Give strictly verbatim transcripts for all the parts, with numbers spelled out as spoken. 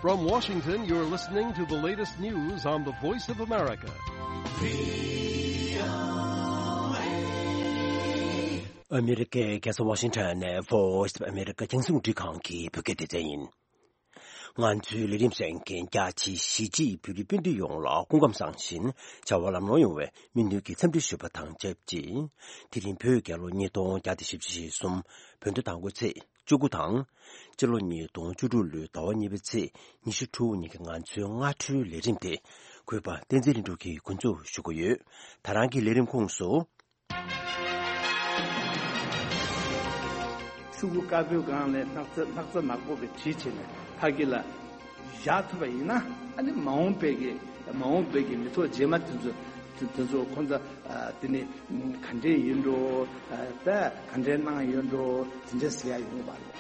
From Washington, you're listening to the latest news on the Voice of America. ཨ་མི་རི་ཀའི་རྒྱལ་ས་ཝ་ཤིང་ཊོན་ནས་Voice of America རྒྱང་སྲིང་རླུང་འཕྲིན་ཁང་གི་བོད་སྐད་སྡེ་ཚན་ཡིན། ང་ཚོའི་ལས་རིམ་གསན་མཁན་རྒྱ་ཆེའི་གཞིས་བྱེས་བོད་རིགས་སྤུན་ཟླ་ཡོངས་ལ་སྐུ་ཁམས་བཟང་ཞིང་བྱ་བ་ལམ་ལྷོང་ཡོང་བའི་སྨོན་འདུན་གྱི་འཚམས་འདྲི་ཞུ་བ་དང་ཆབས་ཅིག་དེ་རིང་བོད་རྒྱལ་ལོ་ཉིས་སྟོང་བརྒྱ་དང་བཞི་བཅུ་ཞེ་གསུམ་བོད་ཟླ་དང་པོའི་ཚེས་བཅུ་དགུ་དང་། སྤྱི་ལོ་ཉིས་སྟོང་བཅུ་དྲུག་ལོའི་ཟླ་བ་གཉིས་པའི་ཚེས་ཉི་ཤུ་དྲུག་ཉིན་གྱི་ང་ཚོའི་སྔ་དྲོའི་ལས་རིམ་དེ་གུས་པ་བསྟན་འཛིན་ལྷུན་གྲུབ་ཀྱིས་འགོ་འཛུགས་ཞུ་གི་ཡོད། ད་རང་གི་ལས་རིམ་ཁོངས་སུ། ཤོག་བུ་དཀར་པོའི་སྒང་ལ་སྣག་ཚ་སྣག་ཚ་ནག་པོ་གི་བྲིས་བྱས་ནས་ཕ་གི་ལ་བཞག་ཐུབ་པ་ཡིན་ན། ཨ་ནི་མ་འོངས་པའི་གི་མ་འོངས་པའི་གི་མི་ཐོག་རྗེས་མ་དེ་ཚོ་དེ་དེ་ཚོ་ཁོང་ཚོ་ཨ་དེ་ནི་ག་འདྲས་ཡིན་འགྲོ། ཨ་ད་ག་འདྲས་གནང་ཡོད་འགྲོ། དེ་འདྲས་ཟེར་ཡ་ཡོང་བ་རེད།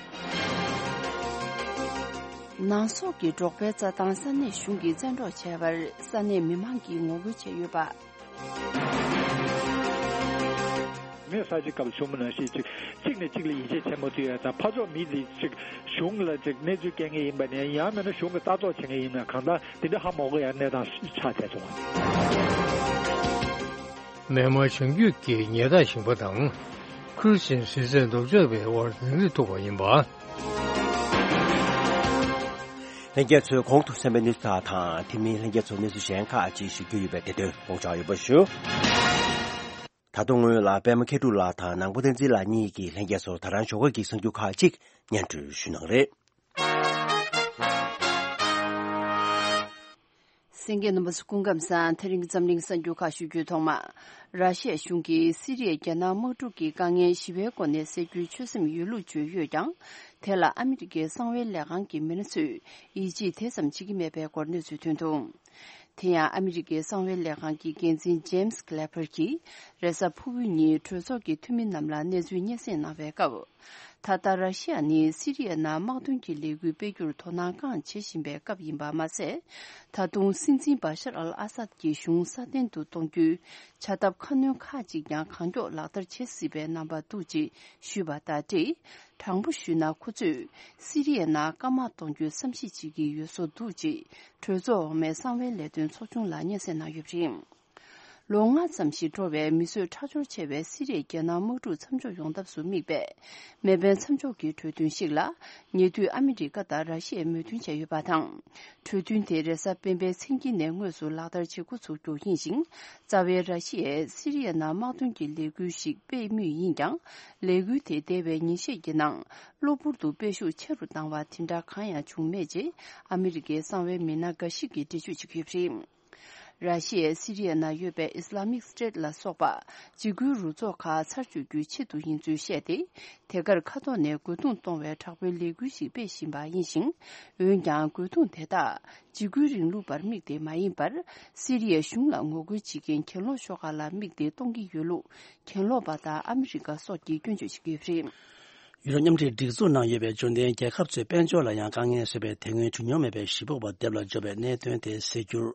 ནང་སོག་གི་འབྲོག་པའི་རྩྭ་ཐང་ས་གནས་གཞུང་གིས་བཙན་འཕྲོག་བྱས་པར་ས་གནས་མི་མང་གིས་ངོ་རྒོལ་བྱས་ཡོད་པ། མེ་ས་ཆ་སྐབས་བྱུང་མི་ནང་བཞིན་ཅིག་གཅིག་ནས་གཅིག་ལ་ཡིད་ཆེས་བྱེད་མ་ཐུབ་ཡ་དང་། ཕར་ཕྱོགས་མི་དེ་ཅིག་གཞུང་ལ་ཅིག་གནས་ཚུལ་སྐྱེལ་མཁན་ཡིན་པ་ནས་ཡང་མིན་ན་གཞུང་གི་ལྟ་རྟོག་བྱེད་མཁན་ཡིན་ན་གང་ལྟར་དེ་འདྲ་ཧ་མ་གོ་ཡ་གནས་སྟངས་ཆགས་བསྡད་སོང་། མེན་མར་བྱང་རྒྱུད་ཀྱི་ཉེ་འདབས་ཞིང་པ་དང་ཁུར་ཆེན་གཟི་རྩེ་ལྡོག་ཕྱོགས་པའི་དབར་འགྲན་རྩོད་ཐུག་པ་ཡིན་པ། ལྷན་རྒྱས་ཚོས་གོང་དུ་གསན་པའི་གནས་ཚུལ་དག་དང་དེ་མིན་ལྷན་རྒྱས་ཚོར་གནས་ཚུལ་གཞན་ཁག་ཅིག་ཞུ་རྒྱུ་ཡོད་པས་དེ་དོན་དགོངས་འཇགས་ཡོད་པ་ཞུ། ད་དུང་སྔོན་ལ་པད་མ་མཁས་གྲུབ་ལགས་དང་ནང་པ་བསྟན་འཛིན་ལགས་གཉིས་ཀྱིས་ལྷན་རྒྱས་ཚོར་ད་རང་ཞོགས་ཀ་གི་གསར་འགྱུར་ཁག་ཅིག་སྙན་སྒྲོན་ཞུ་གནང་རེད། གསན་མཁན་རྣམ་པ་ཚོ་སྐུ་ཁམས་བཟང་། དེ་རིང་གི་འཛམ་གླིང་གསར་འགྱུར་ཁག་ཞུ་རྒྱུའི་ཐོག་མ། ར་ཤི་ཡ་གཞུང་གིས་སི་རི་ཡའི་རྒྱལ་ནང་དམག་འཁྲུག་གི་དཀའ་ངལ་ཞི་བའི་སྒོ་ནས་སེལ་རྒྱུའི་ཆོད་སེམས་ཡོད་ལུགས་བརྗོད་ཡོད་ཀྱང་། དེ་ལ་ཨ་མི་རི་ཀའི་གསང་བའི་ལས་ཁང་གི་མི་སྣ་ཚོས་ཡིད་ཆེས་དེ་ཙམ་བྱེད་ཀྱི་མེད་པའི་སྐོར་གནས་ཚུལ་ཐོན་འདུག་དེ་ཡང་ཨ་མི་རི་ཀའི་གསང་བའི་ལས་ཁང་གི་འགན་འཛིན་ཇེམ་སི་ཀི་ལེ་པར་གྱིས་རེས་གཟའ་ཕུར་བུ་ཉིན་གྲོས་ཚོགས་ཀྱི་འཐུས་མི་རྣམས་ལ་གནས་ཚུལ་སྙན་སེང་གནང་བའི་སྐབས། ད་ལྟ་ར་ཤི་ཡ་ནི་སི་རི་ཡའི་ནང་དམག་དོན་གྱི་ལས་འགུལ་སྤེལ་རྒྱུར་དོ་སྣང་གང་བྱེད་བཞིན་པའི་སྐབས་ཡིན་པ་མ་ཟད། ད་དུང་སྲིད་འཛིན་བ་ཤར་ཨལ་ཨ་སད་ཀྱི་གཞུང་སྲ་བརྟན་དུ་གཏོང་རྒྱུའི་བྱ་ཐབས་ཁ་སྣོན་ཁག་ཅིག་ཀྱང་གང་མགྱོགས་ལག་བསྟར་བྱེད་སྲིད་པའི་རྣམ་པ་འདུག་ཅེས་ཞུས་པ་དང་འབྲེལ། དྲང་པོ་ཞུས་ན་ཁོ་ཚོས་སི་རི་ཡའི་ནང་སྐམ་དམག་གཏོང་རྒྱུའི་བསམ་གཞིག་བྱེད་ཀྱི་ཡོད་བཟོ་འདུག་ཅེས་གྲོས་ཚོགས་འོག་མའི་གསང་བའི་ལས་དོན་ཚོགས་ཆུང་ལ་སྙན་སེང་གནང་ཡོད་པ་རེད། ལོ་ལྔ་ཙམ་ཞིག་འགྲོ་བའི་མི་གསོད་ཁྲག་སྦྱོར་ཆེ་བའི་སི་རི་ཡའི་རྒྱལ་ནང་དམག་འཁྲུག་མཚམས་འཇོག་ཡོང་ཐབས་སུ་དམིགས་པའི་མེ་འཕེན་མཚམས་འཇོག་གི་གྲོས་མཐུན་ཞིག་ལ་ཉེ་དུས་ཨ་མི་རི་ཀ་དང་ར་ཤི་ཡས་མོས་མཐུན་བྱས་ཡོད་པ་དང་། གྲོས་མཐུན་དེ་རེས་གཟའ་སྤེན་པའི་མཚན་དཀྱིལ་ནས་དངོས་སུ་ལག་བསྟར་བྱེད་འགོ་ཚུགས་རྒྱུ་ཡིན་ཞིང་། རྩ་བའི་ར་ཤི་ཡས་སི་རི་ཡའི་ནང་དམག་དོན་གྱི་ལས་འགུལ་ཞིག་སྤེལ་མུས་ཡིན་ཀྱང་། ལས་འགུལ་དེ་འདས་པའི་ཉིན་ཤས་ཀྱི་ནང་གློ་བུར་དུ་སྤེལ་ཤུགས་ཆེ་རུ་བཏང་བ་དེ་འདྲ་གང་ཡང་བྱུང་མེད་ཅེས་ཨ་མི་རི་ཀའི་གསང་བའི་མི་སྣ་འགའ་ཞིག་གིས་འགྲེལ་བརྗོད་བྱེད་ཀྱི་ཡོད་པ་རེད། ར་ཤི་ཡས་སི་རི་ཡའི་ནང་ཡོད་པའི་Islamic State ལ་སོགས་པ་འཇིགས་སྐུལ་རུ་ཚོགས་ཁག་ཚར་གཅོད་རྒྱུའི་ཆེད་དུ་ཡིན་ཚུལ་བཤད་དེ། དེ་གར་མཁའ་ཐོག་ནས་རྒོལ་རྡུང་གཏོང་བའི་དྲག་པོའི་ལས་འགུལ་ཞིག་སྤེལ་བཞིན་པ་ཡིན་ཞིང་། འོན་ཀྱང་རྒོལ་རྡུང་དེ་དག་འཇིགས་སྐུལ་རིང་ལུགས་པར་དམིགས་ཏེ་མ་ཡིན་པར། སི་རི་ཡའི་གཞུང་ལ་ངོ་རྒོལ་བྱེད་མཁན་གྱེན་ལོག་ཤོག་ཁག་ལ་དམིགས་ཏེ་གཏོང་གི་ཡོད་ལུགས་གྱེན་ལོག་པ་དང་ཨ་མི་རི་ཀ་སོགས་ཀྱིས་སྐྱོན་བརྗོད་བྱེད་ཀྱི་ཡོད་པ་རེད། ཡུ་རོབ་མཉམ་འབྲེལ་སྒྲིག་འཛུགས་ནང་ཡོད་པའི་འབྱོར་ལྡན་རྒྱལ་ཁབ་ཚོའི་དཔལ་འབྱོར་ལ་ཡང་དཀའ་ངལ་བཟོས་པའི་དེ་སྔོན་བྱུང་མྱོང་མེད་པའི་གཞི་སྤོབས་པ་སྡེབ་ལ་འཇོག་པའི་གནད་དོན་དེ་སེལ་རྒྱུར།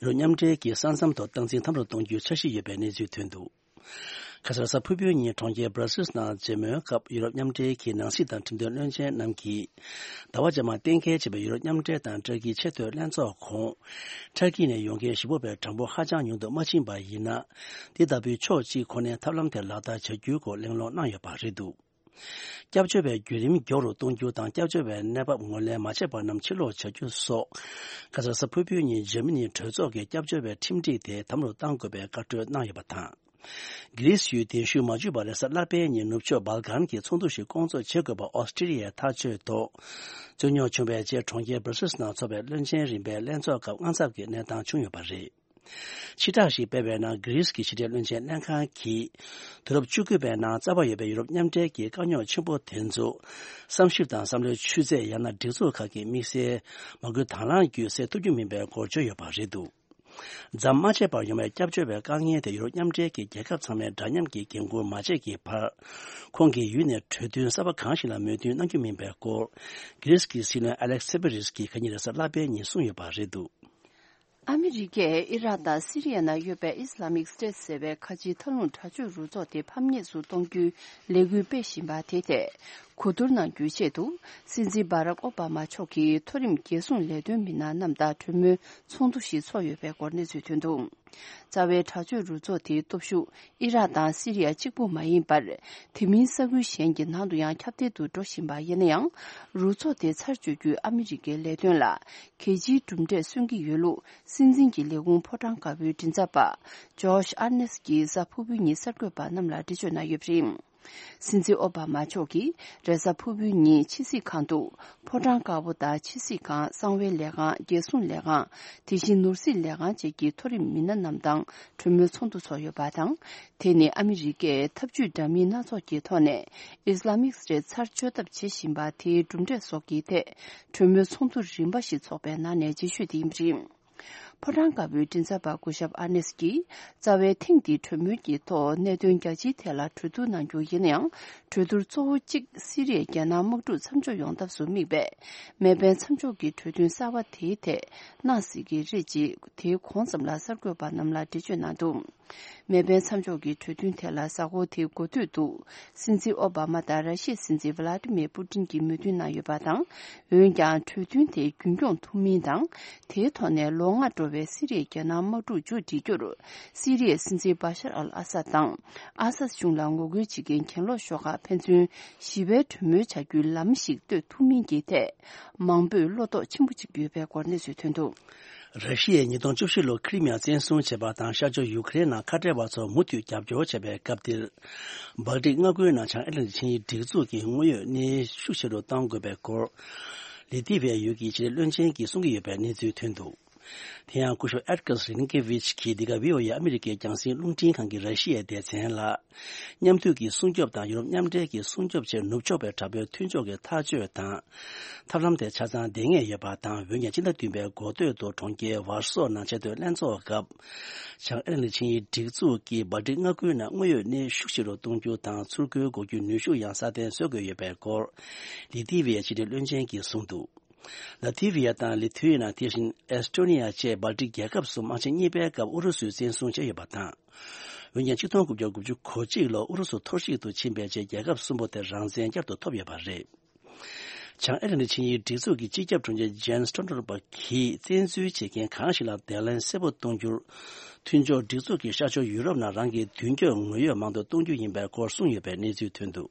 ཡུ་རོབ་མཉམ་འབྲེལ་གྱིས་ས་མཚམས་ཐོག་སྟངས་འཛིན་དམ་རུ་གཏོང་རྒྱུའི་འཆར་གཞི་ཡོད་པའི་གནས་ཚུལ་ཐོན་འདུག་ཁ་སང་གཟའ་ཕུར་བུའི་ཉིན་གྲོང་ཁྱེར་Brussels ནང་མཇལ་མོལ་སྐབས་ཡུ་རོབ་མཉམ་འབྲེལ་གྱི་ནང་སྲིད་དང་ཁྲིམས་དོན་བློན་ཆེན་རྣམས་ཀྱིས། ཟླ་བ་རྗེས་མར་གཏན་འཁེལ་བྱས་པའི་ཡུ་རོབ་མཉམ་འབྲེལ་དང་ཏུར་ཀིའི་ཆེས་མཐོའི་ལྷན་ཚོགས་གོང་། ཏུར་ཀི་ནས་ཡོང་མཁན་གཞི་སྤོབས་པའི་གྲངས་འབོར་ཧ་ཅང་ཉུང་དུ་མ་ཕྱིན་པ་ཡིན་ན། འདི་ལྟ་བུའི་ཕྱོགས་གཅིག་ཁོ་ནའི་ཐབས་ལམ་དེ་ལག་བསྟར་བྱ་རྒྱུའི་སྐོར་གླེང་སློང་གནང་ཡོད་པ་རེད་འདུག་སྐྱབས་བཅོལ་བའི་བརྒྱུད་རིམ་མགྱོགས་རུ་གཏོང་རྒྱུ་དང་། སྐྱབས་བཅོལ་བའི་གནས་བབ་ངོས་ལེན་མ་བྱས་པ་རྣམས་ཕྱིར་ལོག་བྱ་རྒྱུ་སོགས། ཁ་སང་གཟའ་ཕུར་བུའི་ཉིན་འཇར་མ་ནིའི་གྲོས་ཚོགས་ཀྱིས་སྐྱབས་བཅོལ་བའི་ཁྲིམས་སྒྲིག་དེ་དམ་རུ་གཏང་དགོས་པའི་བཀའ་འཁྲོལ་གནང་ཡོད་པ་དང་། གྷི་རིས་ཡུལ་གདན་ཞུས་མ་བྱུང་བར་རེས་གཟའ་ལྷག་པའི་ཉིན་ནུབ་ཕྱོགས་སྦལ་ཀན་གྱི་ཚོགས་འདུ་ཞིག་སྐོང་ཚོགས་བྱེད་དགོས་པ་ཨོ་སི་ཀྲི་ལི་ཡས་ཐག་གཅོད་ཐོག་རྩོད་རྙོག་བྱུང་བའི་རྗེས་གྲོང་ཁྱེར་Brussels ནང་འཚོགས་པའི་བློན་ཆེན་རིམ་པའི་ལྷན་ཚོགས་སྐབས་དངངས་འཚབ་ཀྱི་གནས་སྟངས་བྱུང་ཡོད་པ་རེད། ཕྱིར་བསྒྲགས་ཤིག་སྤེལ་བའི་ནང་། གྷི་རིས་ཀྱི་ཕྱི་འབྲེལ་བློན་ཆེན་ལྷན་ཁང་གིས། དུས་རབས་བཅུ་དགུ་པའི་ནང་རྩ་བ་ཡོད་པའི་ཡུ་རོབ་མཉམ་འབྲེལ་གྱི་དཀའ་རྙོག་ཆེན་པོ་དེ་ཚོ། བསམ་ཞིབ་དང་བསམ་བློའི་ཆུ་ཚད། ཡང་ན་སྒྲིག་འཛུགས་ཁག་གི་དམིགས་བསལ་མ་དགོས་དང་བླངས་བརྒྱུད་སེལ་ཐུབ་རྒྱུ་མིན་པའི་སྐོར་བརྗོད་ཡོད་པ་རེད་འདུག་འཛམ་མ་ཆད་པར་ཡོང་བའི་སྐྱབས་བཅོལ་བའི་དཀའ་ངལ་དེ་ཡུ་རོབ་མཉམ་འབྲེལ་གྱི་རྒྱལ་ཁབ་ཚང་མས་འདྲ་མཉམ་གྱིས་འགན་འཁུར་མ་བྱས་ཀྱི་བར། ཁོང་གིས་ཡུལ་ནས་གྲོས་མཐུན་གསར་པ་གང་ཞིག་ལ་མོས་མཐུན་གནང་རྒྱུ་མིན་པའི་སྐོར། གྷི་རིས་ཀྱི་སྲིད་བློན་ཨ་ལེག་སི་སི་པི་རིས་ཀྱིས་ཁ་ཉིན་རེས་གཟའ་ལྷག་པའི་ཉིན་གསུངས་ཡོད་པ་རེད་འདུག་ཨ་མི་རི་ཀས་ཨི་རག་དང་སི་རི་ཡ་ནང་ཡོད་པའི་Islamic State ཟེར་བའི་ཁ་ཆེའི་མཐའ་ལྷུང་དྲག་སྤྱོད་རུ་ཚོགས་དེ་ཕམ་ཉེས་སུ་གཏོང་རྒྱུའི་ལས་འགུལ་སྤེལ་བཞིན་པ་དེ་ཐད། གོ་བསྡུར་གནང་རྒྱུའི་ཆེད་དུ། སྲིད་འཛིན་བྷ་རག་ཨོ་བྷ་མ་མཆོག་གིས་མཐོ་རིམ་རྒྱལ་སྲུང་ལས་དོན་མི་སྣ་རྣམས་དང་གྲོས་མོལ་ཚོགས་འདུ་ཞིག་ཚོགས་ཡོད་པའི་སྐོར་གནས་ཚུལ་ཐོན་འདུག། རྩ་བའི་དྲག་སྤྱོད་རུ་ཚོགས་དེའི་སྟོབས་ཤུགས་ཨི་རག་དང་སི་རི་ཡ་གཅིག་པུ་མ་ཡིན་པར། དེ་མིན་ས་ཁུལ་གཞན་གྱི་ནང་དུ་ཡང་ཁྱབ་གདལ་དུ་འགྲོ་བཞིན་པ་ཡིན་ན་ཡང་། རུ་ཚོགས་དེ་ཚར་གཅོད་རྒྱུའི་ཨ་མི་རི་ཀའི་ལས་དོན་ལ་གལ་ཆེའི་གྲུབ་འབྲས་སོན་གྱི་ཡོད་ལུགས། སྲིད་འཛིན་གྱི་ལས་ཁུངས་ཕོ་བྲང་དཀར་པོའི་མགྲིན་ཚབ་པ་ཇོ་ཤ་ཨར་ནེ་སི་གིས་གཟའ་ཕུར་བུའི་ཉིན་གསར་འགོད་པ་རྣམས་ལ་འགྲེལ་བརྗོད་གནང་ཡོད་པ་རེད། སྲིད་འཛིན་ཨོ་བྷ་མ་མཆོག་གིས་རེས་གཟའ་ཕུར་བུའི་ཉིན་ཕྱི་སྲིད་ཁང་དུ། ཕོ་བྲང་དཀར་པོ་དང་ཕྱི་སྲིད་ཁང་། གསང་བའི་ལས་ཁང་། རྒྱལ་སྲུང་ལས་ཁང་། དེ་བཞིན་ནོར་སྲིད་ལས་ཁང་བཅས་ཀྱི་མཐོ་རིམ་མི་སྣ་རྣམས་དང་གྲོས་མོལ་ཚོགས་འདུ་ཚོགས་ཡོད་པ་དང་། དེ་ནི་ཨ་མི་རི་ཀས་འཐབ་ཇུས་འདྲ་མིན་སྣ་ཚོགས་ཀྱི་ཐོག་ནས་ཨི་སི་ལ་མིག་སི་ཊའི་ཚར་གཅོད་ཐབས་བྱེད་བཞིན་པ་དེའི་གྲུབ་འབྲས་སོགས་ཀྱི་ཐད་གྲོས་མོལ་ཚོགས་འདུ་རིམ་པ་ཞིག་ཚོགས་པའི་ནང་ནས་རྗེས་ཤོས་དེ་ཡིན་པ་རེད། ཕོ་བྲང་དཀར་པོའི་མགྲིན་ཚབ་པ་སྐུ་ཞབས་ཨར་ནེ་སི་ཀྱིས། རྩ་བའི་ཐེངས་འདིའི་གྲོས་མོལ་གྱི་ཐོག་གནད་དོན་རྒྱ་ཆེའི་ཐད་ལ་གྲོས་བསྡུར་གནང་རྒྱུ་ཡིན་ན་ཡང་། གྲོས་བསྡུར་གཙོ་བོ་གཅིག་སི་རི་ཡའི་རྒྱལ་ནང་དམག་འཁྲུག་མཚམས་འཇོག་ཡོང་ཐབས་སུ་དམིགས་པའི་མེ་འཕེན་མཚམས་འཇོག་གི་གྲོས་མཐུན་གསར་པ་དེའི་ཐད་གནང་སྲིད་ཀྱི་རེད་ཅེས། དེའི་གོང་ཙམ་ལ་གསར་འགོད་པ་རྣམས་ལ་འགྲེལ་བརྗོད་གནང་འདུག། མེ་འཕེན་མཚམས་འཇོག་གི་གྲོས་མཐུན་དེ་ལ་གཟའ་འཁོར་དེའི་འགོ་སྟོད་དུ། སྲིད་འཛིན་ཨོ་བྷ་མ་དང་ར་ཤི་ཡའི་སྲིད་འཛིན་ཝ་ལ་ཏི་མིར་པུ་ཏིན་གྱིས་མོས་མཐུན་གནང་ཡོད་པ་དང་། འོན་ཀྱང་། གྲོས་མཐུན་དེ་རྒྱུན་སྐྱོང་ཐུབ་མིན་དང་། དེའི་ཐོག་ནས་ལོ་ལྔ་འགྲོ་བའི་སི་རི་ཡའི་རྒྱལ་ནང་དམག་འཁྲུག་མཇུག་སྒྲིལ་རྒྱུར། སི་རི་ཡའི་སྲིད་འཛིན་བྷ་ཤར་ཨལ་ཨ་སཱད་དང་། ཨ་སཱད་གཞུང་ལ་ངོ་རྒོལ་བྱེད་མཁན་གྱེན་ལོག་ཤོག་ཁག་ཕན་ཚུན་ཞི་བའི་གྲོས་མོལ་བྱ་རྒྱུའི་ལམ་ཞིག་གཏོད་ཐུབ་མིན་གྱི་ཐད། མང་པོས་བློ་དོགས་ཆེན་པོ་བྱེད་ཀྱི་ཡོད་པའི་སྐོར་གནས་ཚུལ་ཐོན་འདུག། ར་ཤི་ཡས་ཉིས་སྟོང་བཅུ་བཞི་ལོར་ཁི་རི་མི་ཡ་བཙན་བཟུང་བྱས་པ་དང་། ཤར་ཕྱོགས་ཡུ་ཀེ་རེན་ནང་ཁ་བྲལ་བ་ཚོར་མུ་མཐུད་རྒྱབ་སྐྱོར་བྱས་པའི་སྐབས་འདིར། སྦལ་ཏིག་མངའ་ཁུལ་ནང་བྱང་ཨེ་ཊ་ལན་ཊིག་ཆིངས་ཡིག་སྒྲིག་འཛུགས་ཀྱི་དངོས་ཡོད་གནས་ཤུགས་ཆེ་རུ་གཏོང་དགོས་པའི་སྐོར། ལི་ཐི་བའི་ཡུལ་གྱི་ཕྱི་འབྲེལ་བློན་ཆེན་གྱིས་གསུང་གི་ཡོད་པའི་གནས་ཚུལ་ཐོན་འདུག། དེ་ཡང་སྐུ་ཞབས་ཨེད་ཀར་རིན་ཀེ་ཝིཆ་གིས་འདི་ག་ཝི་ཨོ་ཨེ་ཨ་མི་རི་ཀའི་རྒྱང་སྲིང་རླུང་འཕྲིན་ཁང་གི་ར་ཤི་ཡའི་སྡེ་ཚན་ལ། མཉམ་མཐུད་ཀྱི་སྲུང་སྐྱོབ་དང་ཡུ་རོབ་མཉམ་འབྲེལ་གྱི་སྲུང་སྐྱོབ་ཆེད་ནུབ་ཕྱོགས་པའི་དྲག་པོའི་མཐུན་ཕྱོགས་ཀྱི་ཐག་གཅོད་དང་། ཐབས་ལམ་དེ་ཆ་ཚང་བསྡད་ངེས་ཡོད་པ་དང་། འོན་ཀྱང་སྤྱི་ཟླ་བདུན་པའི་འགོ་སྟོད་དུ་གྲོང་ཁྱེར་ཝར་སོ་ནང་ཆེས་མཐོའི་ལྷན་ཚོགས་སྐབས། བྱང་ཨེ་ཊ་ལན་ཊིག་ཆིངས་ཡིག་སྒྲིག་འཛུགས་ཀྱིས་སྦལ་ཏིག་མངའ་ཁུལ་ནང་དངོས་ཡོད་གནས་ཤུགས་ཆེ་རུ་གཏོང་རྒྱུ་དང་། ཚུར་རྒོལ་འགོག་རྒྱུའི་ནུས་ཤུགས་ཡང་སྲ་བརྟན་བཟོ་དགོས་ཡོད་པའི་སྐོར། ལི་ཐི་བི་ཡའི་ཕྱི་འབྲེལ་བློན་ཆེན་གྱིས་གསུངས་འདུག། ལ་ཐི་བི་ཡ་དང་ལི་ཐུ་ཡ་ན། དེ་བཞིན་ཨེ་སི་ཊོ་ནི་ཡ་བཅས་སྦལ་ཏིག་རྒྱལ་ཁབ་གསུམ་དམག་ཆེན་གཉིས་པའི་སྐབས་ཨུ་རུ་སུས་བཙན་བཟུང་བྱས་ཡོད་པ་དང་། འོན་ཀྱང་ཆིག་སྟོང་དགུ་བརྒྱ་དགུ་བཅུ་གོ་གཅིག་ལོར་ཨུ་རུ་སུ་འཐོར་བཤིག་ཏུ་ཕྱིན་པའི་རྗེས། རྒྱལ་ཁབ་གསུམ་པོ་དེ་རང་བཙན་བསྐྱར་དུ་ཐོབ་ཡོད་པ་རེད། བྱང་ཨེ་ཊ་ལན་ཊིག་ཆིངས་ཡིག་སྒྲིག་འཛུགས་ཀྱི་སྤྱི་ཁྱབ་དྲུང་ཆེ་ཇན་སི་སྟོལ་ཊེན་བྷག་གིས། བཙན་འཛུལ་བྱེད་མཁན་གང་ཞིག་ལ་བརྡ་ལན་གསལ་པོ་གཏོང་རྒྱུར། མཐུན་ཕྱོགས་སྒྲིག་འཛུགས་ཀྱིས་ཤར་ཕྱོགས་ཡུ་རོབ་ནང་རང་གི་མདུན་སྐྱོད་ངོ་ཡོད་མང་དུ་གཏོང་རྒྱུ་ཡིན་པའི་སྐོར་གསུངས་ཡོད་པའི་གནས་ཚུལ་ཐོན་འདུག།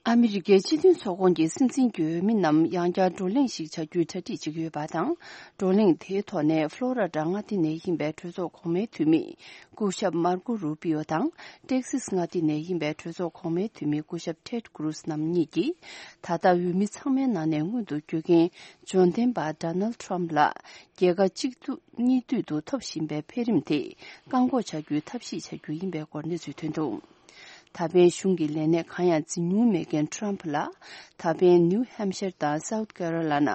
ཨ་མི་རི་ཀའི་སྤྱི་མཐུན་ཚོགས་ཁོངས་ཀྱི་སྲིད་འཛིན་གྱི་འོས་མི་རྣམས་ཡང་བསྐྱར་བགྲོ་གླེང་ཞིག་བྱ་རྒྱུའི་གྲ་སྒྲིག་བྱེད་ཀྱི་ཡོད་པ་དང་། བགྲོ་གླེང་དེའི་ཐོག་ནས་ཕློ་ར་ཌ་མངའ་སྡེ་ནས་ཡིན་པའི་གྲོས་ཚོགས་གོང་མའི་འཐུས་མི་སྐུ་ཞབས་མར་ཀོ་རུ་པི་ཡོ་དང་། ཏེག་སིས་མངའ་སྡེ་ནས་ཡིན་པའི་གྲོས་ཚོགས་གོང་མའི་འཐུས་མི་སྐུ་ཞབས་ཊེད་ཀུ་རུས་རྣམ་གཉིས་ཀྱིས། ད་ལྟ་འོས་མི་ཚང་མའི་ནང་ནས་མངོན་དུ་གྱུར་མཁན་འབྱོར་ལྡན་པ་ཌོ་ནལ་ཌི་ཊརམ་ཕི་ལ། རྒྱལ་ཁ་གཅིག་སྡུད་གཉིས་སྡུད་དུ་ཐོབ་བཞིན་པའི་འཕེལ་རིམ་དེ་བཀག་འགོག་བྱ་རྒྱུའི་ཐབས་ཤེས་བྱ་རྒྱུ་ཡིན་པའི་སྐོར་གནས་ཚུལ་ཐོན་འདུག། ད་ཕན་གཞུང་གི་ལས་གནས་གང་ཡང་འཛིན་མྱོང་མེད་མཁན་ཊརམ་ཕི་ལ། ད་ཕན་ནིའུ་ཧེམ་ཤར་དང་སའུ་ཐི་ཀེ་རོ་ལ་ན།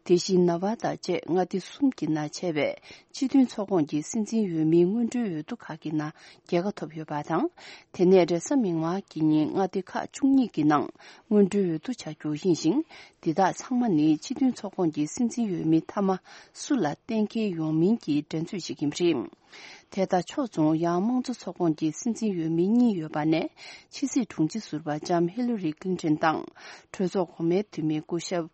དེ་བཞིན་ནེ་ཝ་ད་བཅས་མངའ་སྡེ་གསུམ་གྱི་ནང་བྱས་པའི་སྤྱི་མཐུན་ཚོགས་ཁོངས་ཀྱི་སྲིད་འཛིན་འོས་མིའི་སྔོན་འགྲོའི་འོས་བསྡུ་ཁག་གི་ནང་རྒྱལ་ཁ་ཐོབ་ཡོད་པ་དང་། དེ་ནས་རེས་གཟའ་མིག་དམར་གྱི་ཉིན་མངའ་སྡེ་ཁག་བཅུ་གཉིས་ཀྱི་ནང་སྔོན་འགྲོའི་འོས་བསྡུ་བྱ་རྒྱུ་ཡིན་ཞིང་། འདི་དག་ཚང་མ་ནི་སྤྱི་མཐུན་ཚོགས་ཁོངས་ཀྱི་སྲིད་འཛིན་འོས་མི་མཐའ་མ་སུ་ལ་གཏན་འཁེལ་ཡོང་མིན་གྱི་འགྲན་རྩོད་ཅིག་ཡིན་པ་རེད། དེ་དག་ཕྱོགས་མཚུངས་ཡང་དམངས་གཙོ་ཚོགས་ཁོངས་ཀྱི་སྲིད་འཛིན་འོས་མི་གཉིས་ཡོད་པ་ནས། ཕྱི་སྲིད་དྲུང་ཆེ་ཟུར་པ་ལྕམ་ཧི་ལ་རི་ཀླིན་ཏོན་དང་། གྲོས་ཚོགས་གོང་མའི་འཐུས་མི་སྐུ་ཞབས་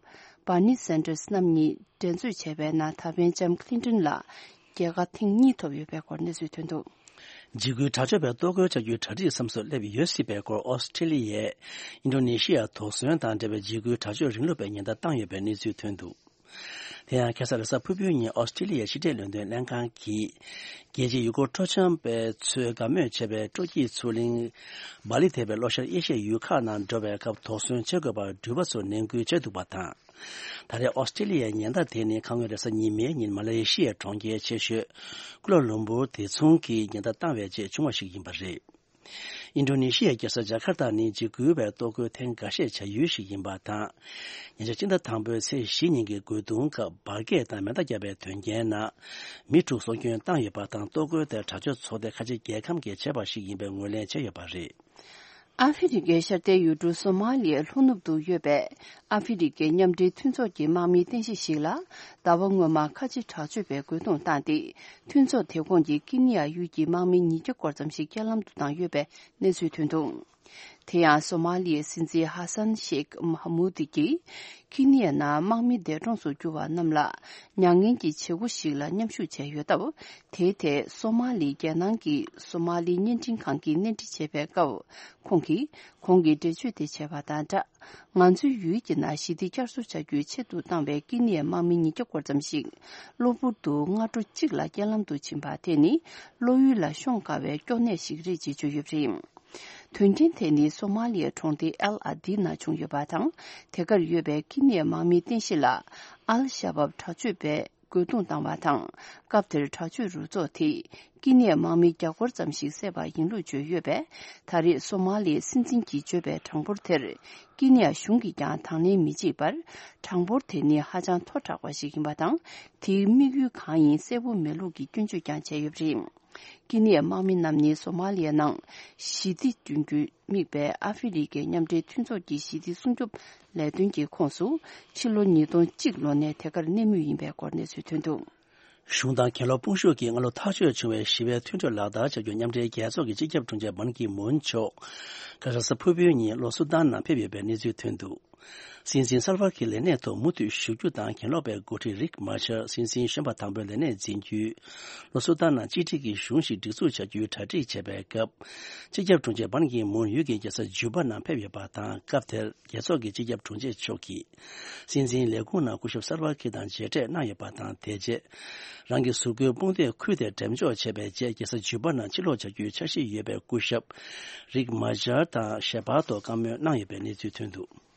བྷར་ནི་སན་ཏར་སི་རྣམ་གཉིས་འགྲན་རྩོད་བྱས་པའི་ནང་། ད་ཕན་ལྕམ་ཀླིན་ཏོན་ལ་རྒྱལ་ཁ་ཐེངས་གཉིས་ཐོབ་ཡོད་པའི་སྐོར་གནས་ཚུལ་ཐོན་འདུག། འཇིགས་སྐུལ་དྲག་སྤྱོད་པའི་གཏོར་རྒོལ་བྱ་རྒྱུའི་གྲ་སྒྲིག་མཚམས་སུ་སླེབས་ཡོད་སྲིད་པའི་སྐོར། ཨོ་སི་ཀྲི་ལི་ཡས་ཨིན་ཌོ་ནེ་ཤི་ཡ་དོགས་ཟོན་དང་འབྲེལ་བའི་འཇིགས་སྐུལ་དྲག་སྤྱོད་རིང་ལུགས་པའི་ཉེན་བརྡ་བཏང་ཡོད་པའི་གནས་ཚུལ་ཐོན་འདུག། དེ་ཡང་ཁ་སང་རེས་གཟའ་ཕུར་བུའི་ཉིན་ཨོ་སི་ཀྲི་ལི་ཡའི་ཕྱི་འབྲེལ་ལས་དོན་ལྷན་ཁང་གིས། རྒྱལ་སྤྱིའི་ཡུལ་སྐོར་སྤྲོ་འཆམ་པ་ཚོས་དགའ་མོས་བྱེད་པའི་སྤྲོ་སྐྱིད་མཚོ་གླིང་། སྦ་ལི་ཐེ་བའི་ལྷོ་ཤར་ཨེ་ཤི་ཡའི་ཡུལ་ཁག་ནང་འགྲོ་བའི་སྐབས་དོགས་ཟོན་བྱེད་དགོས་པར་འགྲུལ་པ་ཚོར་ནན་སྐུལ་བྱས་འདུག་པ་དང་། ད་རེས་ཨོ་སི་ཀྲི་ལི་ཡའི་ཉེན་བརྡ་དེ་ནི་ཁ་སྔོན་རེས་གཟའ་ཉི་མའི་ཉིན་མ་ལེ་ཤི་ཡའི་གྲོང་ཁྱེར་ཆེ་ཤོས་ཀུ་ལ་ལུམ་བུར་དེ་མཚུངས་ཀྱི་ཉེན་བརྡ་བཏང་བའི་རྗེས་བྱུང་བ་ཞིག་ཡིན་པ་རེད། ཨིན་ཌོ་ནེ་ཤི་ཡའི་རྒྱལ་ས་ཇ་ཁར་ཏ་ནི་འཇིགས་སྐུལ་བའི་གཏོར་རྒོལ་ཐེངས་འགའ་ཤས་བྱ་ཡུལ་ཞིག་ཡིན་པ་དང་། ཉེ་ཆར་སྤྱི་ཟླ་དང་པོའི་ཚེས་བཞི་ཉིན་གྱི་རྒོལ་རྡུང་སྐབས་འབར་གས་དང་མེ་མདའ་བརྒྱབ་པའི་དོན་རྐྱེན་ནང་མི་དྲུག་སྲོག་སྐྱོན་བཏང་ཡོད་པ་དང་། གཏོར་རྒོལ་དེར་དྲག་སྤྱོད་ཚོགས་སྡེ་ཁ་ཆེ་རྒྱལ་ཁམས་ཀྱིས་བྱས་པ་ཞིག་ཡིན་པའི་ངོས་ལེན་བྱས་ཡོད་པ་རེད། ཨ་ཧྥེ་རི་ཁའི་ཤར་མཐའི་ཡུལ་གྲུ་སོ་མ་ལི་ཡའི་ལྷོ་ནུབ་ཏུ་ཡོད་པའི་ཨ་ཧྥེ་རི་ཁའི་མཉམ་འབྲེལ་མཐུན་ཚོགས་ཀྱི་དམག་མིའི་རྟེན་གཞི་ཞིག་ལ། ཟླ་བ་སྔོན་མ་ཁ་ཆེ་དྲག་སྤྱོད་པས་རྒོལ་རྡུང་བཏང་སྟེ། མཐུན་ཚོགས་དེ་ཁོངས་ཀྱི་ཀི་ནི་ཡ་ཡུལ་གྱི་དམག་མི་ཉིས་བརྒྱ་སྐོར་ཙམ་ཞིག་རྐྱེན་ལམ་དུ་བཏང་ཡོད་པའི་གནས་ཚུལ་ཐོན་འདུག། དེ་ཡང་སོ་མ་ལི་ཡའི་སྲིད་འཛིན་ཧ་སན་ཤེག་མ་ཧ་མུ་དི་གིས་ཁི་ནི་ཡ་ནང་དམག་མི་འདས་གྲོངས་སུ་གྱུར་བ་རྣམས་ལ་མྱ་ངན་གྱི་བྱེད་སྒོ་ཞིག་ལ་མཉམ་ཞུགས་བྱས་ཡོད་སྟབས། དེའི་ཐད་སོ་མ་ལིའི་རྒྱལ་ནང་གི་སོ་མ་ལི་བརྙན་འཕྲིན་ཁང་གིས་གནས་འདྲི་བྱས་པའི་སྐབས། ཁོང་གིས་གོང་གི་འགྲེལ་བརྗོད་དེ་བྱས་པ་དང་སྦྲགས། ང་ཚོའི་ཡུལ་གྱི་ནང་ཞི་བདེ་བསྐྱར་གསོ་བྱ་རྒྱུའི་ཆེད་དུ་བཏང་བའི་ཀི་ནི་ཡའི་དམག་མི་ཉིས་བརྒྱ་སྐོར་ཙམ་ཞིག་གློ་བུར་དུ་སྔ་དྲོ་གཅིག་ལ་རྐྱེན་ལམ་དུ་ཕྱིན་པ་དེ་ནི་བློ་ཡུལ་ལ་ཤོང་དཀའ་བའི་སྐྱོ་གནས་ཤིག་རེད་ཅེས་བརྗོད་ཡོད་པ་རེད། དོན་རྐྱེན་དེ་ནི་སོ་མ་ལི་ཡའི་གྲོང་སྡེ་ཨལ་ཨ་དི་ནང་བྱུང་ཡོད་པ་དང་། དེ་གར་ཡོད་པའི་ཀི་ནི་ཡའི་དམག་མིའི་རྟེན་གཞི་ལ་ཨལ་ཤ་བབ་དྲག་སྤྱོད་པས་རྒོལ་རྡུང་བཏང་བ་དང་། སྐབས་དེར་དྲག་སྤྱོད་རུ་ཚོགས་དེས་ཀི་ནི་ཡའི་དམག་མི་བརྒྱ་སྐོར་ཙམ་ཞིག་བསད་པ་ཡིན་ལུགས་བརྗོད་ཡོད་པས། ད་རེས་སོ་མ་ལིའི་སྲིད་འཛིན་གྱིས་བརྗོད་པའི་གྲངས་འབོར་དེར་ཀི་ནི་ཡ་གཞུང་གིས་ཀྱང་དང་ལེན་མི་བྱེད་པར། གྲངས་འབོར་དེ་ནི་ཧ་ཅང་མཐོ་དྲགས་པ་ཞིག་ཡིན་པ་དང་། དེའི་དམིགས་ཡུལ་གང་ཡིན་གསལ་པོ་མེད་ལུགས་ཀྱི་སྐྱོན་བརྗོད་ཀྱང་བྱས་ཡོད་པ་རེད། ཀི་ནི་ཡའི་དམག་མི་རྣམས་ནི་སོ་མ་ལི་ཡ་ནང་ཞི་བདེ་བསྐྲུན་རྒྱུའི་དམིགས་པའི་ཨ་ཧྥེ་རི་ཁའི་མཉམ་འབྲེལ་མཐུན་ཚོགས་ཀྱི་ཞི་བདེ་སྲུང་སྐྱོབ་ལས་དོན་གྱི་ཁོངས་སུ་ཕྱི་ལོ་ཉིས་སྟོང་གཅིག་ལོ་ནས་དེ་གར་གནས་མུས་ཡིན་པའི་སྐོར་གནས་ཚུལ་ཐོན་འདུག། གཞུང་དང་གྱེན་ལོག་དཔུང་ཤུགས་ཀྱིས་སྔ་ལོ་ཐག་གཅོད་བྱུང་བའི་ཞི་བའི་མཐུན་གྲོས་ལག་བསྟར་བྱ་རྒྱུ་མཉམ་འབྲེལ་རྒྱལ་ཚོགས་ཀྱི་སྤྱི་ཁྱབ་དྲུང་ཆེ་བན་ཀི་མུན་མཆོག་ཁ་ས་ཕུར་བུའི་ཉིན་ལྷོ་སུ་དཱན་ནང་ཕེབས་ཡོད་པའི་གནས་ཚུལ་ཐོན་འདུག། སྲིད་འཛིན་སལ་ཝ་ཁིར་ལས་གནས་ཐོག་མུ་མཐུད་བཞུགས་རྒྱུ་དང་། གྱེན་ལོག་པའི་འགོ་ཁྲིད་རིག་མཱ་ཤར་སྲིད་འཛིན་གཞོན་པ་དང་པོའི་ལས་གནས་འཛིན་རྒྱུའི་ལྷོ་སུ་དཱན་ནང་གཅིག་སྒྲིལ་གྱི་གཞུང་ཞིག་སྒྲིག་འཛུགས་བྱ་རྒྱུའི་གྲ་སྒྲིག་བྱས་པའི་སྐབས། སྤྱི་ཁྱབ་དྲུང་ཆེ་བན་ཀི་མུན་ཡུལ་གྱི་རྒྱལ་ས་ཇུ་པ་ནང་ཕེབས་ཡོད་པ་དང་། སྐབས་དེར་རྒྱལ་ཚོགས་ཀྱི་སྤྱི་ཁྱབ་དྲུང་ཆེ་མཆོག་གིས་སྲིད་འཛིན་ལས་ཁུངས་ནང་སྐུ་ཞབས་སལ་ཝ་ཁིར་དང་མཇལ་འཕྲད་གནང་ཡོད་པ་དང་། དེ་རྗེས་རང་གི་གཟུགས་པོའི་དཔུང་སྡེ་ཁུར་ཏེ་འགྲེམས་འཇོག་བྱས་པའི་རྗེས། རྒྱལ་ས་ཇུ་པ་ནང་ཕྱིར་ལོག་བྱ་རྒྱུའི་འཆར་གཞི་ཡོད་པའི་སྐུ་ཞབས་རིག་མཱ་ཤར་དང་ཞལ་པར་ཐོག་བཀའ་མོལ་གནང་ཡོད་པའི་གནས་ཚུལ་ཐོན་འདུག།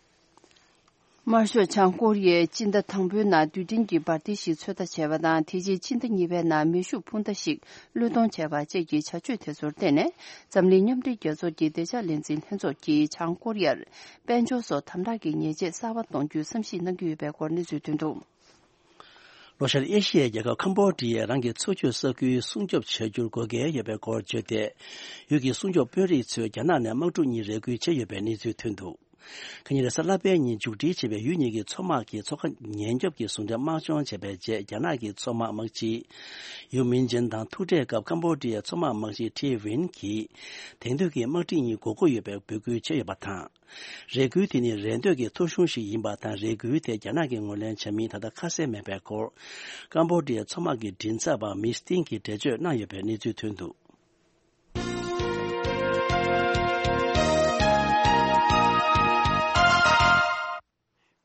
དམར་ཤོག་བྱང་ཀོ་རི་ཡས་སྤྱི་ཟླ་དང་པོའི་ནང་རྡུལ་ཕྲན་གྱི་འབར་མདེལ་ཞིག་ཚོད་ལྟ་བྱས་པ་དང་། དེ་རྗེས་སྤྱི་ཟླ་གཉིས་པའི་ནང་མེ་ཤུགས་འཕུར་མདའ་ཞིག་བློས་གཏོང་བྱས་པ་བཅས་ཀྱི་བྱ་སྤྱོད་དེ་ཚོར་བརྟེན་ནས། འཛམ་གླིང་མཉམ་འབྲེལ་རྒྱལ་ཚོགས་ཀྱི་བདེ་འཇགས་ལས་འཛིན་ལྷན་ཚོགས་ཀྱིས་བྱང་ཀོ་རི་ཡར་དཔལ་འབྱོར་སོགས་དམ་དྲག་གི་ཉེས་ཆད་གསར་པ་གཏོང་རྒྱུའི་བསམ་གཞིག་གནང་གི་ཡོད་པའི་སྐོར་གནས་ཚུལ་ཐོན་འདུག། ལྷོ་ཤར་ཨེ་ཤི་ཡའི་རྒྱལ་ཁབ་ཁམ་བྷོ་ཌི་ཡས་རང་གི་འཚོ་བཅུད་ས་ཁུལ་སྲུང་སྐྱོབ་བྱ་རྒྱུར་དགོས་གལ་ཡོད་པའི་སྐོར་བརྗོད་དེ། ཡུལ་གྱི་སྲུང་སྐྱོབ་དཔོན་རིགས་ཚོས་རྒྱ་ནག་ནས་དམག་འཁྲུག་གཉིས་རེ་སྐུལ་བྱས་ཡོད་པའི་གནས་ཚུལ་ཐོན་འདུག། ཁ་ཉིན་རེས་གཟའ་ལྷག་པའི་ཉིན་མཇུག་སྒྲིལ་བྱས་པའི་ཡུལ་གཉིས་ཀྱི་མཚོ་དམག་གིས་མཚོ་ཁ་ཉེན་སྐྱོབ་ཀྱི་ཟུང་འབྲེལ་དམག་སྦྱོང་བྱས་པའི་རྗེས། རྒྱ་ནག་གི་མཚོ་དམག་དམག་སྤྱི་ཡུ་མིན་ཅན་དང་ཐུག་འཕྲད་སྐབས། ཁམ་བྷོ་ཌི་ཡའི་མཚོ་དམག་དམག་སྤྱི་ཐི་ཝིན་གྱིས་དེང་དུས་ཀྱི་དམག་ཁྲིམས་གཉིས་དགོས་མཁོ་ཡོད་པའི་འབོད་སྐུལ་བྱས་ཡོད་པ་དང་། རེ་སྐུལ་དེ་ནི་རེ་འདོད་ཀྱི་ཐོ་གཞུང་ཞིག་ཡིན་པ་དང་། རེ་སྐུལ་དེ་རྒྱ་ནག་གིས་ངོས་ལེན་བྱ་མིན་ད་ལྟ་ཁ་གསལ་མེད་པའི་སྐོར། ཀམ་བྷོ་ཌི་ཡའི་མཚོ་དམག་གི་མགྲིན་ཚབ་པ་མིས་ཏིན་གྱིས་འགྲེལ་བརྗོད་གནང་ཡོད་པའི་གནས་ཚུལ་ཐོན་འདུག།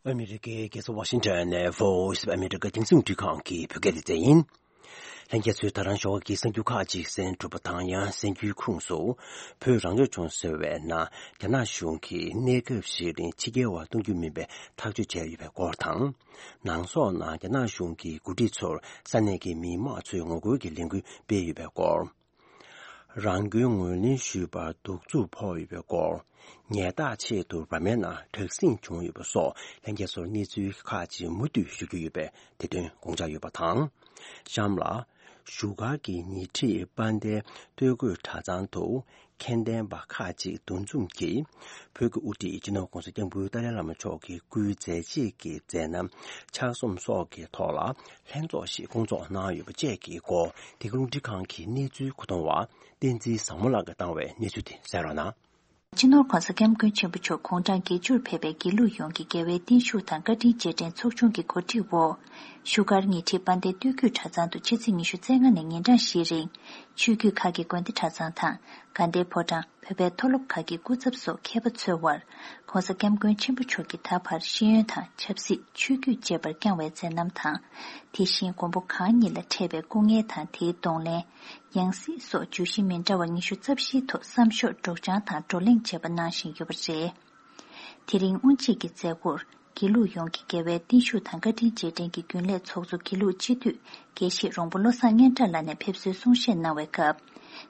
ཨ་མི་རི་ཀའི་རྒྱལ་ས་ཝ་ཤིང་ཊོན་ནས་Voice of America་རྒྱང་སྲིང་འཕྲིན་ཁང་གི་བོད་སྐད་སྡེ་ཚན་ཡིན། ལྷན་རྒྱས་ཚོས་ད་རང་ཞོགས་ཀྱི་གསར་འགྱུར་ཁག་ཅིག་གསན་གྲུབ་པ་དང་། ཡང་གསར་འགྱུར་ཁུངས་སུ་བོད་རང་སྐྱོང་ལྗོངས་ཟེར་བའི་ནང་རྒྱ་ནག་གཞུང་གིས་གནས་སྐབས་ཤིག་རིང་ཕྱི་རྒྱལ་བ་གཏོང་རྒྱུ་མིན་པའི་ཐག་གཅོད་བྱས་ཡོད་པའི་སྐོར་དང་། ནང་སོག་ནང་རྒྱ་ནག་གཞུང་གིས་འགོ་ཁྲིད་ཚོར་ས་གནས་ཀྱི་མི་མང་ཚོས་ངོ་རྒོལ་གྱི་ལས་འགུལ་སྤེལ་ཡོད་པའི་སྐོར། རང་སྐྱོན་ངོས་ལེན་ཞུས་པར་གདུག་རྩུབ་ཕོག་ཡོད་པའི་སྐོར། ཉལ་ཐག་ཆེད་དུ་བར་མའི་ནང་དྲག་ཟིང་བྱུང་ཡོད་པ་སོགས་ལྷན་རྒྱས་ཚོར་གནས་ཚུལ་ཁག་ཅིག་མུ་མཐུད་ཞུ་རྒྱུ་ཡོད་པས། དེ་དོན་དགོངས་འཇགས་ཡོད་པ་དང་། གཤམ་ལ། བཞུགས་སྒར་གྱི་ཉེ་འཁྲིས་དཔལ་ལྡན་སྟོད་གོས་གྲྭ་ཚང་དུ་མཁྱེན་ལྡན་པ་ཁག་ཅིག་འདུ་འཛོམས་ཀྱིས་བོད་ཀྱི་དབུ་ཁྲིད་སྤྱི་ནོར་༸གོང་ས་༸སྐྱབས་མགོན་ཏཱ་ལའི་བླ་མ་མཆོག་གི་སྐུའི་མཛད་རྗེས་ཀྱི་མཛད་རྣམ་ཕྱག་རྩོམ་སོགས་ཀྱི་ཐོག་ལ་ལྷན་ཚོགས་ཤིག་བསྐོང་ཚོགས་གནང་ཡོད་པ་བཅས་ཀྱི་སྐོར། འདི་ག་རླུང་འཕྲིན་ཁང་གི་གནས་ཚུལ་མཁོ་གཏོང་བ་བསྟན་འཛིན་བཟང་མོ་ལགས་ཀྱིས་བཏང་བའི་གནས་ཚུལ་དེ་གསན་རོགས་གནང་། སྤྱི་ནོར་༸གོང་ས་༸སྐྱབས་མགོན་ཆེན་པོ་མཆོག་དགུང་གྲངས་བརྒྱད་ཅུར་ཕེབས་པའི་དགེ་ལུགས་ཡོངས་ཀྱི་རྒྱལ་བའི་བརྟན་བཞུགས་དང་བཀའ་དྲིན་རྗེས་དྲན་ཚོགས་ཆུང་གི་གོ་སྒྲིག་འོག་བཞུགས་སྒར་ཉེ་འཁྲིས་དཔལ་ལྡན་སྟོད་རྒྱུད་གྲྭ་ཚང་དུ་ཕྱི་ཚེས་ཉི་ཤུ་རྩ་ལྔ་ནས་ཉིན་གྲངས་བཞིའི་རིང་ཆོས་བརྒྱུད་ཁག་གི་དགོན་སྡེ་གྲྭ་ཚང་དང་དགའ་ལྡན་ཕོ་བྲང་། བོད་པའི་མཐོ་སློབ་ཁག་གི་སྐུ་ཚབ་སོགས་མཁས་པ་ཚོའི་དབར། ༸གོང་ས་༸སྐྱབས་མགོན་ཆེན་པོ་མཆོག་གི་ད་བར་ཤེས་ཡོན་དང་ཆབ་སྲིད། ཆོས་བརྒྱུད་བཅས་པར་བསྐྱངས་བའི་མཛད་རྣམ་དང་། དེ་བཞིན་མགོན་པོ་གང་ཉིད་ལ་འཕྲད་པའི་སྐུ་ངལ་དང་དེའི་གདོང་ལེན། ཡང་སྲིད་སོགས་བརྗོད་གཞི་མི་འདྲ་བ་ཉི་ཤུ་རྩ་བཞིའི་ཐོག་བསམ་ཤོག་སྒྲོག་སྦྱང་དང་བགྲོ་གླེང་བྱས་པ་གནང་བཞིན་ཡོད་པ་རེད། དེ་རིང་དབུ་འབྱེད་ཀྱི་མཛད་སྒོར། དགེ་ལུགས་ཡོངས་ཀྱི་རྒྱལ་བའི་བརྟན་བཞུགས་དང་བཀའ་དྲིན་རྗེས་དྲན་གྱི་རྒྱུན་ལས་ཚོགས་གཙོ་དགེ་ལུགས་སྤྱི་འཐུས་དགེ་བཤེས་རོང་པོ་བློ་བཟང་སྙན་གྲགས་ལགས་ནས་ཕེབས་བསུའི་གསུང་བཤད་གནང་བའི་སྐབས།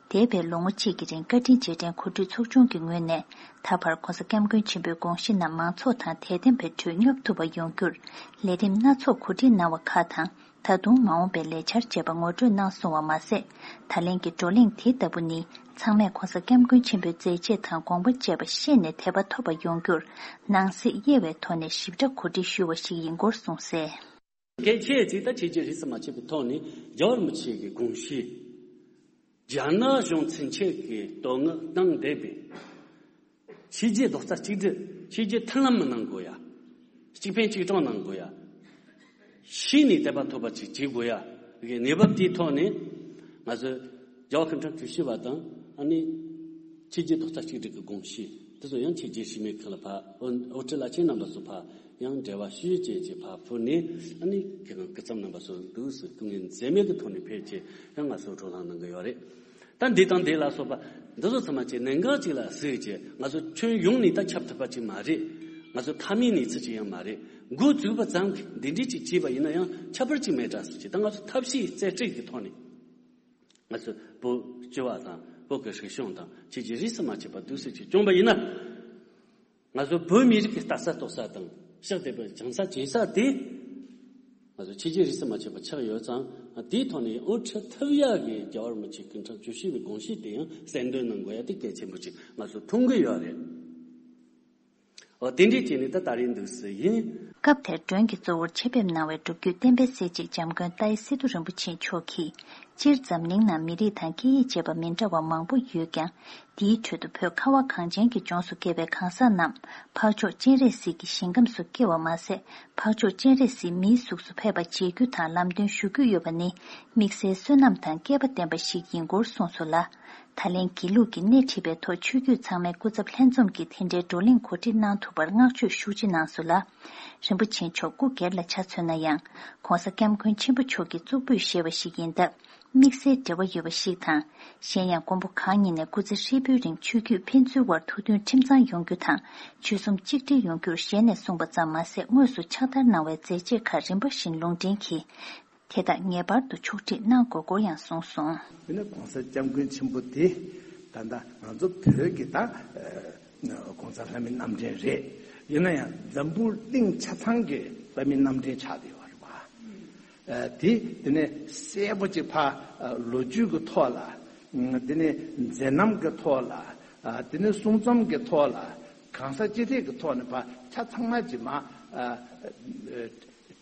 འདས་པའི་ལོ་ངོ་གཅིག་གི་རིང་བཀའ་དྲིན་རྗེས་དྲན་གོ་སྒྲིག་ཚོགས་ཆུང་གི་ངོས་ནས་ད་བར་༸གོང་ས་༸སྐྱབས་མགོན་ཆེན་པོའི་དགོངས་གཞི་རྣམས་མང་ཚོགས་དང་དད་ལྡན་པའི་ཁྲོད་སྙོབ་ཐུབ་པ་ཡོང་རྒྱུར་ལས་རིམ་སྣ་ཚོགས་གོ་སྒྲིག་གནང་བ་ཁག་དང་། ད་དུང་མ་འོངས་པའི་ལས་འཆར་བཅས་པ་ངོ་སྤྲོད་གནང་སོང་བ་མ་ཟད། ད་ལན་གྱི་བགྲོ་གླེང་དེ་ལྟ་བུ་ནི་ཚང་མས་༸གོང་ས་༸སྐྱབས་མགོན་ཆེན་པོའི་མཛད་རྗེས་དང་དགོངས་པ་བཅས་པ་ཤེས་ནས་དད་པ་ཐོབ་པ་ཡོང་རྒྱུར་ནང་གསེས་དབྱེ་བའི་ཐོག་ནས་ཞིབ་ཕྲ་གོ་སྒྲིག་ཞུས་པ་ཞིག་ཡིན་སྐོར་གསུངས་གསལ། གལ་ཆེ་ཚིག་ད་ཆེ་ཆེ་རིས་སུ་མ་ཆད་པའི་ཐོག་ནས་རྒྱལ་བ་རིན་པོ་ཆེ་གི་དགོངས་གཞི། རྒྱ་ནག་གཞུང་ཚུན་ཆད་ཀྱི་དོན་དངོས་སྟངས་འདས་པའི། ཕྱི་རྒྱལ་རྡོག་རྩ་གཅིག་སྒྲིལ། ཕྱི་རྒྱལ་མཐུན་ལམ་མི་གནང་དགོས་ཡ། གཅིག་ཕན་གཅིག་གྲོགས་གནང་དགོས་ཡ། ཤེས་ནས་དད་པ་ཐོབ་པ་ཅིག་བྱེད་དགོས་ཡ། གི་གནས་བབ་དེའི་ཐོག་ནས་ང་ཚོས་རྒྱལ་བ་སྐུ་ཕྲེང་བཅུ་བཞི་པ་དང་ཨ་ནི་ཕྱི་རྒྱལ་རྡོག་རྩ་གཅིག་སྒྲིལ་གྱི་དགོངས་གཞི་དེ་ཚོ་ཡང་ཕྱི་རྒྱལ་ཕྱི་མི་ཁག་ལ་ཕར་དབུ་ཁྲིད་བླ་ཆེན་རྣམ་པ་ཚོ་ཕར་ཡང་འབྲེལ་བ་ཞུས་བྱས་ཀྱི་ཕར་ཕུལ་ནས་ཨ་ནི་སྐུ་ཁམས་རྣམ་པ་ཚོ་འདུག་སེ་སྐུ་ངལ་འཛེམས་མེད་ཀྱི་ཐོག་ནས་ཕེབས་བྱས་ཡང་ང་ཚོ་བགྲོ་གླེང་གནང་གི་ཡོད་རེད། ད་འདི་དང་འདི་ལ་སོགས་པ་འདི་ཚོ་ཚང་མ་ཅིག་གནད་འགག་ཅིག་ལ་གཟིགས་བྱས་ང་ཚོ་ཁྱོན་ཡོངས་ནས་ད་ཁྱབ་ཐུབ་པ་ཅིག་མ་རེད། ང་ཚོ་མཐའ་མའི་གནས་ཚུལ་ཅིག་ཡང་མ་རེད། འགོ་བཙུགས་པ་ཙམ་གྱིས་འདི་འདྲས་ཅིག་བྱས་པ་ཡིན་ན་ཡང་ཁྱད་པར་ཅིག་མེད་དྲ་ཟེར་གྱི་ད་ང་ཚོ་ཐབས་ཤེས་རྩལ་སྤྲུགས་ཀྱི་ཐོག་ནས་ང་ཚོ་བོད་སྤྱི་བ་དང་བོད་ཀྱི་རིག་གཞུང་དང་ཁྱེད་ཀྱིས་རིས་སུ་མ་ཆད་པ་འདུག་སེ་ཅིག་བསྐྱོན་པ་ཡིན་ན། ང་ཚོ་བོད་མི་རིགས་ཀྱི་ལྟ་ས་རྟོགས་ས་དང་ཕྱག་དེ་བའི་བྱང་ས་བྱེད་ས་དེ་ང་ཚོ་ཕྱི་རྒྱལ་རིས་སུ་མ་ཆད་པ་ཆགས་ཡོད་ཙང་དེའི་ཐོག་ནས་དབུ་ཁྲིད་ཐུབ་ཡག་གི་རྒྱལ་བ་རིན་པོ་ཆེ་སྐུ་ཕྲེང་བཅུ་བཞི་པའི་དགོངས་གཞི་དེ་ཡང་གསལ་འདོན་གནང་དགོས་ཡ་དེ་གལ་ཆེན་པོ་ཅིག་ང་ཚོ་མཐོང་གི་ཡོད་རེད། འོ་དེ་འདྲས་བྱས་ནས་ད་ད་རེས་འདུག་སེ་ཡིན། སྐབས་དེར་མགྲོན་གྱི་གཙོ་བོར་ཆེད་ཕེབས་གནང་བའི་སྒྲུབ་བརྒྱུད་བསྟན་པའི་སྲས་གཅིག་འཇམ་མགོན་ཏཱའི་སི་ཏུ་རིན་པོ་ཆེ་མཆོག་གིས། སྤྱིར་འཛམ་གླིང་ནང་མི་རིགས་དང་སྐད་ཡིག་བཅས་པ་མི་འདྲ་བ་མང་པོ་ཡོད་ཀྱང་། འདིའི་ཁྲོད་དུ་བོད་ཁ་བ་གངས་ཅན་གྱི་ལྗོངས་སུ་སྐྱེས་པའི་གང་ཟག་རྣམས་འཕགས་མཆོག་སྤྱན་རས་གཟིགས་ཀྱི་ཞིང་ཁམས་སུ་སྐྱེ་བ་མ་ཟད། འཕགས་མཆོག་སྤྱན་རས་གཟིགས་མིའི་གཟུགས་སུ་ཕེབས་པ་མཇལ་རྒྱུ་དང་ལམ་སྟོན་ཞུ་རྒྱུ་ཡོད་པ་ནི་དམིགས་བསལ་བསོད་ནམས་དང་སྐལ་པ་ལྡན་པ་ཞིག་ཡིན་སྐོར་གསུངས་སོང་ལ། ད་ལན་དགེ་ལུགས་ཀྱིས་སྣེ་ཁྲིད་པའི་ཐོག་ཆོས་བརྒྱུད་ཚང་མའི་སྐུ་ཚབ་ལྷན་འཛོམས་ཀྱིས་དེ་འདྲའི་བགྲོ་གླེང་གོ་སྒྲིག་གནང་ཐུབ་པར་བསྔགས་བརྗོད་ཤུགས་ཆེ་གནང་སོང་ལ། རིན་པོ་ཆེ་མཆོག་སྐུ་སྒེར་ལ་ཆ་མཚོན་ན་ཡང་། ྋགོང་ས་ྋསྐྱབས་མགོན་ཆེན་པོ་མཆོག་གིས་གཙུག་ཕུད་བཞེས་པ་ཞིག་ཡིན་སྟབས། དམིགས་བསལ་འབྲེལ་བ་ཡོད་པ་ཞིག་དང་། གཞན་ཡང་མགོན་པོ་གང་ཉིད་ནས་སྐུ་ཚེ་ཧྲིལ་པོའི་རིང་ཆོས་བརྒྱུད་ཕན་ཚུན་དབར་ཐུགས་མཐུན་ཁྲིམས་གཙང་ཡོང་རྒྱུ་དང་། ཆོལ་གསུམ་གཅིག་སྒྲིལ་ཡོང་རྒྱུར་ཞལ་ནས་གསུངས་པ་ཙམ་མ་ཟད་དངོས་སུ་ཕྱག་བསྟར་གནང་བའི་མཛད་རྗེས་ཁག་རིམ་པ་བཞིན་ལུང་འདྲེན་གྱིས། དེ་དག་ངེས་པར་དུ་ཕྱོགས་སྒྲིག་གནང་དགོས་སྐོར་ཡང་གསུངས་སོང་། དེ་ནས་ྋགོང་ས་ྋསྐྱབས་མགོན་ཆེན་པོ་དེ་ད་ལྟ་ང་ཚོ་བོད་ཀྱི་ད་ཨ་༸གོང་ས་ལྷ་མིའི་རྣམ་འདྲེན་རེད། ཡིན་ན་ཡང་འཛམ་བུ་གླིང་ཆ་ཚང་གི་ལྷ་མིའི་རྣམ་འདྲེན་ཆགས་བསྡད་ཡོད་རེད་པ། ཨ་དེ་དེ་ནས་གསལ་པོ་ཅིག་ཕ་ཨ་ལོ་རྒྱུས་ཀྱི་ཐོག་ལ། ཨ་དེ་ནས་མཛད་རྣམ་གྱི་ཐོག་ལ། ཨ་དེ་ནས་གསུང་རྩོམ་གྱི་ཐོག་ལ། གང་ཟག་སྤྱི་སྟེགས་ཀྱི་ཐོག་ནས་ཕ་ཆ་ཚང་མ་ཅིག་མ་ཨ་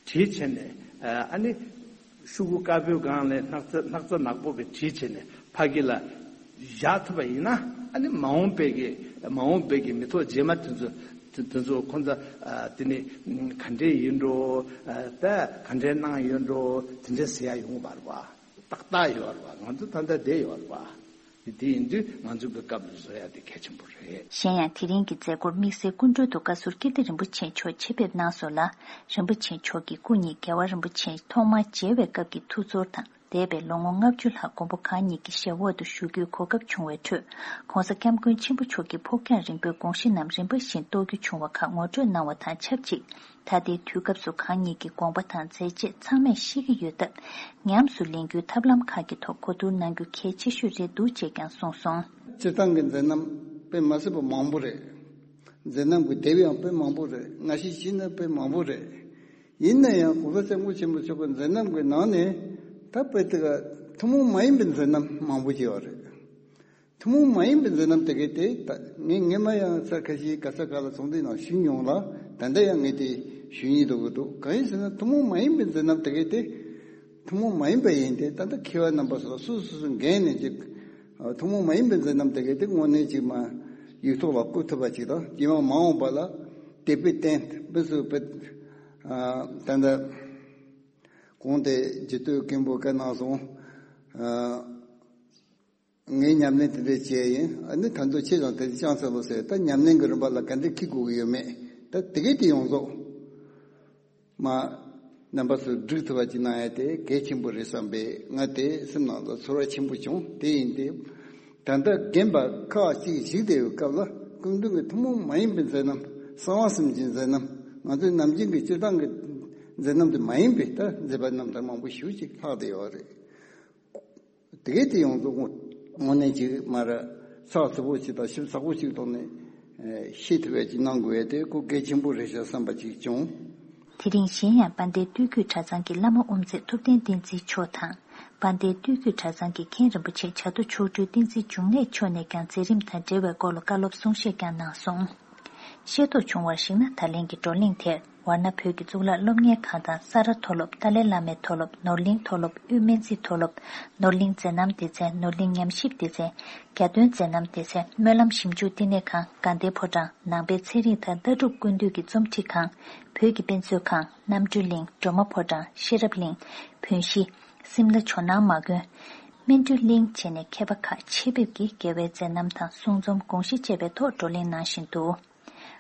བྲིས་བྱས་ནས་ཨ་ནི་ཤོག་གུ་དཀར་པོའི་སྒང་ལ་སྣག་ཚ་སྣག་ཚ་ནག་པོ་གི་བྲིས་བྱས་ནས་ཕ་གི་ལ་བཞག་ཐུབ་པ་ཡིན་ན། ཨ་ནི་མ་འོངས་པའི་གི་མ་འོངས་པའི་གི་མི་ཐོག་རྗེས་མ་དེ་ཚོ་དེ་ཚོ་ཁོང་ཚོ་ཨ་དེ་ནི་ག་འདྲས་ཡིན་འགྲོ། ཨ་ད་ག་འདྲས་གནང་ཡོད་འགྲོ། དེ་འདྲས་ཟེར་ཡ་ཡོང་བར་བ་ཏག་ཏག་ཡོད་རེད་བ། ང་ཚོ་ད་ལྟ་བསྡད་ཡོད་རེད་བ། དེ་ཡིན་དུས་ང་ཚོ་གི་སྐབས་ལ་བཟོ་ཡ་དེ་གལ་ཆེན་པོ་རེད། གཞན་ཡང་དེ་རིང་གི་མཛད་སྒོར་དམིགས་བསལ་སྐུ་མགྲོན་དུ་བཀའ་ཟུར་ཀིརྟི་རིན་པོ་ཆེ་མཆོག་ཆེད་ཕེབས་གནང་སོང་ལ། རིན་པོ་ཆེ་མཆོག་གི་སྐུ་ཉིད་རྒྱལ་བ་རིན་པོ་ཆེ་ཐོག་མར་མཇལ་བའི་སྐབས་ཀྱི་ཐུགས་ཚོར་དང་། འདས་པའི་ལོ་ངོ་ལྔ་བཅུ་ལྷག་མགོན་པོ་གང་ཉིད་ཀྱི་ཞབས་འོག་ཏུ་བཞུགས་རྒྱུའི་གོ་སྐབས་བྱུང་བའི་ཁྲོད། ྋགོང་ས་ྋསྐྱབས་མགོན་ཆེན་པོ་མཆོག་གི་ཕུགས་རྒྱང་རིང་པོའི་དགོངས་གཞི་རྣམས་རིམ་པ་བཞིན་རྟོགས་རྒྱུ་བྱུང་བ་ཁག་ངོ་སྤྲོད་གནང་བ་དང་ཆབས་ཅིག་ད་ལྟའི་དུས་སྐབས་སུ་གང་ཉིད་ཀྱི་དགོངས་པ་དང་མཛད་རྗེས་ཚང་མས་ཤེས་ཀྱི་ཡོད་སྟབས། ཉམས་སུ་ལེན་རྒྱུའི་ཐབས་ལམ་ཁག་གི་ཐོག་གོ་བསྡུར་གནང་རྒྱུ་གལ་ཆེ་ཤོས་རེད་འདུག་ཅེས་ཀྱང་གསུངས་སོང་། སྤྱིར་བཏང་གི་མཛད་རྣམ་དཔེ་མ་སྲིད་པ་མང་པོ་རེད། མཛད་རྣམ་གྱི་དེབ་ཡང་དཔེ་མང་པོ་རེད། སྔ་ཕྱི་ཕྱི་ནས་དཔེ་མང་པོ་རེད། ཡིན་ན་ཡང་གོང་ས་སྐྱབས་མགོན་ཆེན་པོ་མཆོག་གི་མཛད་རྣམ་གྱི་ནང་ནས་ད་དཔེ་དེ་ག་ཐུན་མོང་མ་ཡིན་པའི་མཛད་རྣམ་མང་པོ་ཞིག་ཡོད་རེད། ཐུན་མོང་མ་ཡིན་པའི་མཛད་རྣམ་དེ་གའི་དེ་ད་ངས་སྔས་མ་ཡང་ཚར་ཁ་ཤས་ག་ས་ག་ལ་ཚོགས་འདུའི་ནང་ཞུས་མྱོང་ལ། ད་ལྟ་ཡང་ངས་དེ་ཞུ་སྙིང་འདོད་ཀྱི་འདུག་གང་ཡིན་ཟེར་ན་ཐུན་མོང་མ་ཡིན་པའི་མཛད་རྣམ་དེ་གའི་དེ་ཐུན་མོང་མ་ཡིན་པ་ཡིན་ཏེ། ད་ལྟ་མཁས་པ་རྣམ་པ་ཚོ་ལ་སོ་སོ་སོ་འགན་ནས་ཅིག་ཐུན་མོང་མ་ཡིན་པའི་མཛད་རྣམ་དེ་གའི་དེ་དངོས་གནས་ཅིག་མ་ཡིག་ཐོག་ལ་བཀོད་ཐུབ་པ་ཅིག་དང་། རྗེས་མ་མ་འོངས་པ་ལ་དེ་དཔེ་བསྟན་དཔེ་སུ་དཔེ་ད་ལྟ་གོང་དེ་རྒྱུད་སྟོད་མཁན་པོ་བཀའ་གནང་སོང་། ངས་ཉམས་ལེན་དེ་འདྲ་བྱས་ཡིན། ཨ་ནི་ད་དུང་ཁྱེད་ཀྱང་དེ་འདྲ་བསྐྱངས་ཚར་ལོ་ཟེར། ད་ཉམས་ལེན་གྱི་རིམ་པ་ལ་ག་འདྲ་འཁྱེར་དགོས་ཀྱི་ཡོད་མེད། ད་དེ་གས་དེ་ཡོངས་རྫོགས་མ་རྣམ་པ་ཚོས་སྒྲུབ་ཐུབ་པ་ཅིག་གནང་ཡ་དེ་གལ་ཆེན་པོ་རེད་བསམ་པས། ང་དེ་སེམས་ནང་ལ་ཚོར་བ་ཆེན་པོ་བྱུང་། དེ་ཡིན་ཏེ། ད་ལྟ་རྒན་པ་ཁག་ཅིག་བཞུགས་བསྡད་ཡོད་སྐབས་ལ་སྐུ་མདུན་གྱི་ཐུན་མོང་མ་ཡིན་པའི་མཛད་རྣམ། གསང་བ་གསུམ་གྱི་མཛད་རྣམ། ང་ཚོའི་ནམ་རྒྱུན་གྱི་སྤྱིར་བཏང་གི་མཛད་རྣམ་དེ་མ་ཡིན་པའི་ད་མཛད་པ་རྣམ་ཐར་མང་པོ་ཞེ་པོ་ཅིག་ལྷག་བསྡད་ཡོད་རེད། དེ་གས་དེ་ཡོངས་རྫོགས་དངོས་གནས་ཅིག་མ་ར་ཚགས་ཚུད་པོ་ཅིག་དང་ཞིབ་ཚགས་པོ་ཅིག་ཐོག་ནས་ཤེས་ཐུབ་པ་ཅིག་གནང་དགོས་ཡ་དེ་ཁོ་གལ་ཆེན་པོ་རེད་ཤག་བསམ་པ་ཅིག་བྱུང་། དེ་རིང་གཞན་ཡང་དཔལ་ལྡན་སྟོད་རྒྱུད་གྲྭ་ཚང་གི་བླ་མ་དབུ་མཛད་ཐུབ་བསྟན་བསྟན་འཛིན་མཆོག་དང་། དཔལ་ལྡན་སྟོད་རྒྱུད་གྲྭ་ཚང་གི་མཁན་རིན་པོ་ཆེ་བྱ་རྡོ་མཆོག་སྤྲུལ་བསྟན་འཛིན་འབྱུང་གནས་མཆོག་ནས་ཀྱང་མཛད་རིམ་དང་འབྲེལ་བའི་སྐོར་ལ་བཀའ་སློབ་གསུང་བཤད་ཀྱང་གནང་སོང་། ཤེས་རྟོགས་བྱུང་བར་གཞིགས་ན། ད་ལན་གྱི་བགྲོ་གླེང་དེར་ ཝཱ་ཎ་བོད་ཀྱི་གཙུག་ལག་སློབ་གཉེར་ཁང་དང་ས་རཱ་མཐོ་སློབ། ཏཱ་ལའི་བླ་མའི་མཐོ་སློབ། ནོར་གླིང་མཐོ་སློབ། དབུས་སྨན་རྩིས་མཐོ་སློབ། ནོར་གླིང་མཛད་རྣམ་སྡེ་ཚན། ནོར་གླིང་ཉམས་ཞིབ་སྡེ་ཚན། གྱ་སྟོན་མཛད་རྣམ་སྡེ་ཚན། སྨོན་ལམ་ཞིབ་འཇུག་བསྟི་གནས་ཁང་། དགའ་ལྡན་ཕོ་བྲང་། ནང་པའི་ཚན་རིག་དང་ལྟ་གྲུབ་ཀུན་འདུས་ཀྱི་རྩོམ་སྒྲིག་ཁང་། བོད་ཀྱི་དཔེ་མཛོད་ཁང་། རྣམ་གྲོལ་གླིང་། སྒྲོལ་མ་ཕོ་བྲང་། ཤེས་རབ་གླིང་། བོན་གཞིས། སིམ་ལ་ཇོ་ནང་མ་དགོན། སྨིན་གྲོལ་གླིང་བཅས་ནས་མཁས་པ་ཁག་ཆེད་ཕེབས་ཀྱིས་རྒྱལ་བའི་མཛད་རྣམ་དང་གསུང་རྩོམ་དགོངས་གཞི་བཅས་པའི་ཐོག་བགྲོ་གླེང་གནང་བཞིན་འདུག་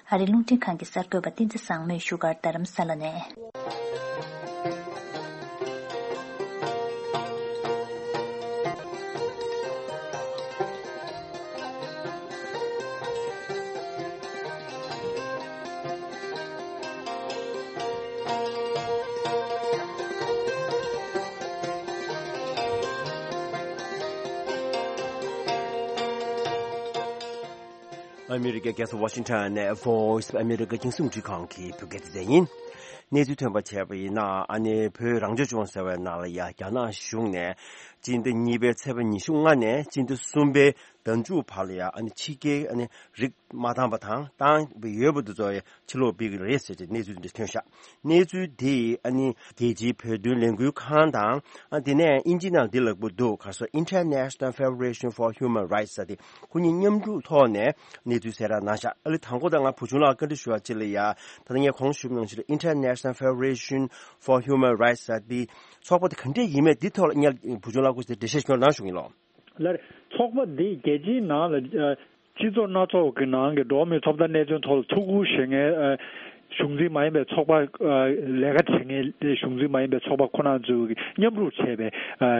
ཨ་རིའི་རླུང་འཕྲིན་ཁང་གི་གསར་འགོད་པ་བསྟན་འཛིན་བཟང་མོས་བཞུགས་སྒར་རྡ་རམ་ས་ལ་ནས། ཨ་མི་རི་ཀའི་རྒྱལ་ས་ཝ་ཤིང་ཊོན་ནས་Voice of America རྒྱང་སྲིང་རླུང་འཕྲིན་ཁང་གི་བོད་སྐད་སྡེ་ཚན་ཡིན། གནས་ཚུལ་ཐོན་པ་བྱས་པ་ཡིན་ན། ཨ་ནི་བོད་རང་སྐྱོང་ལྗོངས་ཟེར་བའི་ནང་ལ་ཡ་རྒྱ་ནག་གཞུང་ནས་སྤྱི་ཟླ་གཉིས་པའི་ཚེས་པ་ཉི་ཤུ་ལྔ་ནས་སྤྱི་ཟླ་གསུམ་པའི་ཟླ་མཇུག་བར་ལ་ཡ། ཨ་ནི་ཕྱི་རྒྱལ་ཨ་ནི་རིགས་མ་དྭངས་པ་དང་བཏང་བ་ཡོད་པ་དེ་ཚོ་ཡ་ཕྱིར་སློག་སྤེལ་གྱི་རེད་ཟེར་ཏེ་གནས་ཚུལ་འདི་ཐོན་ཤག་གནས་ཚུལ་འདི་ཨ་ནི་རྒྱལ་སྤྱིའི་བོད་དོན་ལས་འགུལ་ཁང་དང་། ཨ་དེ་ནས་ཨིན་ཇི་ནང་འདི་ལབ་ཀྱི་འདུག་ག་སོ། International Federation for Human Rights ཟེར་ཏེ་ཁོ་གཉིས་མཉམ་རུབ་ཐོག་ནས་གནས་ཚུལ་གསལ་བསྒྲགས་གནང་ཤག་ཨ་ལེ། དང་པོ་ད་ང་བུ་ཆུང་ལགས་བཀའ་འདྲི་ཞུ་བ་ཅིག་ལ་ཡ། ད་ལྟ་ངས་གོང་ཞུས་ནང་བཞིན་International Federation for Human Rights ཟེར་ཏེ་ཚོགས་པ་དེ་ག་འདྲས་ཡིན་མེད་འདི་ཐོག་ལ་ངས་བུ་ཆུང་ལགས་སྐུ་ཚེ་འགྲེལ་བཤད་ཞུ་གནང་ཞུ་གི་ཡིན་ལོ། ལར་ཚོགས་པ་འདི་རྒྱལ་སྤྱིའི་ནང་ལ་ཨ་སྤྱི་ཚོགས་སྣ་ཚོགས་ཀྱི་ནང་གི་འགྲོ་བ་མིའི་ཐོབ་ཐང་གནད་དོན་ཐོག་ལ་ཐུགས་ཁུར་བཞེས་མཁན་ཨ་གཞུང་འཛིན་མ་ཡིན་པའི་ཚོགས་པ། ཨ་ལས་ཀ་བྱེད་མཁན་གཞུང་འཛིན་མ་ཡིན་པའི་ཚོགས་པ་ཁོ་ན་ཚོས་མཉམ་རུབ་བྱས་པའི་ཨ་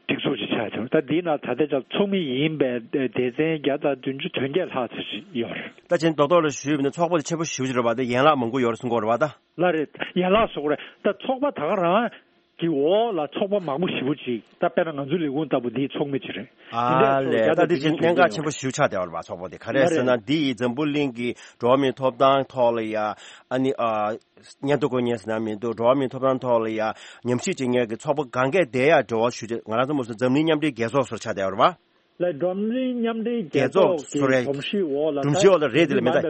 སྒྲིག་འཛུགས་ཅིག་ཆགས་བྱུང་། ད་འདིའི་ནང་ད་ལྟའི་ཆར་ཚོགས་མི་ཡིན་པའི་སྡེ་ཚན་བརྒྱ་དང་བདུན་ཅུ་དོན་བརྒྱད་ལྷག་ཙམ་ཞིག་ཡོད་རེད། ད་ཅིག་རྡོག་རྡོག་ལ་ཞུས་པ་ཡིན་ན་ཚོགས་པ་དེ་ཆེན་པོ་ཞེ་པོ་ཅིག་རེད་པ། དེ་ཡན་ལག་མང་པོ་ཡོད་རེད་གསུང་གི་ཡོད་རེད་པ། ད་ལགས་རེད། ཡན་ལག་བཟོ་གི་རེད། ད་ཚོགས་པ་ད་ག་རང་གི་འོག་ལ་ཚོགས་པ་མང་པོ་ཞེ་པོ་ཅིག་ད་དཔེར་ན་ང་ཚོའི་ལས་ཁུངས་ལྟ་བུ་འདིའི་ཚོགས་མི་ཅིག་རེད། ཨ་ལས། ད་འདི་བཞིན་གནད་འགག་ཆེན་པོ་ཞེ་པོ་ཆགས་བསྡད་པ་རེད་པ། ཚོགས་པ་དེ་ག་རེ་རེད་ཟེར་ན། འདི་ཡི་འཛམ་བུ་གླིང་གི་འགྲོ་བ་མིའི་ཐོབ་ཐང་ཐོག་ལ་ཡ། ཨ་ནི་ཨ་སྙན་ཐོ་འགོད་མཁན་ཟེར་ན་མི་འདུག་འགྲོ་བ་མིའི་ཐོབ་ཐང་ཐོག་ལ་ཡ་ཉམས་ཞིབ་བྱེད་མཁན་གྱི་ཚོགས་པ་གང་གས་དེ་ཡ་འབྲེལ་བ་ཞུ་ཆེད་ང་རང་ཚོ་མ་སུ་འཛམ་གླིང་མཉམ་འབྲེལ་རྒྱལ་ཚོགས་སོར་ཆགས་བསྡད་པ་རེད་པ། ལ་འཛམ་གླིང་མཉམ་འབྲེལ་རྒྱལ་རྒྱལ་ཚོགས་ཚོགས་ཀྱི་སོ་རེད། སྒྲོམ་གཞིའི་འོག་ལ། སྒྲོམ་གཞིའི་འོག་ལ་རེད། དེ་ལ་མེད་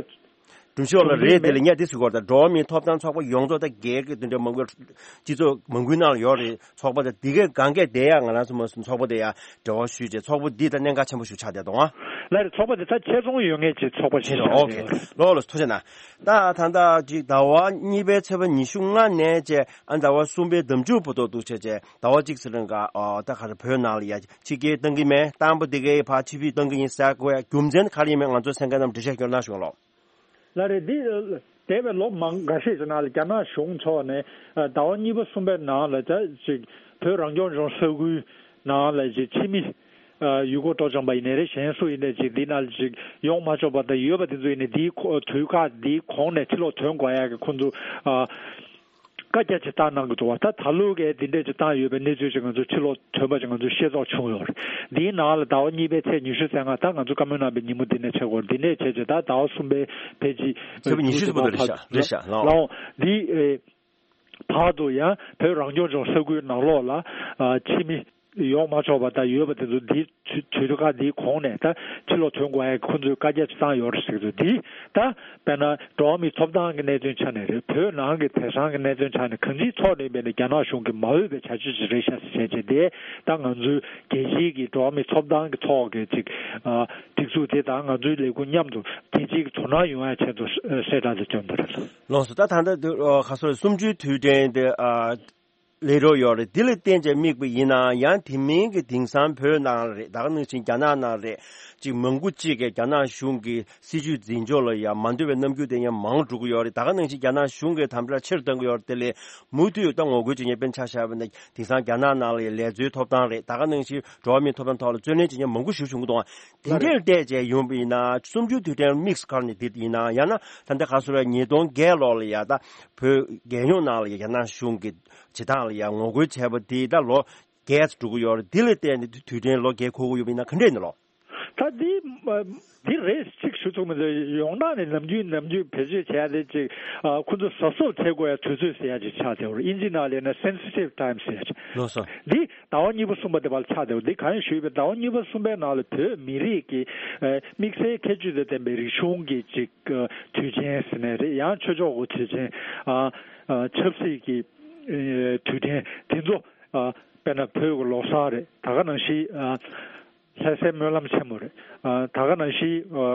ད། སྒྲོམ་གཞིའི་འོག་ལ་རེད། དེ་ལ་ངས་འདི་ཟེར་དགོས་རེད་ད། འགྲོ་བ་མིའི་ཐོབ་ཐང་ཚོགས་པ་ཡོངས་རྫོགས་ད་སྒེར་གྱི་དེ་འདྲ་མང་པོའི་སྤྱི་ཚོགས་མང་པོའི་ནང་ལ་ཡོད་རེད། ཚོགས་པ་དེ་འདི་གའི་སྒང་གས་དེ་ཡང་ང་རང་ཚོ་མ་སུ་ཚོགས་པ་དེ་ཡང་འབྲེལ་བ་ཞུས་རྗེས་ཚོགས་པ་འདི་ད་གནད་འགག་ཆེན་པོ་ཞིག་ཆགས་བསྡད་འདུག་ཨང་། ལ་རེད། ཚོགས་པ་དེ་ད་ཆེད་རྫོང་ཡོད་མཁན་གྱི་ཚོགས་པ་ཞིག་ཆེད་རྫོང་། ཆགས་ཨོ་ཁེ། བསྡད་ཡོད་རེད། ལོ་ལོ་ཐུགས་རྗེ་གནང་། ད་ད་ད་ཅིག་ཟླ་བ་གཉིས་པའི་ཚེས་པ་ཉི་ཤུ་ལྔ་ནས་བཅས་ཨ་ཟླ་བ་གསུམ་པའི་ཟླ་མཇུག་བར་དུ་འདུག་བྱས་བྱས་ཟླ་བ་གཅིག་ཚེ་རིང་ག་ཨོ་ད་ག་རེ་བོད་ནང་ལ་ཡ་ཕྱི་རྒྱལ་གཏང་གི་མེད། བཏང་པ་དེ་གའི་ཕར་ཕྱི་ཕྱིར་གཏང་གི་ཡིན་ཟེར་དགོས་ཡ་རྒྱུ་མཚན་ག་རེ་ཡིན་མིན་ང་ཚོ་གསན་མཁན་རྣམས་འགྲེལ་བཤད་སྐྱོན་གནང་ཞུ་ལོ། ལ་རེད། འདི་འདས་པའི་ལོ་མང་འགའ་ཤས་ཀྱི་ནང་ལ་རྒྱ་ནག་གཞུང་ཕྱོགས་ནས་ཟླ་བ་གཉིས་པ་གསུམ་པའི་ནང་ལ་ད་ཅིག་བོད་རང་སྐྱོང་ལྗོངས་ས་ཁུལ་ནང་ལ་ཅིག་ཕྱི་མི་ཡུལ་སྐོར་སྤྲོ་འཆམ་པ་ཡིན་ནའི་རེད། གཞན་སུ་ཡིན་ནའི་ཅིག་འདི་ནང་ལ་ཅིག་ཡོང་མ་ཆོག་པ་དང་ཡོད་པ་དེ་ཚོ་ཡིན་ནའི་འདིའི་དུས་བཀག་འདིའི་གོང་ནས་ཕྱིར་ལོག་ཐོན་དགོས་ཡ་གི་ཁོང་ཚོ་བཀའ་རྒྱ་ཅིག་བཏང་གནང་གི་འདུག་བ། ད་ད་ལོ་གའི་འདི་འདྲས་ཅིག་བཏང་ཡོད་པའི་གནས་ཚུལ་ཅིག་ང་ཚོ་ཕྱི་ལོགས་ཐོན་པ་ཅིག་ང་ཚོ་ཤེས་རྟོགས་བྱུང་ཡོད་རེད། འདིའི་ནང་ལ་ཟླ་བ་གཉིས་པའི་ཚེས་ཉི་ཤུ་རྩ་ལྔ་ད་ང་ཚོ་བཀའ་མོལ་གནང་པའི་ཉིན་མོ་འདི་ནས་ཆགས་ཡོད་རེད། འདི་ནས་བྱས་རྗེས་ད་ཟླ་བ་གསུམ་པའི་ཕལ་ཆེར་ཚེས་པ་ཉི་ཤུ་ཙམ་པོ་རེད་ཤག་རེད་ཤག་ལགས། ལའོ་འདི་ཨེ་བར་དུ་ཡང་བོད་རང་སྐྱོང་ལྗོངས་ས་ཁུལ་ནང་ལོགས་ལ་ཨ་ཕྱི་མི་ཡོང་མ་ཆོག་པ་དང་ཡོད་པ་དེ་ཚོ་འདི་དུས་དུས་སྐབས་འདིའི་གོང་ནས་ད་ཕྱིར་ལོག་ཐོན་དགོས་ཡ་ཁོ་ཚོས་བཀའ་རྒྱ་ཅིག་བཏང་ཡོད་རེད་ཟེར་གྱི་འདུག་འདི་ད་དཔེར་ན་འགྲོ་བ་མིའི་ཐོབ་ཐང་གི་གནད་དོན་ཆ་ནས་རེད། བོད་ནང་གི་དེང་སང་གི་གནད་དོན་ཆ་ནས་གང་ཅིའི་ཐོག་ནས་ཡིན་པའི་ནས་རྒྱ་ནག་གཞུང་གིས་མ་འོས་པའི་བྱ་སྤྱོད་ཅིག་རེད་ཤག་ཟེར་བྱས་རྗེས་དེ་ད་ང་ཚོའི་རྒྱལ་སྤྱིའི་གི་འགྲོ་བ་མིའི་ཐོབ་ཐང་གི་ཐོག་གི་ཅིག་ཨ་སྒྲིག་འཛུགས་དེ་དང་ང་ཚོའི་ལས་ཁུངས་མཉམ་དུ་རྒྱལ་སྤྱིའི་གི་དོ་སྣང་ཡོང་ཡ་ཆེད་དུ་གསལ་བསྒྲགས་དེ་བསྐྱོན་པ་རེད། ལགས་སོ། ད་ད་ལྟ་འདི་ཨ་ག་སོ་སུམ་ཅུའི་དུས་དྲན་དེ་ཨ་སླེབས་འགྲོ་ཡོད་རེད། འདི་ལ་བརྟེན་བྱས་དམིགས་པ་ཡིན་ན་ཡང་དེ་མིན་གྱི་དེང་སང་བོད་ནང་རེད། ད་ག་ནང་བཞིན་རྒྱ་ནག་ནང་རེད། ཅིག་མང་པོ་ཅིག་གིས་རྒྱ་ནག་གཞུང་གི་སྲིད་བྱུས་འཛིན་ཕྱོགས་ལ་ཡང་མ་འདོད་པའི་རྣམ་འགྱུར་དེ་ཡང་མང་འགྲོ་གི་ཡོད་རེད། ད་ག་ནང་བཞིན་རྒྱ་ནག་གཞུང་གིས་དམ་དྲག་ཆེ་རུ་གཏོང་གི་ཡོད་རེད། དེ་ལས་མུ་མཐུད་ད་ངོ་རྒོལ་བྱེད་མཁན་དཔེར་ན་ཆ་བཞག་པ་ན་དེང་སང་རྒྱ་ནག་ནང་ལ་ཡང་ལས་འཛིན་ཐོབ་ཐང་རེད། ད་ག་ནང་བཞིན་འགྲོ་བ་མིའི་ཐོབ་ཐང་ཐོག་ལ་རྩོད་ལེན་བྱེད་མཁན་མང་པོ་ཞིག་བྱུང་གི་འདུག་དེ་འདྲས་བལྟས་བྱས་ཡོང་པ་ཡིན་ན་སུམ་ཅུ་དུས་དྲན་དམིགས་སུ་བཀར་ནས་འདི་ཡིན་ན་ཡང་ན་ད་ལྟ་ག་སོ་ར་ཉིས་སྟོང་བརྒྱད་ལོ་ལ་ཡ་ད་བོད་རྒྱལ་ཡོངས་ནང་ལ་ཡ་རྒྱ་ནག་གཞུང་གི་བྱེད་སྟངས་ལ་ཡ་ངོ་རྒོལ་བྱས་པ་འདི་ད་ལོ་བརྒྱད་ཙམ་འགྲོ་གི་ཡོད་རེད། འདི་ལ་བལྟས་ནས་དུས་དྲན་ལོ་བརྒྱད་འཁོར་གི་ཡོད་པ་ཡིན་ན་ག་འདྲས་ཡིན་ནོ། ད་འདི་ཨ་ འདི་རེད་ཅིག་ཞུ་ཐུབ་མི་འདུག་ཡོང་སྟངས་ནས་ནམ་རྒྱུན་ནམ་རྒྱུན་བེད་སྤྱོད་བྱས་ཏེ་ཅིག་ཨ་ཁོ་ཚོ་གཟབ་གཟབ་བྱེད་དགོས་ཡ་དུས་ཚོད་ཟེར་ཡ་ཅིག་ཆགས་བསྡད་ཡོད་རེད། ཨིན་ཇི་ནང་ལ་ཡིན་ན་sensitive time ཟེར་ཡ་ཅིག་ལགས་སོ། འདི་ཟླ་བ་གཉིས་པ་གསུམ་པ་དེ་བར་ཆགས་བསྡད་ཡོད། འདི་གང་ཡིན་ཞུས་པའི་ཟླ་བ་གཉིས་པ་གསུམ་པའི་ནང་ལ་བོད་མི་རིགས་ཀྱི་ཨ་དམིགས་བསལ་ཁྱད་ཆོས་དང་ལྡན་པའི་རིག་གཞུང་གི་ཅིག་ཨ་དུས་ཆེན་ཟེར་ནའི་རེད། ཡང་ཆོས་ཕྱོགས་ཀྱི་དུས་ཆེན་ཨ་ཨ་ཆབ་སྲིད་ཀྱི་ཨ་དུས་དྲན་དེ་ཚོ་ཨ་དཔེར་ན་བོད་ཀྱི་ལོ་གསར་རེད། ད་ག་ནང་བཞིན་ཨ་ལྷ་སའི་སྨོན་ལམ་ཆེན་མོ་རེད། ཨ་ད་ག་ནང་བཞིན་ཨ་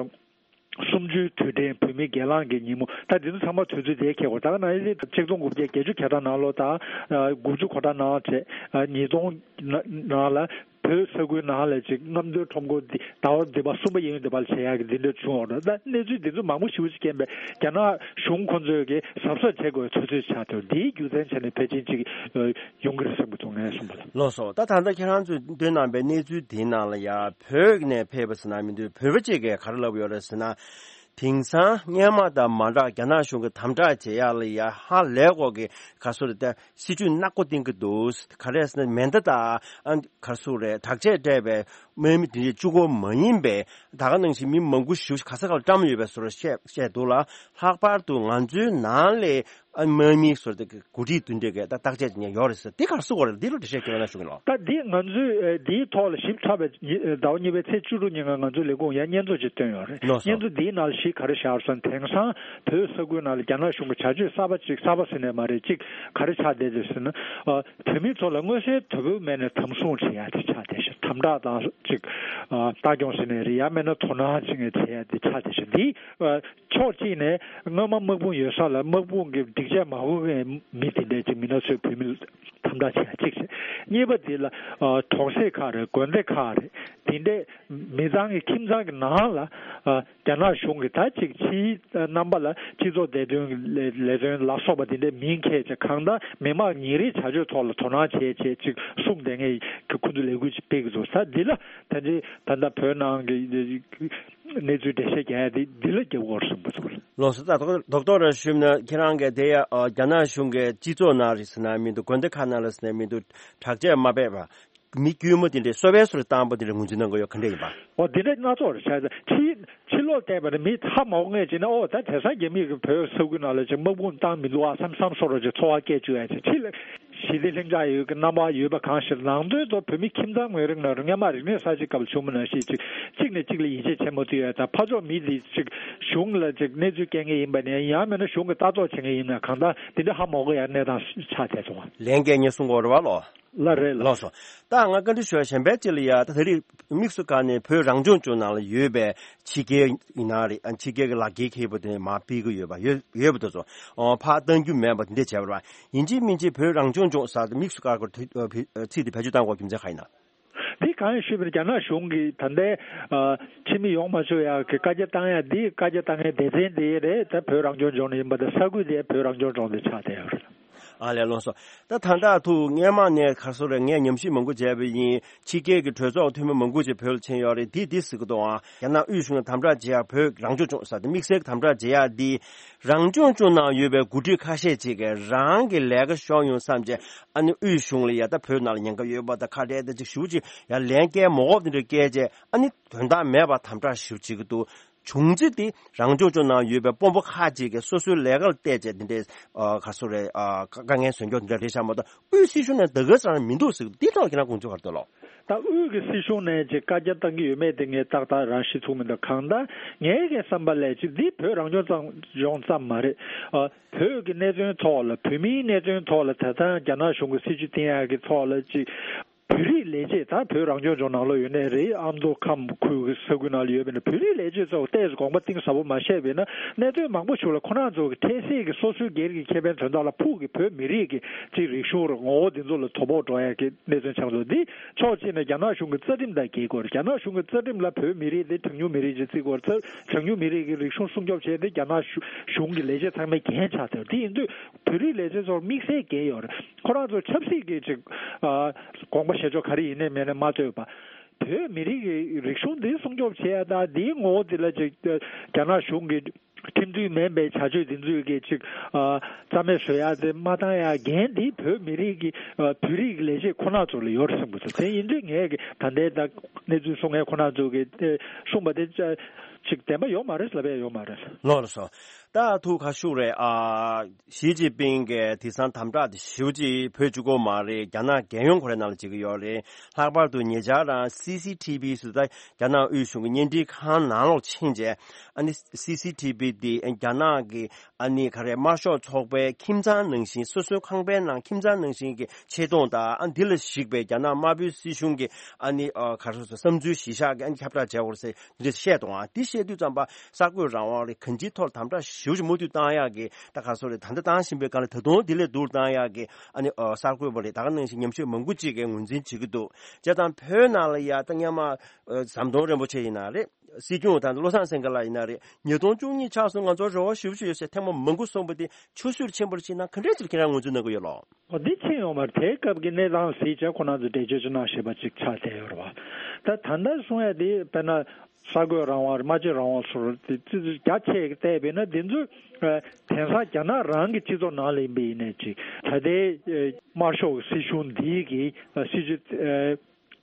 གསུམ་བཅུའི་དུས་དྲན་བོད་མིའི་སྒེར་ལངས་ཀྱི་ཉིན་མོ། ད་འདི་ཚོ་ཚང་མ་དུས་ཚོད་དེ་འཁེལ་དགོས། ད་ག་ནང་བཞིན་ཆིག་སྟོང་དགུ་བརྒྱ་བརྒྱད་ཅུ་གྱ་གྲངས་ནང་ལོ་དང་ཨ་དགུ་བཅུ་གོ་གྲངས་ནང་བྱས་ཨ་ཉིས་སྟོང་ནང་ལ་བོད་ས་ཁུལ་ནང་ལ་ཅིག་རྔམ་སྟོན་ཁྲོམ་སྐོར་འདི་ཟླ་བ་འདི་པ་གསུམ་པ་གཡས་གཡོན་འདི་པར་བྱེད་ཡག་གི་འདི་འདྲ་བྱུང་བ་རེད། ད་གནས་ཚུལ་འདི་ཚོ་མང་པོ་ཞེ་པོ་ཅིག་རྐྱེན་པས་རྒྱ་ནག་གཞུང་ཁོ་ཚོས་ཀྱི་གཟབ་གཟབ་བྱེད་དགོས་ཚོད་ཚོད་ཆགས་ཐུབ། འདིའི་རྒྱུ་མཚན་བྱས་ནས་ཕལ་ཆེར་ཅིག་ཡོང་གི་རེད་བསམ་གྱི་འདུག་ངས་གསུངས་པ་ལ། ལགས་སོ། ད་ད་ལྟ་ཁྱེད་རང་ཚོས་བཏོན་གནང་པའི་གནས་ཚུལ་དེའི་ནང་ལ་ཡ་བོད་ནས་ཕེབས་པ་ཟེར་ན་མི་འདུག་བོད་པ་གཅིག་གིས་ག་རེ་ལབ་ཡོད་རེད་ཟེར་ན། དེང་སང་སྔོན་མ་དང་མ་འདྲ་རྒྱ་ནག་གཞུང་གིས་དམ་དྲག་བྱེད་ཡག་ལ་ཡ་ཧ་ལས་གོ་གི་ག་སོ་རེད་ད། སྲིད་ཇུས་ནག་པོ་བཏིང་གི་འདུག་ག་རེ་ཟེར་ན་མེ་མདའ་དང་ཨ་ག་སོ་རེད་དྲག་ཆས་སྤྲས་པའི་དམག་མི་དེ་འདྲས་གཅིག་པོ་མ་ཡིན་པའི་ད་ག་ནང་བཞིན་མི་མང་པོ་ཞིག་ག་ས་ག་ལ་བཀྲམ་ཡོད་པའི་བཟོ་འདྲ་བཤད་བཤད་འདུག་ལ། ལྷག་པར་དུ་ང་ཚོའི་ནང་ལས་ཨ་དམག་མི་བཟོ་འདྲ་གི་འགོ་ཁྲིད་དེ་འདྲས་གི་ད་བརྟག་དཔྱད་ཅིག་ཡོད་རེད་ཟེར། འདི་ག་རེ་གསུངས་པ་རེད། འདི་ལ་འགྲེལ་བཤད་ཅིག་གནང་ཞུ་གི་ལགས། ད་འདི་ང་ཚོས་ཨ་འདིའི་ཐོག་ལ་ཞིབ་ཕྲ་བའི་ཉི་ཟླ་བ་གཉིས་པའི་ཚེས་བཅུ་དྲུག་ཉིན་ང་ང་ཚོའི་ལས་ཁུངས་ཡང་སྙན་ཐོ་ཅིག་བཏོན་ཡོད་རེད། ལགས་སོ། སྙན་ཐོ་འདིའི་ནང་ལ་གཞི་ག་རེ་བཞག་སོང་། དེང་སང་བོད་ས་ཁུལ་ནང་ལ་རྒྱ་ནག་གཞུང་གི་བྱ་སྤྱོད་གསར་པ་ཅིག་གསར་པ་ཟེར་ནས་མ་རེད། ཅིག་ག་རེ་ཆགས་བསྡད་འདུག་ཟེར་ན། ཨ་བོད་མི་ཚོ་ལ་མངོན་གསལ་དོད་པོ་མེད་ནས་དམ་བཟུང་བྱེད་ཡ་དེ་ཆགས་བསྡད་ཤག་དམ་དྲག་དང་ཅིག་ཨ་ལྟ་སྐྱོང་ཟེར་ནས་རེད། ཡང་མིན་ན་དོ་སྣང་ཅིག་བྱེད་ཡ་དེ་ཆགས་བསྡད་ཤག་འདི་ཨ་ཕྱོགས་གཅིག་ནས་སྔོན་མ་དམག་དཔུང་ཡོད་ས་ལ་དམག་དཔུང་གི་སྒྲིག་ཆས་མ་གོན་མཁན་མི་དེ་འདྲས་ཅིག་མི་སྣ་ཚོས་བོད་མི་དམ་དྲག་བྱེད་ཡ་གཅིག་བྱས། གཉིས་པ་དེ་ལ་ཨ་གྲོང་གསེབ་ཁག་རེད། དགོན་སྡེ་ཁག་རེད། དེ་འདྲས་མི་ཚང་གི་ཁྱིམ་ཚང་གི་ནང་ལ་ཨ་རྒྱ་ནག་གཞུང་གི་ད་ཅིག་ཕྱིའི་རྣམ་པ་ལ་སྤྱི་ཚོགས་བདེ་དོན་གྱི་ལས་ལས་དོན་ལ་སོགས་པ་དེ་འདྲའི་མིང་འཁྱེར་བྱས་གང་ལྟར་མི་མང་ཉིན་རེའི་བྱ་སྤྱོད་ཐོག་ལ་དོ་སྣང་བྱེད་བྱེད་ཅིག་གསུངས་བསྡད་མཁན་གྱི་ཁོ་ཚོ་ལས་འགུལ་ཅིག་སྤེལ་གྱི་འདུག་ད་འདི་ལ་ད་ལྟའི་ད་ལྟ་བོད་ནང་གི་གནས་ཚུལ་འགྲེལ་བཤད་རྒྱག་ཡ་དེ་འདི་ལ་རྒྱབ་དགོས་རེད་བསམ་གྱི་འདུག་ལགས་སོ། ད་རྡོག་རྡོག་རྡོག་ར་ཞུས་ན་ཁྱེད་རང་གི་དེ་ཡ་རྒྱ་ནག་གཞུང་གི་སྤྱི་ཚོགས་ནང་རེད་ཟེར་ན་མི་འདུག་དགོན་སྡེ་ཁག་ནང་ལ་ཟེར་ན་མི་འདུག་དྲག་ཆས་མ་སྤྲས་པ། མི་དཀྱུས་མ་དེ་འདྲའི་གསོ་བའི་སོར་བཏང་པ་དེ་འདྲ་ངོས་འཛིན་གནང་གི་ཡོད། ག་འདྲ་ཡིན་པ། འོ་དེ་འདྲ་སྣ་ཚོགས་རེད་བྱས་ཙང་ཕྱི་ཕྱི་ལོགས་བལྟས་པ་ནི་མི་ཧ་མ་གོ་མཁན་ཅིག་ན། ཨོ་ད་དེང་སང་རྒྱ་མི་གི་བོད་ས་ཁུལ་ནང་ལ་ཅིག་དམག་དཔུང་བཏང་མི་འདུག་ཨ་བསམ་བསམ་སོ་ར་ཅིག་ཚོར་བ་སྐྱེ་བཅུག་ཡ་ཅིག་ཕྱི་ལ་ཞི་བདེ་ལྷིང་འཇགས་ཡོད་ཀྱི་རྣམ་པ་ཡོད་པ་གང་ཞིག་ནང་དོན་དུ་བོད་མི་ཁྱིམ་ཚང་ངོས་རིང་ནང་རུ་སྔོན་མ་རིག་གནས་གསར་བརྗེ་སྐབས་བྱུང་མི་ནང་བཞིན་ཅིག་གཅིག་ནས་གཅིག་ལ་ཡིད་ཆེས་བྱེད་མ་ཐུབ་ཡ་དང་། ཕར་ཕྱོགས་མི་དེ་ཅིག་གཞུང་ལ་ཅིག་གནས་ཚུལ་སྐྱེལ་མཁན་ཡིན་པ་ནས་ཡང་མིན་ན་གཞུང་གི་ལྟ་རྟོག་བྱེད་མཁན་ཡིན་ན་གང་ལྟར་དེ་འདྲ་ཧ་མ་གོ་ཡ་གནས་སྟངས་ཆགས་བསྡད་སོང་བ། ལན་རྒྱག་མཁན་གསུང་གི་ཡོད་རེད་བ་ལགས། ལགས་རེད་ལགས། ལགས་སོ། ད་ང་བཀའ་འདྲི་ཞུ་ཡ་གཞན་པ་ཅིག་ལ་ཡ། ད་དེ་རིང་དམིགས་སུ་བཀར་ནས་བོད་རང་སྐྱོང་ལྗོངས་ནང་ལ་ཡོད་པའི་ཕྱི་རྒྱལ་ཡིན་ན་རེད། ཨ་ཕྱི་རྒྱལ་གྱི་ལག་འཁྱེར་འཁྱེར་པ་དེ་མར་ཕུད་ཀྱི་ཡོད་པ་ཡོད་ཡོད་པ་དེ་ཚོ་ཨོ་ཕར་གཏང་རྒྱུ་མེད་པ་དེ་འདྲ་བྱས་པ་རེད་བ། ཡིན་གཅིག་མིན་གཅིག་བོད་རང་སྐྱོང་ལྗོངས་ཟེར་དེ་དམིགས་སུ་བཀར་དགོས་ཚིག་དེ་བེད་སྤྱོད་བཏང་དགོས་རྒྱུ་མཚན་གང་ཡིན་ན། འདི་གང་ཡིན་ཞུས་པ་ན་རྒྱ་ནག་གཞུང་གིས་ད་ལྟའི་ཨ་ཕྱི་མི་ཡོང་མ་ཆོག་ཡག་གི་བཀའ་རྒྱ་བཏང་ཡ་འདི་བཀའ་རྒྱ་བཏང་མཁན་སྡེ་ཚན་དེ་རེད། ད་བོད་རང་སྐྱོང་ལྗོངས་ནས་ཡིན་པ་དང་ས་ཁུལ་དེ་བོད་རང་སྐྱོང་ལྗོངས་དེ་ཆགས་བསྡད་ཡོད་རེད། ཨ་ལས། ལགས་སོ། ད་ད་ལྟ་ཐུག་སྔོན་མ་ནས་ག་རེ་ཟེར་རེད། ངས་ཉམས་ཞིབ་མང་པོ་བྱས་པ་ཡིན། ཕྱི་རྒྱལ་གྱི་གྲོས་ཚོགས་འཐུས་མི་མང་པོ་ཅིག་བོད་ལ་ཕྱིན་ཡོད་རེད། དེ་དེ་ཟེར་གི་འདུག་ཨང་། རྒྱ་ནག་དབུས་གཞུང་ལ་དམ་དྲག་བྱེད་ཡག་བོད་རང་སྐྱོང་ལྗོངས་ཟེར་དེ་དམིགས་བསལ་གྱི་དམ་དྲག་བྱེད་ཡག་འདི་རང་སྐྱོང་ལྗོངས་ནང་ཡོད་པའི་འགོ་ཁྲིད་ཁ་ཤས་ཅིག་གིས་རང་གི་ལས་ཀ་ཤོར་ཡོང་བསམ་བྱས། ཨ་ནི་དབུས་གཞུང་ལ་ཡ་ད་བོད་ནང་ལ་ཉེན་ཁ་ཡོད་པ་དང་ཁ་བྲལ་ད་ཅིག་ཞུ་ཅིག་ཡ་ལན་སྐྱེལ་མ་དགོས་པ་དེ་འདྲ་སྐྱེལ་བྱས། ཨ་ནི་དོན་དག་མེད་པ་དམ་དྲག་ཞུ་བྱེད་ཀྱི་འདུག་བྱུང་རྩིས་དེ་རང་སྐྱོང་ལྗོངས་ནང་ཡོད་པའི་དཔོན་པོ་ཁག་ཅིག་གིས་སོ་སོའི་ལས་ཀ་ལ་བལྟས་བྱས་དེ་འདྲའི་ཨ་ག་རེ་ཟེར་རེད། ཨ་དཀའ་ངལ་བཟོ་མཁན་དེ་འདྲ་རེད་ཤག་མ་གཏོགས་དབུས་སྲིད་གཞུང་ནས་ད་ག་ས་རང་མི་འདུག་ཟེར། འདི་ཐོག་ཁྱེད་རང་དགོངས་ཚུལ་ག་རེ་འདུག་ལགས། ད་དབུས་ཀྱི་སྲིད་གཞུང་ནས་ཅིག་བཀའ་རྒྱ་བཏང་གི་ཡོད་མེད་དེ་ངས་ཏག་ཏག་རང་ཤེས་ཐུབ་མི་འདུག་གང་ལྟར་ངའི་གི་བསམ་པ་ལས་ཅིག་འདི་བོད་རང་སྐྱོང་ལྗོངས་ཙམ་མ་རེད། ཨ་བོད་ཀྱི་གནད་དོན་ཐོག་ལ། བོད་མིའི་གནད་དོན་ཐོག་ལ་ད་ལྟ་རྒྱ་ནག་གཞུང་གི་སྲིད་བྱུས་བཏིང་ཡག་གི་ཐོག་ལ་ཅིག་བོད་རིགས་ལས་བྱེད། ད་བོད་རང་སྐྱོང་ལྗོངས་ནང་ལོགས་ཡོད་ནའི་རེད། ཨ་མདོ་ཁམས་ཁུལ་གྱི་ས་ཁུལ་ནང་ལ་ཡོད་པ་ཡིན་ན་བོད་རིགས་ལས་བྱེད་ཚོ་ཏོག་ཙམ་དགོངས་པ་གཏིང་ཟབ་པོ་མ་བཞེས་པ་ཡིན་ན། གནད་དོན་མང་པོ་ཞིག་ལ་ཁོ་རང་ཚོ་གི་འཕྲལ་སེལ་གྱི་སོ་སོའི་སྒེར་གྱི་ཁེ་ཕན་དོན་དག་ལ་ཕུགས་ཀྱི་བོད་མི་རིགས་ཀྱི་ཅིག་རིག་གཞུང་ར་ངོ་བོ་འདི་ཚོ་ལ་དོ་ཕོག་འགྲོ་ཡ་གི་གནད་དོན་ཆགས་འདུག་འདི་ཕྱོགས་གཅིག་ནས་རྒྱ་ནག་གཞུང་གི་རྩ་ཁྲིམས་དང་འགལ་གྱི་ཡོད་རེད། རྒྱ་ནག་གཞུང་གི་རྩ་ཁྲིམས་ལ་བོད་མི་རིགས་དེ་གྲངས་ཉུང་མི་རིགས་ཅིག་བརྩི་གི་ཡོད་རེད། གྲངས་ཉུང་མི་རིགས་ཀྱི་རིག་གཞུང་སྲུང་སྐྱོབ་བྱས་ཏེ་རྒྱ་ནག་གཞུང་གཞུང་གི་ལས་བྱེད་ཚང་མའི་འགན་ཆགས་ཏེ། དེ་ཡིན་དུས་བོད་རིགས་ལས་བྱེད་ཚོར་དམིགས་བསལ་འགན་ཡོད་རེད། ཁོ་རང་ཚོ་ཆབ་སྲིད་ཀྱི་ཅིག་ཨ་དགོངས་པ་བཞེས་ཕྱོགས་ག་རེ་ཡིན་ནའི་མིན་ནའི་མ་ལྟོས་པ། བོད་མི་རིགས་ཀྱི་རིག་གཞུང་འདི་སྲུང་སྐྱོབ་བྱེད་ཡ་དང་འདིའི་ངོ་བོ་འདི་ལ་ཅིག་རྒྱ་ནག་གཞུང་གི་ ཁྲིམས་མཐུན་མིན་པའི་བྱ་སྤྱོད་འདི་ཚོའི་གི་ཅིག་ཨ་རྩ་མེད་བཟོ་ཡ་དེ་མ་བཏང་ཡ་འགན་འདི་བོད་མི་རིགས་ཀྱི་ཨ་བོད་རིགས་ཀྱི་ལས་བྱེད་ཁོ་ན་ཚོ་ལ་ཡོད་རེད་བསམ་གི་འདུག་དེ་ཡིན་དུས་ངས་གི་ད་ལྟའི་ད་གནས་ཚུལ་གསུང་མཁན་ཁོ་ན་ཚོ་གི་ཨེ་གསུངས་པ་དེ་ཅིག་བདེན་པ་ཡོད་མ་རེད་ལབ་ཡ་ཡོད་མ་རེད། ལགས་སོ། ད་ཐུགས་ཁ་ཤུགས་རེད་ཨ། ཞི་ཅིན་ཕིང་གིས་དེང་སང་དམ་དྲག་དེ་ཞེ་པོ་ཅིག་བོད་བཅུག་གི་མ་རེད། རྒྱ་ནག་རྒྱལ་ཡོངས་ཁོ་རའི་ནང་ལ་བྱེད་ཀྱི་ཡོད་རེད། ལྷག་པར་དུ་ཉེ་ཆར་རང་སི་སི་ཐི་བི་ཟེར་ད་རྒྱ་ནག་དབུས་གཞུང་གི་བརྙན་འཕྲིན་ཁང་ནང་ལོགས་ཕྱིན་རྗེས་ཨ་ནི་སི་སི་ཐི་བི་དེ་རྒྱ་ནག་གི་ཨ་ནི་ག་རེ་དམར་ཤོག་ཚོགས་པའི་ཁྱིམ་ཚང་ནང་བཞིན་སོ་སོའི་ཁང་པའི་ནང་ཁྱིམ་ཚང་ནང་བཞིན་གྱི་ཆེ་མཐོང་དང་ཨ་འདི་ལ་གཞིགས་པའི་རྒྱ་ནག་དམར་པོའི་སྲིད་གཞུང་གི་ཨ་ནི་ཨ་ག་རེ་ཟེར་བསམ་ཚུལ་གཞི་བཞག་གི་ཨ་ནི་ཁྱབ་བསྒྲགས་བྱས་ཡོད་རེད་ཟེར་འདི་འདྲ་བཤད་འདུག་ཨ་འདི་བཤད་དུས་ཙམ་པ་གསར་འགོད་རང་དབང་རེད་གང་ཅིའི་ཐོག་ལ་དམ་དྲག་ཞེ་པོ་ཅིག་མུ་མཐུད་བཏང་ཡག་གི་ད་ག་རེ་ཟེར་རེད་ད་ལྟ་བཏང་བཞིན་པའི་སྒང་ལ་ད་དུང་འདི་ལས་སྡུག་བཏང་ཡག་གི་ཨ་ནི་ཨ་གསར་འགོད་པ་རེད་ད་ག་ནང་བཞིན་ཉམས་ཞིབ་མང་པོ་ཅིག་གིས་ངོས་འཛིན་བྱེད་ཀྱི་འདུག་བྱས་ཙང་བོད་ནང་ལ་ཡ་ད་སྔོན་མ་ཨ་ཟམ་གདོང་རིན་པོ་ཆེ་ཡིན་ན་རེད། སྲིད་སྐྱོང་དང་བློ་བཟང་སེང་གེ་ལགས་ཡིན་ན་རེད། ཉིས་སྟོང་བཅུ་གཉིས་ཆགས་སོང་ང་ཚོར་རེ་བ་ཞེ་པོ་ཅིག་ཡོད་ཟེར་ཐེངས་མ་མང་པོ་གསུངས་པ་དེ་ཆུད་ཟོས་ཕྱིན་པར་ཕྱིན་ན་ག་འདྲས་ཅིག་ཁྱེད་རང་ངོས་འཛིན་གནང་གི་ཡོད་ལགས། འོ་འདི་ཕྱིན་ཡོང་མ་རེད། དེའི་སྐབས་ཀྱི་གནས་སྟངས་གཟིགས་བྱས་ཁོ་ན་ཚོ་འགྲེལ་བརྗོད་ཅིག་གནང་ཞེས་པ་ཅིག་ཆགས་བསྡད་ཡོད་རེད་བ། ད་ད་ལྟ་གསུང་ཡ་དེ་དཔེར་ན་གསར་འགོད་རང་དབང་རེད་སྨྲ་བརྗོད་རང་དབང་སོགས་དེ་ཙི་ཙི་རྒྱ་ཆེ་གི་བལྟས་པས་ན་འདི་ཚོ་ཨ་དེང་སང་རྒྱ་ནག་རང་གི་སྤྱི་ཚོགས་ནང་ལ་ཡིན་པ་ཡིན་ནའི་ཅིག་ད་ལྟའི་ཨ་དམར་ཤོག་གི་སྲིད་གཞུང་འདིའི་གི་ཨ་སྲིད་ཇུས་ཨ།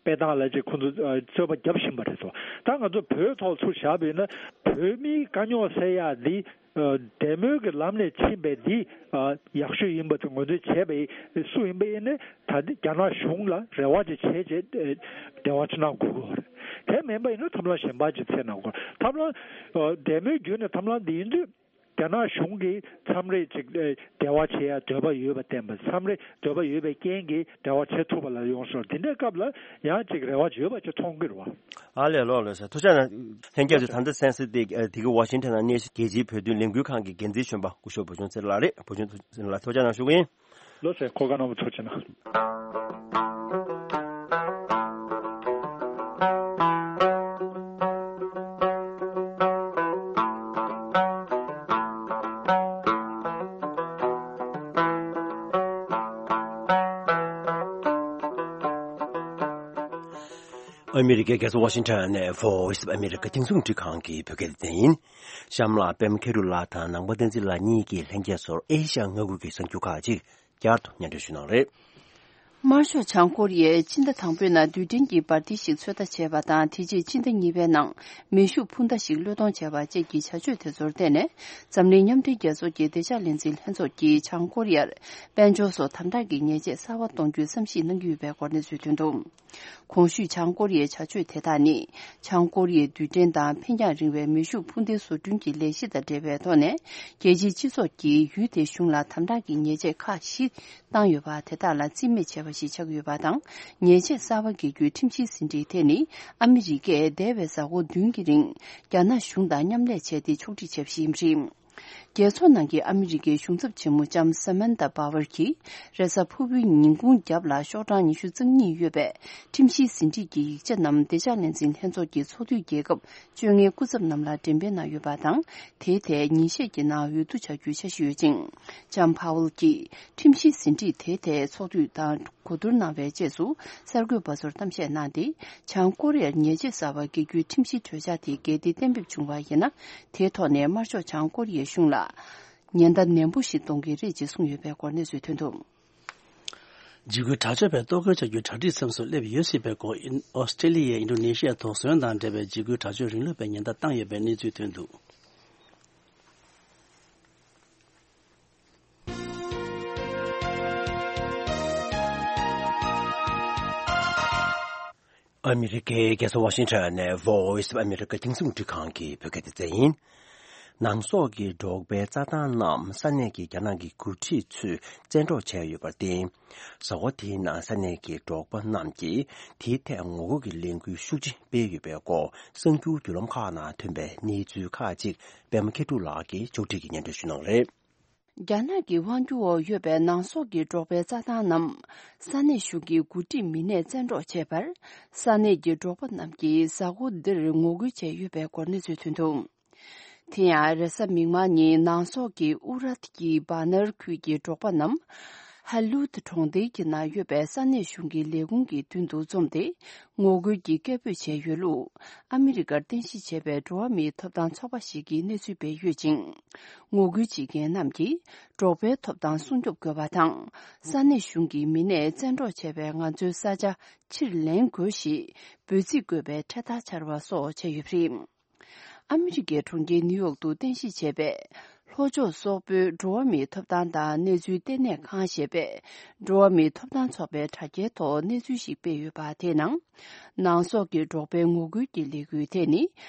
སྤེལ་སྟངས་ལ་ཅིག་ཁོང་ཚོ་ཨ་རྩོད་པ་རྒྱབ་བཞིན་པ་རེད་དོ། ད་ང་ཚོ་བོད་ཐོག་ཚུར་བཞག་པ་ཡིན་ན་བོད་མིའི་དཀའ་རྙོག་སེལ་ཡག་འདི་ཨ་འདེམས་མོལ་གྱི་ལམ་ནས་ཕྱིན་པའི་འདི་ཨ་ཡག་ཤོས་ཡིན་པ་དེ་ངོས་འཛིན་བྱས་པ་ཡིན་སུ་ཡིན་པ་ཡིན་ནའི་ད་ལྟ་རྒྱ་ནག་གཞུང་ལ་རེ་བ་ཅིག་བྱས་རྗེས་ཨ་འབྲེལ་བ་ཅིག་གནང་དགོས་ཀྱི་ཡོད་རེད། དེ་མིན་པ་ཡིན་ན་ཐབས་ལམ་གཞན་པ་ཅིག་འཚོལ་གནང་དགོས། ཐབས་ལམ་ཨ་འདེམས་མོལ་བརྒྱུད་ནས་ཐབས་ལམ་འདི་ཡིན་དུས། རྒྱ་ནག་གཞུང་གིས་མཚམས་རེ་ཅིག་ཨེ་འབྲེལ་བ་བྱེད་ཡ་འདོད་པ་ཡོད་པ་བསྟན་པ་མཚམས་རེ་འདོད་པ་ཡོད་པའི་རྐྱེན་གྱིས་འབྲེལ་བ་བྱེད་ཐུབ་པ་ལ་ཡོང་སོང་དེ་འདྲའི་སྐབས་ལ་ཡང་ཅིག་རེ་བ་ཡོད་པ་ཅིག་མཐོང་གི་རེད་བ། ཨ་ལས་ལོ་ལོ་ཟེར་ཐུགས་རྗེ་གནང་། ལྷན་རྒྱས་ཚོས་ད་ལྟ་གསན་གཟིགས་དེ་ཨ་དེ་གི་ཝ་ཤིང་ཊོན་ནང་གནས་བཞུགས་རྒྱལ་སྤྱིའི་བོད་དོན་ལས་འགུལ་ཁང་གི་འགན་འཛིན་གཞོན་པ་སྐུ་ཞབས་བུ་ཆུང་ཚེ་རིང་ལགས་རེད། བུ་ཆུང་ཚེ་རིང་ལགས་ཐུགས་རྗེ་གནང་ཞུ་གི་ཡིན། ལོ་ཟེར་གོ་སྐབས་གནང་བ་ཐུགས་རྗེ་གནང་། ཨ་མི་རི་ཀའི་རྒྱལ་ས་ཝ་ཤིང་ཊོན་ནས་Voice of America་རྒྱང་སྲིང་རླུང་འཕྲིན་ཁང་གི་བོད་སྐད་སྡེ་ཚན་ཡིན། གཤམ་ལ་པད་མ་མཁས་གྲུབ་ལགས་དང་ནང་པ་བསྟན་འཛིན་ལགས་གཉིས་ཀྱིས་ལྷན་རྒྱས་ཚོར་ཨེ་ཤ་ཡ་མངའ་ཁུལ་གྱི་གསར་འགྱུར་ཁག་ཅིག་བསྐྱར་དུ་སྙན་སྒྲོན་ཞུ་གནང་རེད། དམར་ཤོག་བྱང་ཀོ་རི་ཡས་ཕྱི་ཟླ་དང་པོའི་ནང་རྡུལ་ཕྲན་གྱི་འབར་མདེལ་ཞིག་ཚོད་ལྟ་བྱས་པ་དང་དེ་རྗེས་ཕྱི་ཟླ་གཉིས་པའི་ནང་མེ་ཤུགས་འཕུར་མདའ་ཞིག་བློས་གཏོང་བྱས་པ་བཅས་ཀྱི་བྱ་སྤྱོད་དེ་ཚོར་བརྟེན་ནས་འཛམ་གླིང་མཉམ་འབྲེལ་རྒྱལ་ཚོགས་ཀྱི་བདེ་འཇགས་ལས་འཛིན་ལྷན་ཚོགས་ཀྱིས་བྱང་ཀོ་རི་ཡར་དཔལ་འབྱོར་སོགས་དམ་དྲག་གི་ཉེས་ཆད་གསར་པ་གཏོང་རྒྱུའི་བསམ་གཞིག་གནང་གི་ཡོད་པའི་སྐོར་གནས་ཚུལ་ཐོན་འདུག་གོང་ཞུས་བྱང་ཀོ་རི་ཡའི་བྱ་སྤྱོད་དེ་དག་ནི་བྱང་ཀོ་རི་ཡའི་རྡུལ་ཕྲན་དང་འཕེན་རྒྱང་རིང་བའི་མེ་ཤུགས་འཕུར་མདེལ་བཟོ་སྐྲུན་གྱི་ལས་གཞི་དང་འབྲེལ་བའི་ཐོག་ནས་རྒྱལ་སྤྱིའི་སྤྱི་ཚོགས་ཀྱིས་ཡུལ་དེའི་གཞུང་ལ་དམ་དྲག་གི་ཉེས་ཆད་ཁག་བཞི་བཏང་ཡོད་པ་དེ་དག་ལ་རྩིས་མེད་བྱས་པ་ཞིག་ཆགས་ཡོད་པ་དང་། ཉེས་ཆད་གསར་པ་འགེལ་རྒྱུའི་ཁྲིམས་གཞིའི་ཟིན་བྲིས་དེ་ནི་ཨ་མི་རི་ཀས་འདས་པའི་གཟའ་འཁོར་བདུན་གྱི་རིང་རྒྱ་ནག་གཞུང་དང་མཉམ་ལས་བྱས་ཏེ་ཕྱོགས་སྒྲིག་བྱས་པ་ཞིག་ཡིན་པ་རེད། རྒྱལ་ཚོགས་ནང་གི་ཨ་མི་རི་ཀའི་གཞུང་ཚབ་ཆེན་མོ་ལྕམ་Samantha Power་གྱིས་རེས་གཟའ་ཕུར་བུའི་ཉིན་གུང་རྒྱབ་ལ་ཤོག་གྲངས་ཉི་ཤུ་རྩ་གཉིས་ཡོད་པའི་ཁྲིམས་གཞིའི་ཟིན་བྲིས་ཀྱི་ཡིག་ཆ་རྣམས་བདེ་འཇགས་ལས་འཛིན་ལྷན་ཚོགས་ཀྱི་ཚོགས་འཐུས་རྒྱལ་ཁབ་བཅོ་ལྔའི་སྐུ་ཚབ་རྣམས་ལ་འགྲེམས་སྤེལ་གནང་ཡོད་པ་དང་། དེའི་ཐད་ཉིན་ཤས་ཀྱི་ནང་འོས་བསྡུ་བྱ་རྒྱུའི་འཆར་གཞི་ཡོད་ཅིང་། ལྕམ་Power་གྱིས་ཁྲིམས་གཞིའི་ཟིན་བྲིས་དེའི་ཐད་ཚོགས་འཐུས་དང་གོ་བསྡུར་གནང་བའི་རྗེས་སུ་གསར་འགོད་པ་ཚོར་གཏམ་བཤད་གནང་སྟེ། བྱང་ཀོ་རི་ཡར་ཉེས་ཆད་གསར་པ་འགེལ་རྒྱུའི་ཁྲིམས་གཞིའི་གྲོས་འཆར་དེ་གལ་ཏེ་གཏན་འབེབས་བྱུང་བ་ཡིན་ན། དེའི་ཐོག་ནས་དམར་ཤོག་བྱང་ཀོ་རི་ཡའི་གཞུང་ལ་ཉེན་བརྡ་ནན་པོ་ཞིག་གཏོང་གི་རེད་ཅེས་གསུངས་ཡོད་པའི་སྐོར་གནས་ཚུལ་ཐོན་འདུག་འཇིགས་སྐུལ་དྲག་སྤྱོད་པའི་གཏོར་རྒོལ་བྱ་རྒྱུའི་གྲ་སྒྲིག་མཚམས་སུ་སླེབས་ཡོད་སྲིད་པའི་སྐོར། ཨོ་སི་ཀྲེ་ལི་ཡས་ཨིན་ཌོ་ནེ་ཤི་ཡ་དོགས་ཟོན་དང་འབྲེལ་བའི་འཇིགས་སྐུལ་དྲག་སྤྱོད་རིང་ལུགས་པའི་ཉེན་བརྡ་བཏང་ཡོད་པའི་གནས་ཚུལ་ཐོན་འདུག་ཨ་མི་རི་ཀའི་རྒྱལ་ས་ཝ་ཤིང་ཊོན་ནས་Voice of America་རྒྱང་སྲིང་རླུང་འཕྲིན་ཁང་གི་བོད་སྐད་སྡེ་ཚན་ཡིན། ནང་སོག་གི་འབྲོག་པའི་རྩྭ་ཐང་རྣམས་ས་གནས་ཀྱི་རྒྱ་ནག་གི་འགོ་ཁྲིད་ཚོས་བཙན་འཕྲོག་བྱས་ཡོད་པར་བརྟེན། ཟླ་བ་འདིའི་ནང་ས་གནས་ཀྱི་འབྲོག་པ་རྣམས་ཀྱིས་དེའི་ཐད་ངོ་རྒོལ་གྱི་ལས་འགུལ་ཤུགས་ཆེ་སྤེལ་ཡོད་པའི་སྐོར་གསར་འགྱུར་བརྒྱུད་ལམ་ཁག་ནང་ཐོན་པའི་གནས་ཚུལ་ཁག་ཅིག་པད་མ་མཁས་གྲུབ་ལགས་ཀྱིས་ཕྱོགས་སྒྲིག་གིས་སྙན་སྒྲོན་ཞུ་གནང་རེད། རྒྱ་ནག་གི་དབང་སྒྱུར་འོག་ཡོད་པའི་ནང་སོག་གི་འབྲོག་པའི་རྩྭ་ཐང་རྣམས་ས་གནས་གཞུང་གི་འགོ་ཁྲིད་མི་སྣས་བཙན་འཕྲོག་བྱས་པར། ས་གནས་ཀྱི་འབྲོག་པ་རྣམས་ཀྱིས་གཟའ་འཁོར་འདིར་ངོ་རྒོལ་བྱས་ཡོད་པའི་སྐོར་གནས་ཚུལ་ཐོན་འདུག་དེ་ཡང་རེས་གཟའ་མིག་དམར་ཉིན་ནང་སོག་གི་ཨུ་རད་ཀྱི་བྷ་ནར་ཁུལ་གྱི་འབྲོག་པ་རྣམས་ ཧ་ལུད་གྲོང་རྡལ་གྱི་ནང་ཡོད་པའི་ས་གནས་གཞུང་གི་ལས་ཁུངས་ཀྱི་མདུན་དུ་འཛོམས་ཏེ། ངོ་རྒོལ་གྱི་སྐད་འབོད་བྱས་ཡོད་ལུགས། ཨ་མི་རི་ཀར་རྟེན་གཞི་བྱས་པའི་འགྲོ་བ་མིའི་ཐོབ་ཐང་ཚོགས་པ་ཞིག་གིས་གནས་ཚུལ་སྤེལ་ཡོད་ཅིང་། ངོ་རྒོལ་བྱེད་མཁན་རྣམས་ཀྱིས། འབྲོག་པའི་ཐོབ་ཐང་སྲུང་སྐྱོབ་དགོས་པ་དང་། ས་གནས་གཞུང་གི་མི་སྣས་བཙན་འཕྲོག་བྱས་པའི་ང་ཚོའི་ས་ཆ་ཕྱིར་ལེན་དགོས་ཞེས་འབོད་ཚིག་བཀོད་པའི་འཕྲེད་དར་འཕྱར་བ་སོགས་བྱས་ཡོད་པ་རེད། ཨ་མི་རི་ཀའི་གྲོང་ཁྱེར་ནིའུ་ཡོག་ཏུ་རྟེན་གཞི་བྱས་པའི་ལྷོ་ཕྱོགས་སོག་པོའི་འགྲོ་བ་མིའི་ཐོབ་ཐང་དང་གནས་ཚུལ་ལྟེ་གནས་ཁང་ཞེས་པས། འགྲོ་བ་མིའི་ཐོབ་ཐང་ཚོགས་པའི་དྲ་རྒྱའི་ཐོག་གནས་ཚུལ་ཞིག་སྤེལ་ཡོད་པ་དེའི་ནང་། ནང་སོག་གི་འབྲོག་པའི་ངོ་རྒོལ་གྱི་ལས་འགུལ་དེ་ནི།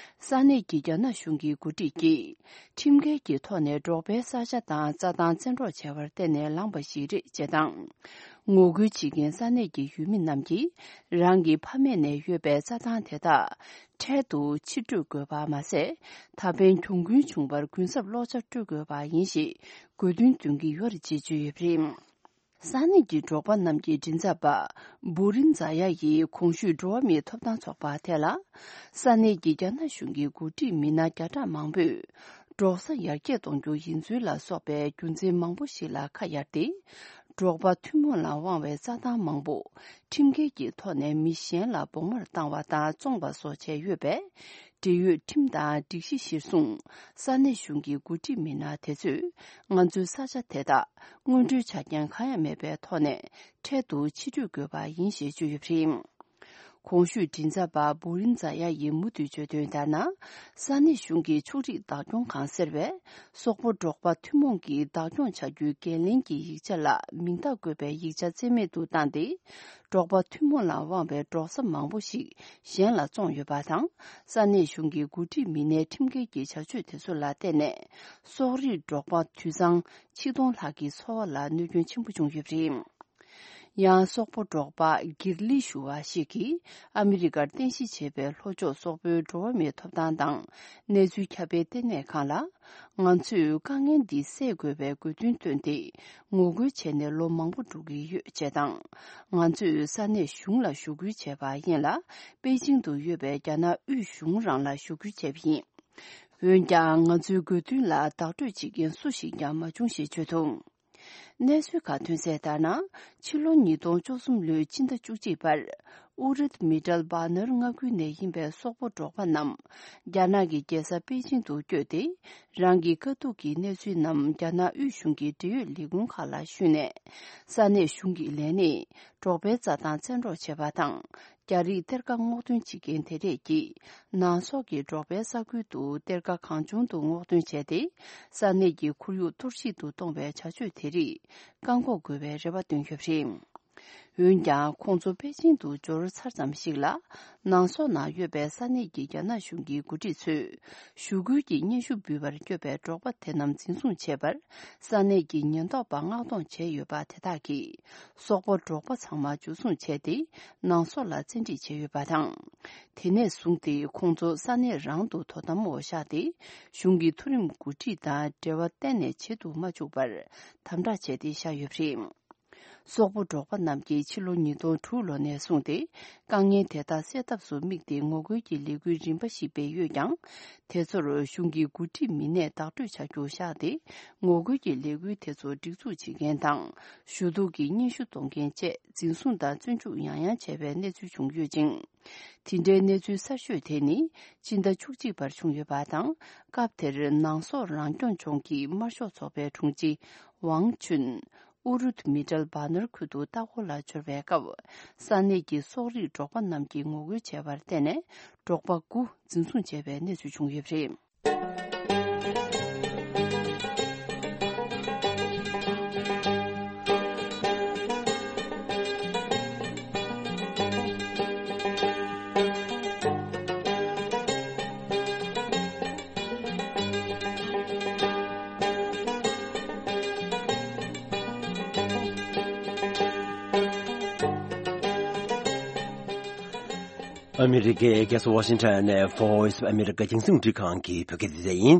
ས་གནས་ཀྱི་རྒྱ་ནག་གཞུང་གི་འགོ་ཁྲིད་ཀྱིས། ཁྲིམས་འགལ་གྱི་ཐོག་ནས་འབྲོག་པའི་ས་ཆ་དང་རྩྭ་ཐང་བཙན་འཕྲོག་བྱས་པར་བརྟེན་ནས་ལངས་པ་ཞིག་རེད་ཅེས་དང་། ངོ་རྒོལ་བྱེད་མཁན་ས་གནས་ཀྱི་ཡུལ་མི་རྣམས་ཀྱིས། རང་གི་ཕ་མེས་ནས་ཡོད་པའི་རྩྭ་ཐང་དེ་དག་འཕྲལ་དུ་ཕྱིར་སྤྲོད་དགོས་པ་མ་ཟད། ད་ཕན་གྱོང་གུན་བྱུང་བར་གུན་གསབ་ལོག་ཆ་སྤྲོད་དགོས་པ་ཡིན་ཞེས་དགོས་འདུན་འདོན་གྱི་ཡོད་རེད་ཅེས་བརྗོད་ཡོད་པ་རེད། ས་གནས་ཀྱི་འབྲོག་པ་རྣམས་ཀྱི་མགྲིན་ཚབ་པ་བུ་རིན་ཛ་ཡ་ཡིས་གོང་ཞུས་འགྲོ་བ་མིའི་ཐོབ་ཐང་ཚོགས་པ་དེ་ལ། ས་གནས་ཀྱི་རྒྱ་ནག་གཞུང་གི་འགོ་ཁྲིད་མི་སྣ་བརྒྱ་ཕྲག་མང་པོས། འབྲོག་ས་ཡར་རྒྱས་གཏོང་རྒྱུ་ཡིན་ཚུལ་ལ་སོགས་པའི་རྒྱུ་མཚན་མང་པོ་ཞིག་ལ་ཁ་གཡར་ཏེ། འབྲོག་པ་ཐུན་མོང་ལ་དབང་བའི་རྩྭ་ཐང་མང་པོ་ཁྲིམས་འགལ་གྱི་ཐོག་ནས་མི་གཞན་ལ་བོགས་མར་བཏང་བ་དང་བཙོངས་པ་སོགས་བྱས་ཡོད་པས། འབྲེལ་ཡོད་ཁྲིམས་དང་སྒྲིག་གཞི་གཞིར་བཟུང་། ས་གནས་གཞུང་གི་འགོ་ཁྲིད་མི་སྣ་དེ་ཚོས་ང་ཚོའི་ས་ཆ་དེ་དག་དངོས་འབྲེལ་ཆ་རྐྱེན་གང་ཡང་མེད་པའི་ཐོག་ནས་འཕྲལ་དུ་ཕྱིར་སྤྲོད་དགོས་པ་ཡིན་ཞེས་བརྗོད་ཡོད་པ་རེད། གོང་ཞུས་མགྲིན་ཚབ་པ་བུ་རིན་ཛ་ཡ་ཡིས་མུ་མཐུད་བརྗོད་དོན་ལྟར་ན། ས་གནས་གཞུང་གི་ཕྱོགས་སྒྲིག་བདག་སྐྱོང་ཁང་ཟེར་བས། སོག་པོ་འབྲོག་པ་ཐུན་མོང་གིས་བདག་སྐྱོང་བྱ་རྒྱུའི་འགན་ལེན་གྱི་ཡིག་ཆ་ལ་མིང་རྟགས་བཀོད་པའི་ཡིག་ཆ་རྩིས་མེད་དུ་བཏང་སྟེ། འབྲོག་པ་ཐུན་མོང་ལ་དབང་བའི་འབྲོག་ས་མང་པོ་ཞིག་གཞན་ལ་བཙོངས་ཡོད་པ་དང་། ས་གནས་གཞུང་གི་འགོ་ཁྲིད་མི་སྣའི་ཁྲིམས་འགལ་གྱི་བྱ་སྤྱོད་དེ་ཚོ་ལ་བརྟེན་ནས། སོག་རིགས་འབྲོག་པ་དུད་ཚང་ཆིག་སྟོང་ལྷག་གི་འཚོ་བ་ལ་གནོད་སྐྱོན་ཆེན་པོ་བྱུང་ཡོད་པ་རེད། ཡང་སོག་པོ་འབྲོག་པ་གིར་ལི་ཞུ་བ་ཞིག་གིས་ཨ་མི་རི་ཀར་རྟེན་གཞི་བྱས་པའི་ལྷོ་ཕྱོགས་སོག་པོའི་འགྲོ་བ་མིའི་ཐོབ་ཐང་དང་གནས་ཚུལ་ཁྱབ་སྤེལ་ལྟེ་གནས་ཁང་ལ། ང་ཚོས་དཀའ་ངལ་འདི་སེལ་དགོས་པའི་དགོས་འདུན་བཏོན་ཏེ་ངོ་རྒོལ་བྱས་ནས་ལོ་མང་པོ་འགྲོ་གི་ཡོད་ཅེས་དང་། ང་ཚོས་ས་གནས་གཞུང་ལ་ཞུ་སྐུལ་བྱས་པ་ཡིན་ལ། པེ་ཅིང་དུ་ཡོད་པའི་རྒྱ་ནག་དབུས་གཞུང་རང་ལ་ཞུ་སྐུལ་བྱས་པ་ཡིན། འོན་ཀྱང་ང་ཚོའི་དགོས་འདུན་ལ་བདག་སྤྲོད་བྱེད་མཁན་སུ་ཞིག་ཀྱང་མ་བྱུང་ཞེས་བརྗོད་འདུག་གནས་ཚུལ་ཁག་ཐོན་གསལ་ལྟར་ན། ཕྱི་ལོ་ཉིས་སྟོང་བཅུ་གསུམ་ལོའི་ཕྱི་ཟླ་བཅུ་གཅིག་པར། ཨུ་རུད་མི་ཏྲལ་བྷ་ནར་མངའ་ཁུལ་ནས་ཡིན་པའི་སོག་པོ་འབྲོག་པ་རྣམས། རྒྱ་ནག་གི་རྒྱལ་ས་པེ་ཅིང་དུ་བསྐྱོད་དེ། རང་གི་དཀའ་སྡུག་གི་གནས་ཚུལ་རྣམས་རྒྱ་ནག་དབུས་གཞུང་གི་འབྲེལ་ཡོད་ལས་ཁུངས་ཁག་ལ་ཞུས་ནས། ས་གནས་གཞུང་གི་ལས་སྣེས་འབྲོག་པའི་རྩྭ་ཐང་བཙན་འཕྲོག་བྱས་པ་དང་། རྒྱ་རིགས་གཏེར་ཁ་སྔོག་འདོན་བྱེད་མཁན་དེ་རིགས་ཀྱིས། ནང་སོག་གི་འབྲོག་པའི་ས་ཁུལ་དུ་གཏེར་ཁ་གང་བྱུང་དུ་སྔོག་འདོན་བྱས་ཏེ། ས་གནས་ཀྱི་ཁོར་ཡུག་གཏོར་བཤིག་ཏུ་གཏོང་བའི་བྱ་སྤྱོད་དེ་རིགས་བཀག་འགོག་དགོས་པའི་རེ་བ་བཏོན་ཡོད་པ་རེད། འོན་ཀྱང་། ཁོང་ཚོ་པེ་ཅིང་དུ་འབྱོར་ཚར་ཙམ་ཞིག་ལ། ནང་སོག་ནང་ཡོད་པའི་ས་གནས་ཀྱི་རྒྱ་ནག་གཞུང་གི་འགོ་ཁྲིད་ཚོས། ཞུ་སྐུལ་གྱི་སྙན་ཞུ་འབུལ་བར་བསྐྱོད་པའི་འབྲོག་པ་དེ་རྣམས་འཛིན་བཟུང་བྱས་པར། ས་གནས་ཀྱི་ཉེན་རྟོག་པ་མངགས་གཏོང་བྱས་ཡོད་པ་དེ་དག་གིས། སོག་པོ་འབྲོག་པ་ཚང་མ་འཇུ་བཟུང་བྱས་ཏེ། ནང་སོག་ལ་བཙན་ཁྲིད་བྱས་ཡོད་པ་དང་། དེ་ནས་བཟུང་སྟེ་ཁོང་ཚོ་ས་གནས་རང་དུ་དོ་དམ་འོག་བཞག་སྟེ། གཞུང་གི་མཐོ་རིམ་འགོ་ཁྲིད་དང་འབྲེལ་བ་གཏན་ནས་བྱེད་དུ་མ་བཅུག་པར་དམ་དྲག་བྱས་ཏེ་བཞག་ཡོད་པ་རེད། སོག་པོ་འབྲོག་པ་རྣམས་ཀྱིས་ཕྱི་ལོ་ཉིས་སྟོང་དྲུག་ལོ་ནས་བཟུང་སྟེ། དཀའ་ངལ་དེ་དག་སེལ་ཐབས་སུ་དམིགས་ཏེ་ངོ་རྒོལ་གྱི་ལས་འགུལ་རིམ་པ་ཞིག་སྤེལ་ཡོད་ཀྱང་། དེ་ཚོར་གཞུང་གི་འགོ་ཁྲིད་མི་སྣས་བདག་སྤྲོད་བྱ་རྒྱུ་བཞག་སྟེ། ངོ་རྒོལ་གྱི་ལས་འགུལ་དེ་ཚོ་སྒྲིག་འཛུགས་བྱེད་མཁན་དང་། ཞུ་གཏུག་གི་སྙན་ཞུ་གཏོང་མཁན་བཅས་འཛིན་བཟུང་དང་བཙོན་འཇུག་ཡང་ཡང་བྱས་པའི་གནས་ཚུལ་བྱུང་ཡོད་ཅིང་། དེ་འདྲའི་གནས་ཚུལ་གསར་ཤོས་དེ་ནི། སྤྱི་ཟླ་བཅུ་གཅིག་པར་བྱུང་ཡོད་པ་དང་། སྐབས་དེར་ནང་སོག་རང་སྐྱོང་ལྗོངས་ཀྱི་དམར་ཤོག་ཚོགས་པའི་དྲུང་ཆེ་ཝང་ཆུན། ཨུ་རུད་མི་ཏྲལ་བྷ་ནར་ཁུལ་དུ་ལྟ་སྐོར་ལ་འབྱོར་བའི་སྐབས། ས་གནས་ཀྱི་སོག་རིགས་འབྲོག་པ་རྣམས་ཀྱིས་ངོ་རྒོལ་བྱས་པར་བརྟེན་ནས། འབྲོག་པ་དགུ་འཛིན་བཟུང་བྱས་པའི་གནས་ཚུལ་བྱུང་ཡོད་པ་རེད། ཨ་མི་རི་ཀའི་རྒྱལ་ས་ཝ་ཤིང་ཊོན་ནས་Voice of America རྒྱང་སྲིང་རླུང་འཕྲིན་ཁང་གི་བོད་སྐད་སྡེ་ཚན་ཡིན།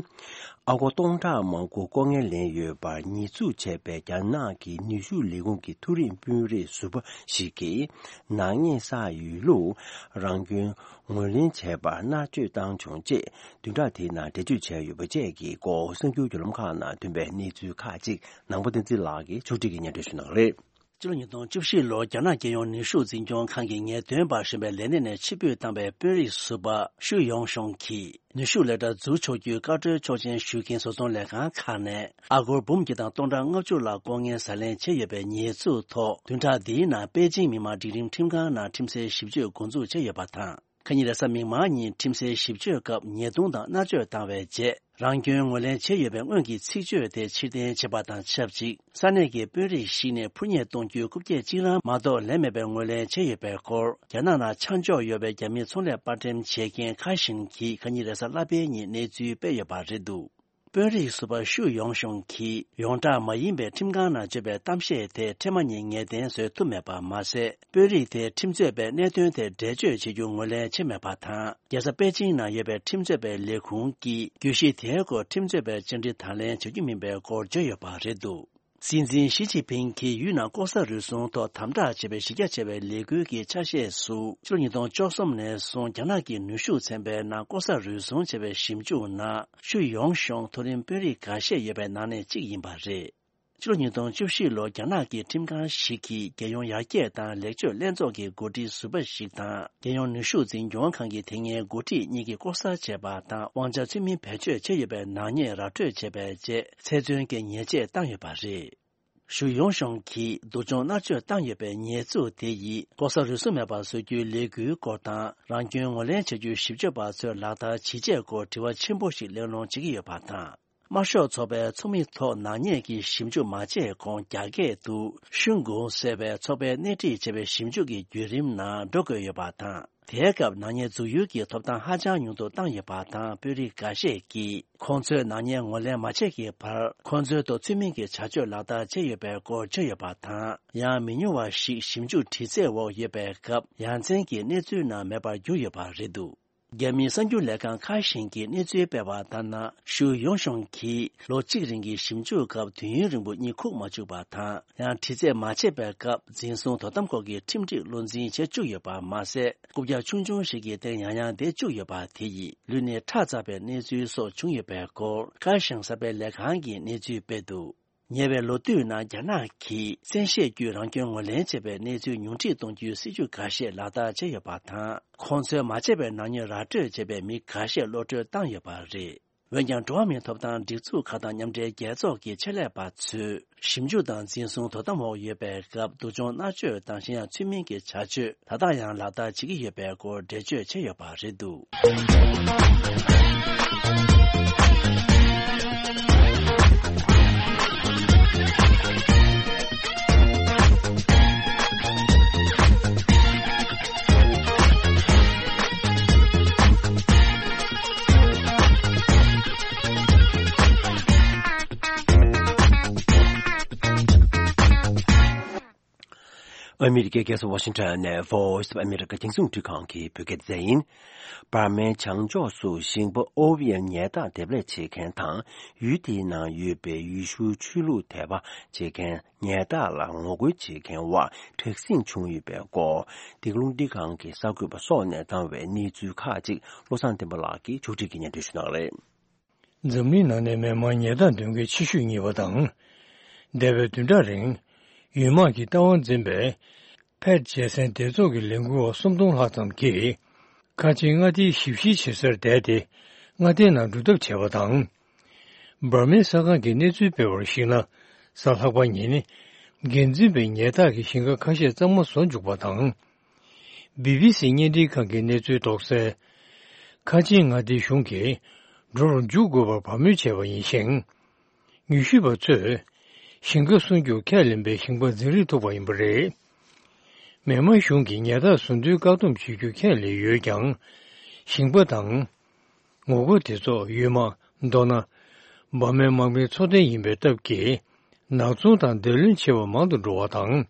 ཨ་སྒོར་སྟོང་ཕྲག་མང་པོ་ལྐོག་རྔན་ལེན་ཡོད་པར་ཉེས་འཛུགས་བྱས་པའི་རྒྱ་ནག་གི་ནུས་ཤུགས་ལས་ཁུངས་ཀྱི་མཐོ་རིམ་དཔོན་རིགས་ཟུར་པ་ཞིག་གིས་ནག་ཉེས་བསགས་ཡོད་ལུགས། རང་སྐྱོན་ངོས་ལེན་བྱས་པར་མནར་གཅོད་བཏང་བྱུང་ཅེས་བདུན་ཕྲག་དེའི་ནང་འགྲེལ་བརྗོད་བྱས་ཡོད་པ་བཅས་ཀྱི་སྐོར་གསར་འགྱུར་བརྒྱུད་ལམ་ཁག་ནང་ཐོན་པའི་གནས་ཚུལ་ཁག་ཅིག་ནང་པ་བསྟན་འཛིན་ལགས་ཀྱིས་ཕྱོགས་སྒྲིག་གིས་སྙན་སྒྲོན་ཞུ་གནང་གི་རེད། ཕྱི་ལོ་ཉིས་སྟོང་བཅུ་བཞི་ལོར་རྒྱ་ནག་རྒྱལ་ཡོངས་ནུས་ཤུགས་འཛིན་སྐྱོང་ཁང་གི་ངེས་སྟོན་པ་གཞོན་པའི་ལས་གནས་ནས་ཕྱིར་འབུད་བཏང་བའི་དཔོན་རིགས་ཟུར་པ་ཤུ་ཡོང་ཤོང་གིས། ནུས་ཤུགས་ལས་གྲྭ་འཛུགས་ཆོག་རྒྱུའི་བཀའ་འཁྲོལ་ཆོག་མཆན་ཞུ་མཁན་བཟོ་ཚོང་ལས་ཁང་ཁག་ནས་ཨ་སྒོར་འབུམ་གཅིག་དང་སྟོང་ཕྲག་ལྔ་བཅུ་ལ་ལྐོག་རྔན་ཟ་ལེན་བྱས་ཡོད་པའི་ཉེས་འཛུགས་ཐོག་བདུན་ཕྲག་འདིའི་ནང་པེ་ཅིང་མི་དམངས་སྒྲིག་ཁྲིམས་ཁྲིམས་ཁང་ནང་ཁྲིམས་སའི་ཞིབ་དཔྱོད་འགོ་འཛུགས་བྱས་ཡོད་པ་དང་། ཁ་ཉིན་རེས་གཟའ་མིག་དམར་ཉིན་ཁྲིམས་སའི་ཞིབ་དཔྱོད་སྐབས་ཉེས་རྡུང་དང་མནར་གཅོད་བཏང་བའི་རྗེས། རང་སྐྱོན་ངོས་ལེན་བྱས་ཡོད་པའི་སྔོན་གྱི་ཚིག་བརྗོད་དེ་ཕྱིར་འཐེན་བྱས་པ་དང་ཆབས་ཅིག་ས་གནས་ཀྱི་དཔོན་རིགས་ཤིག་ནས་འཕུར་མཉེ་གཏོང་རྒྱུའི་རྐུབ་བཀྱག་གཅིག་རང་མ་གཏོགས་ལེན་མེད་པའི་ངོས་ལེན་བྱས་ཡོད་པའི་སྐོར། རྒྱ་ནག་ནང་ཆ་འཇོག་ཡོད་པའི་རྒྱ་མིའི་ཚོང་ལས་པར་འགྲེམས་བྱེད་མཁན་ཁ་ཤིན་གྱིས་ཁ་ཉིན་རེས་གཟའ་ལྷག་པའི་ཉིན་གནས་ཚུལ་སྤེལ་ཡོད་པ་རེད་འདུག་དཔོན་རིགས་ཟུར་པ་ཤུ་ཡོང་ཤོང་གིས་ཡོངས་གྲགས་མ་ཡིན་པའི་ཁྲིམས་ཁང་ནང་བརྗོད་པའི་གཏམ་བཤད་དེ་འཕྲལ་མ་ཉིད་ངེས་གཏན་བཟོ་ཐུབ་མེད་པ་མ་ཟད། དཔོན་རིགས་དེས་ཁྲིམས་རྩོད་པས་གནད་དོན་དེ་འགྲེལ་བརྗོད་བྱེད་རྒྱུ་ངོས་ལེན་བྱས་མེད་པ་དང་། རྒྱལ་ས་པེ་ཅིང་ནང་ཡོད་པའི་ཁྲིམས་རྩོད་པའི་ལས་ཁུངས་ཀྱིས་གྱོད་གཞི་དེའི་སྐོར་ཁྲིམས་རྩོད་པས་བཅར་འདྲི་དང་ལེན་བྱ་རྒྱུ་མིན་པའི་སྐོར་བརྗོད་ཡོད་པ་རེད་འདུག་སྲིད་འཛིན་ཞི་ཅིན་ཕིང་གིས་ཡུལ་ནང་ལྐོག་ཟ་རུལ་སུངས་ཐོག་དམ་དྲག་བྱས་པའི་གཞི་རྒྱ་ཆེ་བའི་ལས་འགུལ་གྱི་ཆ་ཤས་སུ། ཕྱི་ལོ་ཉིས་སྟོང་བཅུ་གསུམ་ནས་བཟུང་རྒྱ་ནག་གི་ནུས་ཤུགས་ཚན་པའི་ནང་ལྐོག་ཟ་རུལ་སུངས་བྱས་པའི་ཞིབ་འཇུག་ནང་ཤུ་ཡོང་ཤོང་མཐོ་རིམ་དཔོན་རིགས་འགའ་ཤས་ཡོད་པའི་ནང་ནས་གཅིག་ཡིན་པ་རེད། ཕྱི་ལོ་ཉིས་སྟོང་བཅུ་བཞི་ལོར་རྒྱ་ནག་གི་ཁྲིམས་ཁང་ཞིག་གིས་རྒྱལ་ཡོངས་ཡར་རྒྱས་དང་ལེགས་བཅོས་ལྷན་ཚོགས་ཀྱི་འགོ་ཁྲིད་ཟུར་པ་ཞིག་དང་། རྒྱལ་ཡོངས་ནུས་ཤུགས་འཛིན་སྐྱོང་ཁང་གི་དེ་སྔའི་འགོ་ཁྲིད་གཉིས་ཀྱིས་ལྐོག་ཟ་བྱས་པ་དང་། དབང་ཆ་ཚུལ་མིན་བེད་སྤྱོད་བྱས་ཡོད་པའི་ནག་ཉེས་ར་སྤྲོད་བྱས་པའི་རྗེས། ཚེ་བཙོན་གྱི་ཉེས་ཆད་བཏང་ཡོད་པ་རེད། ཞུ་ཡོང་ཤོང་གིས་སྡུག་སྦྱོང་མནར་གཅོད་བཏང་ཡོད་པའི་ཉེས་འཛུགས་དེ་ཡིས་ལྐོག་ཟ་རུལ་སུངས་མེད་པར་བཟོ་རྒྱུའི་ལས་འགུལ་སྐོར་དང་། རང་སྐྱོན་ངོས་ལེན་བྱ་རྒྱུའི་ཞིབ་དཔྱོད་པ་ཚོས་ལག་བསྟར་ཇི་བྱས་སྐོར་དྲི་བ་ཆེན་པོ་ཞིག་གླེང་སློང་བྱེད་ཀྱི་ཡོད་པ་དང་། དམར་ཤོག་ཚོགས་པའི་ཚོགས་མི་ཐོག་ནག་ཉེས་ཀྱི་ཞིབ་འཇུག་མ་བྱས་གོང་རྒྱ་སྐད་དུ་ཤུན་གུང་ཟེར་བའི་ཚོགས་པས་སྣེ་ཁྲིད་བྱས་པའི་ཞིབ་འཇུག་གི་བརྒྱུད་རིམ་ནང་འགྲོ་དགོས་ཡོད་པ་དང་། དེའི་སྐབས་ནག་ཉེས་འཛུགས་ཡུལ་གྱི་ཐོབ་ཐང་ཧ་ཅང་ཉུང་དུ་བཏང་ཡོད་པ་དང་། དཔོན་རིགས་འགའ་ཤས་ཀྱིས་ཁོང་ཚོས་ནག་ཉེས་ངོས་ལེན་མ་བྱས་ཀྱི་བར་ཁོང་ཚོའི་ཐོག་ཚུལ་མིན་གྱི་བྱ་སྤྱོད་ལག་བསྟར་བྱས་ཡོད་པའི་སྐོར་བརྗོད་ཡོད་པ་དང་། ཡང་མི་ཉུང་བ་ཞིག་ཞིབ་འཇུག་དྲི་རྩད་འོག་ཡོད་པའི་སྐབས་ཡ་མཚན་གྱི་གནས་ཚུལ་ནང་མེད་པར་གྱུར་ཡོད་པ་རེད་འདུག་རྒྱ་མིའི་གསར་འགྱུར་ལས་ཁང་ཁ་ཤིན་གྱིས་གནས་ཚུལ་སྤེལ་བ་ལྟར་ན། ཤུ་ཡོང་ཤོང་གིས་ལོ་གཅིག་རིང་གི་ཞིབ་འཇུག་སྐབས་དུས་ཡུན་རིང་པོ་གཉིད་ཁུག་མ་བཅུག་པ་དང་། ཡང་དྲི་རྩད་མ་བྱས་པའི་སྐབས་འཛིན་བཟུང་དོ་དམ་སྐོར་གྱི་ཁྲིམས་སྒྲིག་བློ་འཛིན་བྱེད་བཅུག་ཡོད་པ་མ་ཟད། རྐུབ་བཀྱག་ཆུང་ཆུང་ཞིག་གི་སྟེང་ཡང་ཡང་བསྡད་བཅུག་ཡོད་པ་དེ་ཡིས་ལུས་ནད་ཁྲག་འཛག་པའི་གནས་ཚུལ་སོགས་བྱུང་ཡོད་པའི་སྐོར་ཁ་ཤང་གསར་སྤེལ་ལས་ཁང་གིས་གནས་ཚུལ་སྤེལ་འདུག་ཉེ་བའི་ལོ་དུས་ནང་རྒྱ་ནག་གིས་བཙན་ཤེད་བརྒྱུད་རང་སྐྱོན་ངོས་ལེན་བྱེད་པའི་གནས་ཚུལ་ཉུང་འཕྲི་གཏོང་རྒྱུའི་སྲིད་ཇུས་འགའ་ཤས་ལག་བསྟར་བྱས་ཡོད་པ་དང་། ཁོང་ཚོས་མ་བྱས་པའི་ནག་ཉེས་ར་སྤྲོད་བྱས་པའི་མི་འགའ་ཤས་གློད་གྲོལ་བཏང་ཡོད་པ་རེད། འོན་ཀྱང་། འགྲོ་བ་མིའི་ཐོབ་ཐང་སྒྲིག་འཛུགས་ཁག་དང་མཉམ་འབྲེལ་རྒྱལ་ཚོགས་ཀྱི་ཆེད་ལས་པ་ཚོས་ཞིབ་འཇུག་དང་འཛིན་བཟུང་དོ་དམ་འོག་ཡོད་པའི་སྐབས་སྡུག་སྦྱོང་མནར་གཅོད་དང་གཞན་ཡང་ཚུལ་མིན་གྱི་བྱ་སྤྱོད་ད་ལྟ་ཡང་ལག་བསྟར་བྱེད་ཀྱི་ཡོད་པའི་སྐོར་འགྲེལ་བརྗོད་བྱས་ཡོད་པ་རེད་འདུག་ཨ་མི་རི་ཀའི་རྒྱལ་ས་ཝ་ཤིང་ཊོན་ནས་Voice of America རྒྱང་སྲིང་འཕྲིན་ཁང་གི་བོད་སྐད་སྡེ་ཚན་ཡིན། འབར་མའི་བྱང་ཕྱོགས་སུ་ཞིང་པ་ཨོ་ཝི་ཡན་ཉལ་ཐག་འདེབས་ལས་བྱེད་མཁན་དང་། ཡུལ་དེའི་ནང་ཡོད་པའི་ཡེ་ཤུ་ཆོས་ལུགས་དད་པ་བྱེད་མཁན་ཉལ་ཐག་ལ་ངོ་རྒོལ་བྱེད་མཁན་བར་དྲག་ཟིང་བྱུང་ཡོད་པའི་སྐོར། འདི་ག་རླུང་འཕྲིན་ཁང་གི་གསར་འགོད་པ་སོགས་ནས་བཏང་བའི་གནས་ཚུལ་ཁག་ཅིག་བློ་བཟང་བསྟན་པ་ལགས་ཀྱིས་ཕྱོགས་སྒྲིག་གིས་སྙན་སྒྲོན་ཞུ་གནང་གི་རེད། འཛམ་གླིང་ནང་ནས་མི་མང་ཉལ་ཐག་འདོན་མཁན་ཆེ་ཤོས་རྙེད་པ་དང་། འདས་པའི་བདུན་ཕྲག་རིང་། ཡུལ་དམག་གིས་བཏང་བ་འཛིན་པའི་ཕེད་རྒྱལ་མཚན་སྡེ་ཚོགས་ཀྱི་ལས་འགུལ་བ་སུམ་སྟོང་ལྷག་ཙམ་གྱིས། ཁ་ཆེའི་མངའ་སྡེའི་ཞིབ་བཤེར་བྱེད་སར་བསྡད་དེ། མངའ་སྡེའི་ནང་འགྲོ་ཐབས་བྱས་པ་དང་། འབར་མའི་གསར་ཁང་གིས་གནས་ཚུལ་སྤེལ་བར་གཞིགས་ན། གཟའ་ལྷག་པ་ཉིན། འགན་འཛིན་པས་ཉལ་ཐག་གི་ཞིང་ཁ་ཁ་ཤས་གཙང་མ་བཟོ་འཇུག་པ་དང་། བི་བི་སི་བརྙན་འཕྲིན་ཁང་གི་གནས་ཚུལ་རྟོགས་གསལ། ཁ་ཆེའི་མངའ་སྡེའི་གཞུང་གིས་འགྲོ་རུ་འཇུག་དགོས་པར་བབས་མོས་བྱས་པ་ཡིན་ཞིང་། ཉུལ་ཞིབ་པ་ཚོས་ཞིང་ཁ་སྲུང་རྒྱུར་ཁས་ལེན་པའི་ཞིང་པ་འཛིན་རིམ་ཐུག་པ་ཡིན་པ་རེད། མི་དམངས་གཞུང་གིས་ཉལ་ཐག་བཟོ་འདྲའི་བཀག་སྡོམ་བྱེད་རྒྱུ་ཁས་ལེན་ཡོད་ཀྱང་། ཞིང་པ་དང་། ངོ་རྒོལ་དེ་ཚོ་ཡུལ་དམག་མདོར་ན། འབར་མའི་དམག་མིའི་ཚོགས་ཐེངས་ཡིན་པའི་སྟབས་ཀྱིས། ནག་ཚོང་དང་བརྡ་ལན་ཆེ་བ་མང་དུ་འགྲོ་བ་དང་།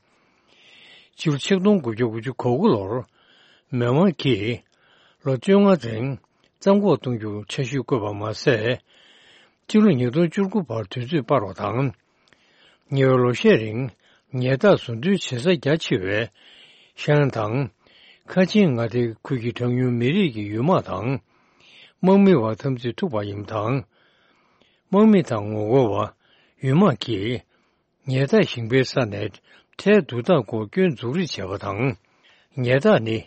སྤྱི་ལོ་ཆིག་སྟོང་དགུ་བརྒྱ་དགུ་བཅུ་གོ་དགུ་ལོར། མི་དམངས་ཀྱིས་ལོ་བཅོ་ལྔ་རིང་རྩ་འགོག་གཏོང་རྒྱུར་འཆར་གཞི་བཀོད་པ་མ་ཟད། སྤྱི་ལོ་ཉིས་སྟོང་བཅུ་དགུ་བར་དུས་ཚོད་སྤར་བ་དང་། ཉེ་བའི་ལོ་ཤས་རིང་ཉལ་ཐག་བཟོ་འདྲའི་བྱེད་ས་རྒྱ་ཆེ་བའི་ཤང་དང་། ཁ་ཆེའི་མངའ་སྡེ་ཁུལ་གྱི་གྲངས་ཉུང་མི་རིགས་ཀྱི་ཡུལ་དམག་དང་། དམག་མི་བར་འཐབ་འཛིང་ཐུག་པ་ཡིན་པ་དང་། དམག་མི་དང་ངོ་རྒོལ་བ་ཡུལ་དམག་གིས། ཉལ་ཐག་ཞིང་པའི་ས་ནས་ ཁྲལ་བསྡུ་སྟངས་སྐོར་སྐྱོན་འཛུགས་རིས་བྱས་པ་དང་། ཉལ་ཐག་ནི་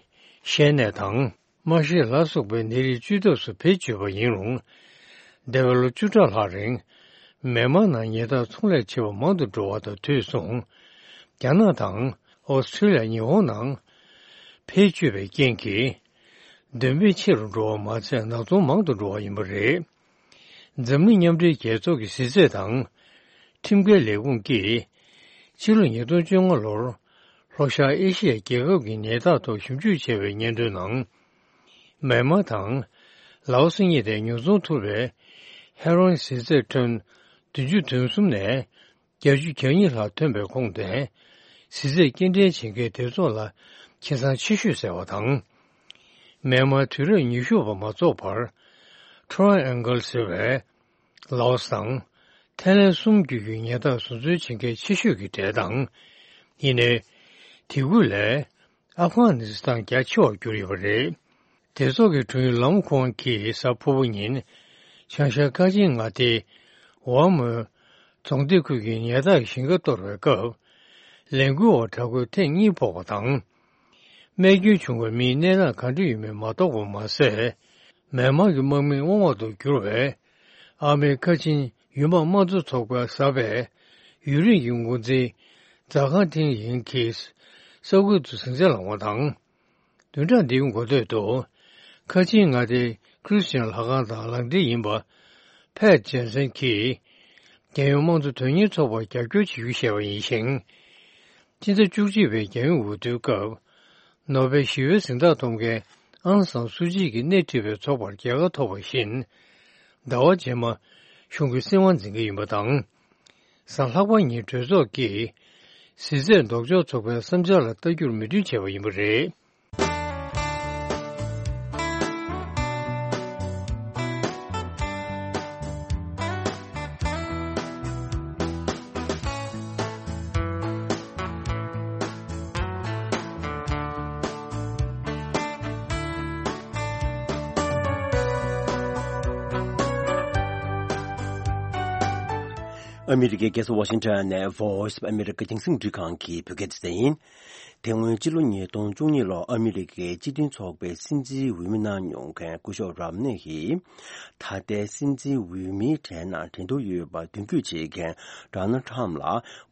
བཤལ་ནད་དང་། རྨ་བཤལ་ལ་སོགས་པའི་ནད་རིགས་བཅོས་ཐབས་སུ་བེད་སྤྱོད་པ་ཡིན་རུང་། འདས་པའི་ལོ་བཅུ་ཕྲག་ལྷག་རིང་། མེན་མར་ནང་ཉལ་ཐག་ཚོང་ལས་བྱེད་པ་མང་དུ་འགྲོ་བ་དང་དུས་མཚུངས། རྒྱ་ནག་དང་ཨོ་སི་ཁྲི་ལི་ཡ། ཉི་ཧོང་ནང་བེད་སྤྱོད་པའི་རྐྱེན་གྱིས། འདོན་སྤེལ་ཆེ་རུ་འགྲོ་བ་མ་ཚད། ནག་ཚོང་མང་དུ་འགྲོ་བ་ཡིན་པ་རེད། འཛམ་གླིང་མཉམ་འབྲེལ་རྒྱལ་ཚོགས་ཀྱི་གཟི་རྩད་དང་། ཁྲིམས་འགལ་ལས་ཁུངས་ཀྱིས། ཕྱི་ལོ་ཉིས་སྟོང་བཅོ་ལྔ་ལོར། ལྷོ་ཤར་ཨེ་ཤི་ཡའི་རྒྱལ་ཁབ་ཀྱི་ཉལ་ཐག་ཐོག་ཞིབ་འཇུག་བྱས་པའི་སྙན་ཐོའི་ནང་། མེན་མར་དང་། ལའོ་སི་གཉིས་ནས་ཉོ་ཚོང་ཐུབ་པའི་ཧེ་རོ་ཨིན་གཟི་རྩད་ཁྲོན་བདུན་ཅུ་དོན་གསུམ་ནས། བརྒྱད་ཅུ་གྱ་གཉིས་ལྷག་ཐོན་པའི་ཁོངས་དེ། གཟི་རྩད་སྐྱེལ་འདྲེན་བྱེད་མཁན་སྡེ་ཚོགས་ལ་ཁེ་བཟང་ཆེ་ཤོས་ཟེར་བ་དང་། མེན་མར་དུས་རབས་ཉི་ཤུ་པ་མ་རྫོགས་བར། ཁྲོ་ཨན་གལ་ཟེར་བའི་ལའོ་སི་དང་། ཐའི་ལན་གསུམ་བརྒྱུད་ཀྱི་ཉལ་ཐག་བཟོ་འཛུལ་བྱེད་མཁན་ཆེ་ཤོས་ཀྱི་གྲས་དང་། ཡིན་ནའི། དེ་ཁུལ་ལས། ཨབ་གྷ་ནི་སི་ཐན་རྒྱ་ཆེ་བར་གྱུར་ཡོད་པ་རེད། སྡེ་ཚོགས་ཀྱི་དྲུང་ཡིག་ལམ་ཁོང་གིས་གཟའ་ཕུར་བུ་ཉིན། བྱང་ཤར་ཁ་ཆེའི་མངའ་སྡེ། ཝ་མོའི་རྫོང་སྡེ་ཁུལ་གྱི་ཉལ་ཐག་གི་ཞིང་ཁ་གཏོར་བའི་སྐབས། ལས་འགུལ་བ་དྲག་རྒོལ་ཐེངས་གཉིས་ཕོག་པ་དང་། རྨས་སྐྱོན་བྱུང་བའི་མིའི་གནས་སྟངས་ག་འདྲ་ཡོད་མེད་མ་རྟོགས་པ་མ་ཟད། མེན་མར་གྱི་དམག་མིའི་དབང་འོག་ཏུ་གྱུར་བའི། ཨར་མའི་ཁ་ཆེན་ཡུལ་དམག་དམངས་གཙོ་ཚོགས་པས་གསར་པའི་ཡུན་རིང་གི་འགོ་འཛིན་ཛ་ཁང་ཐིང་ཡིང་གིས་ས་ཁུལ་དུ་ཟིང་ཆ་ལངས་པ་དང་། བདུན་ཕྲག་འདིའི་འགོ་སྟོད་དུ། ཁ་ཆེའི་མངའ་སྡེའི་ཁྲི་སི་ཅན་ལྷ་ཁང་དང་ལག་འབྲེལ་ཡིན་པ། ཕེད་ཇན་སན་གྱིས། རྒྱལ་ཡོངས་དམངས་གཙོ་དོན་གཉེར་ཚོགས་པར་རྒྱབ་སྐྱོར་བྱེད་རྒྱུ་བཤད་པ་ཡིན་ཞིང་། སྤྱི་ཟླ་བཅུ་གཅིག་པའི་རྒྱལ་ཡོངས་འོས་བསྡུའི་སྐབས། ནོ་བེལ་ཞི་བའི་གཟེངས་རྟགས་ཐོབ་མཁན་ཨང་སང་སུ་ཅི་གིས་སྣེ་ཁྲིད་པའི་ཚོགས་པར་རྒྱལ་ཁ་ཐོབ་པ་བཞིན། ཟླ་བ་རྗེས་མ་གཞུང་གི་སྲིད་དབང་འཛིན་གྱི་ཡིན་པ་དང་། གཟའ་ལྷག་པ་ཉིན་གྲོས་ཚོགས་ཀྱིས་གཟི་རྩད་ལྡོག་ཕྱོགས་ཚོགས་པའི་བསམ་འཆར་ལ་ལྟ་རྒྱུར་མོས་མཐུན་བྱས་པ་ཡིན་པ་རེད། ཨ་མི་རི་ཀའི་རྒྱལ་ས་ཝ་ཤིང་ཊོན་ནས་Voice of America རྒྱང་སྲིང་འཕྲིན་ཁང་གི་བོད་སྐད་སྡེ་ཚན་ཡིན། དེ་སྔོན་ཕྱི་ལོ་ཉིས་སྟོང་བཅུ་གཉིས་ལོར་ཨ་མི་རི་ཀའི་སྤྱི་མཐུན་ཚོགས་པའི་སྲིད་འཛིན་འོས་མི་གནང་མྱོང་མཁན་སྐུ་ཞབས་རམ་ནེ་ཡིས། ད་ལྟའི་སྲིད་འཛིན་འོས་མིའི་གྲས་ནང་འགྲན་བསྡུར་ཡོད་པར་མདུན་སྐྱོད་བྱེད་མཁན་ཌོ་ནལ་ཊམ་ལ་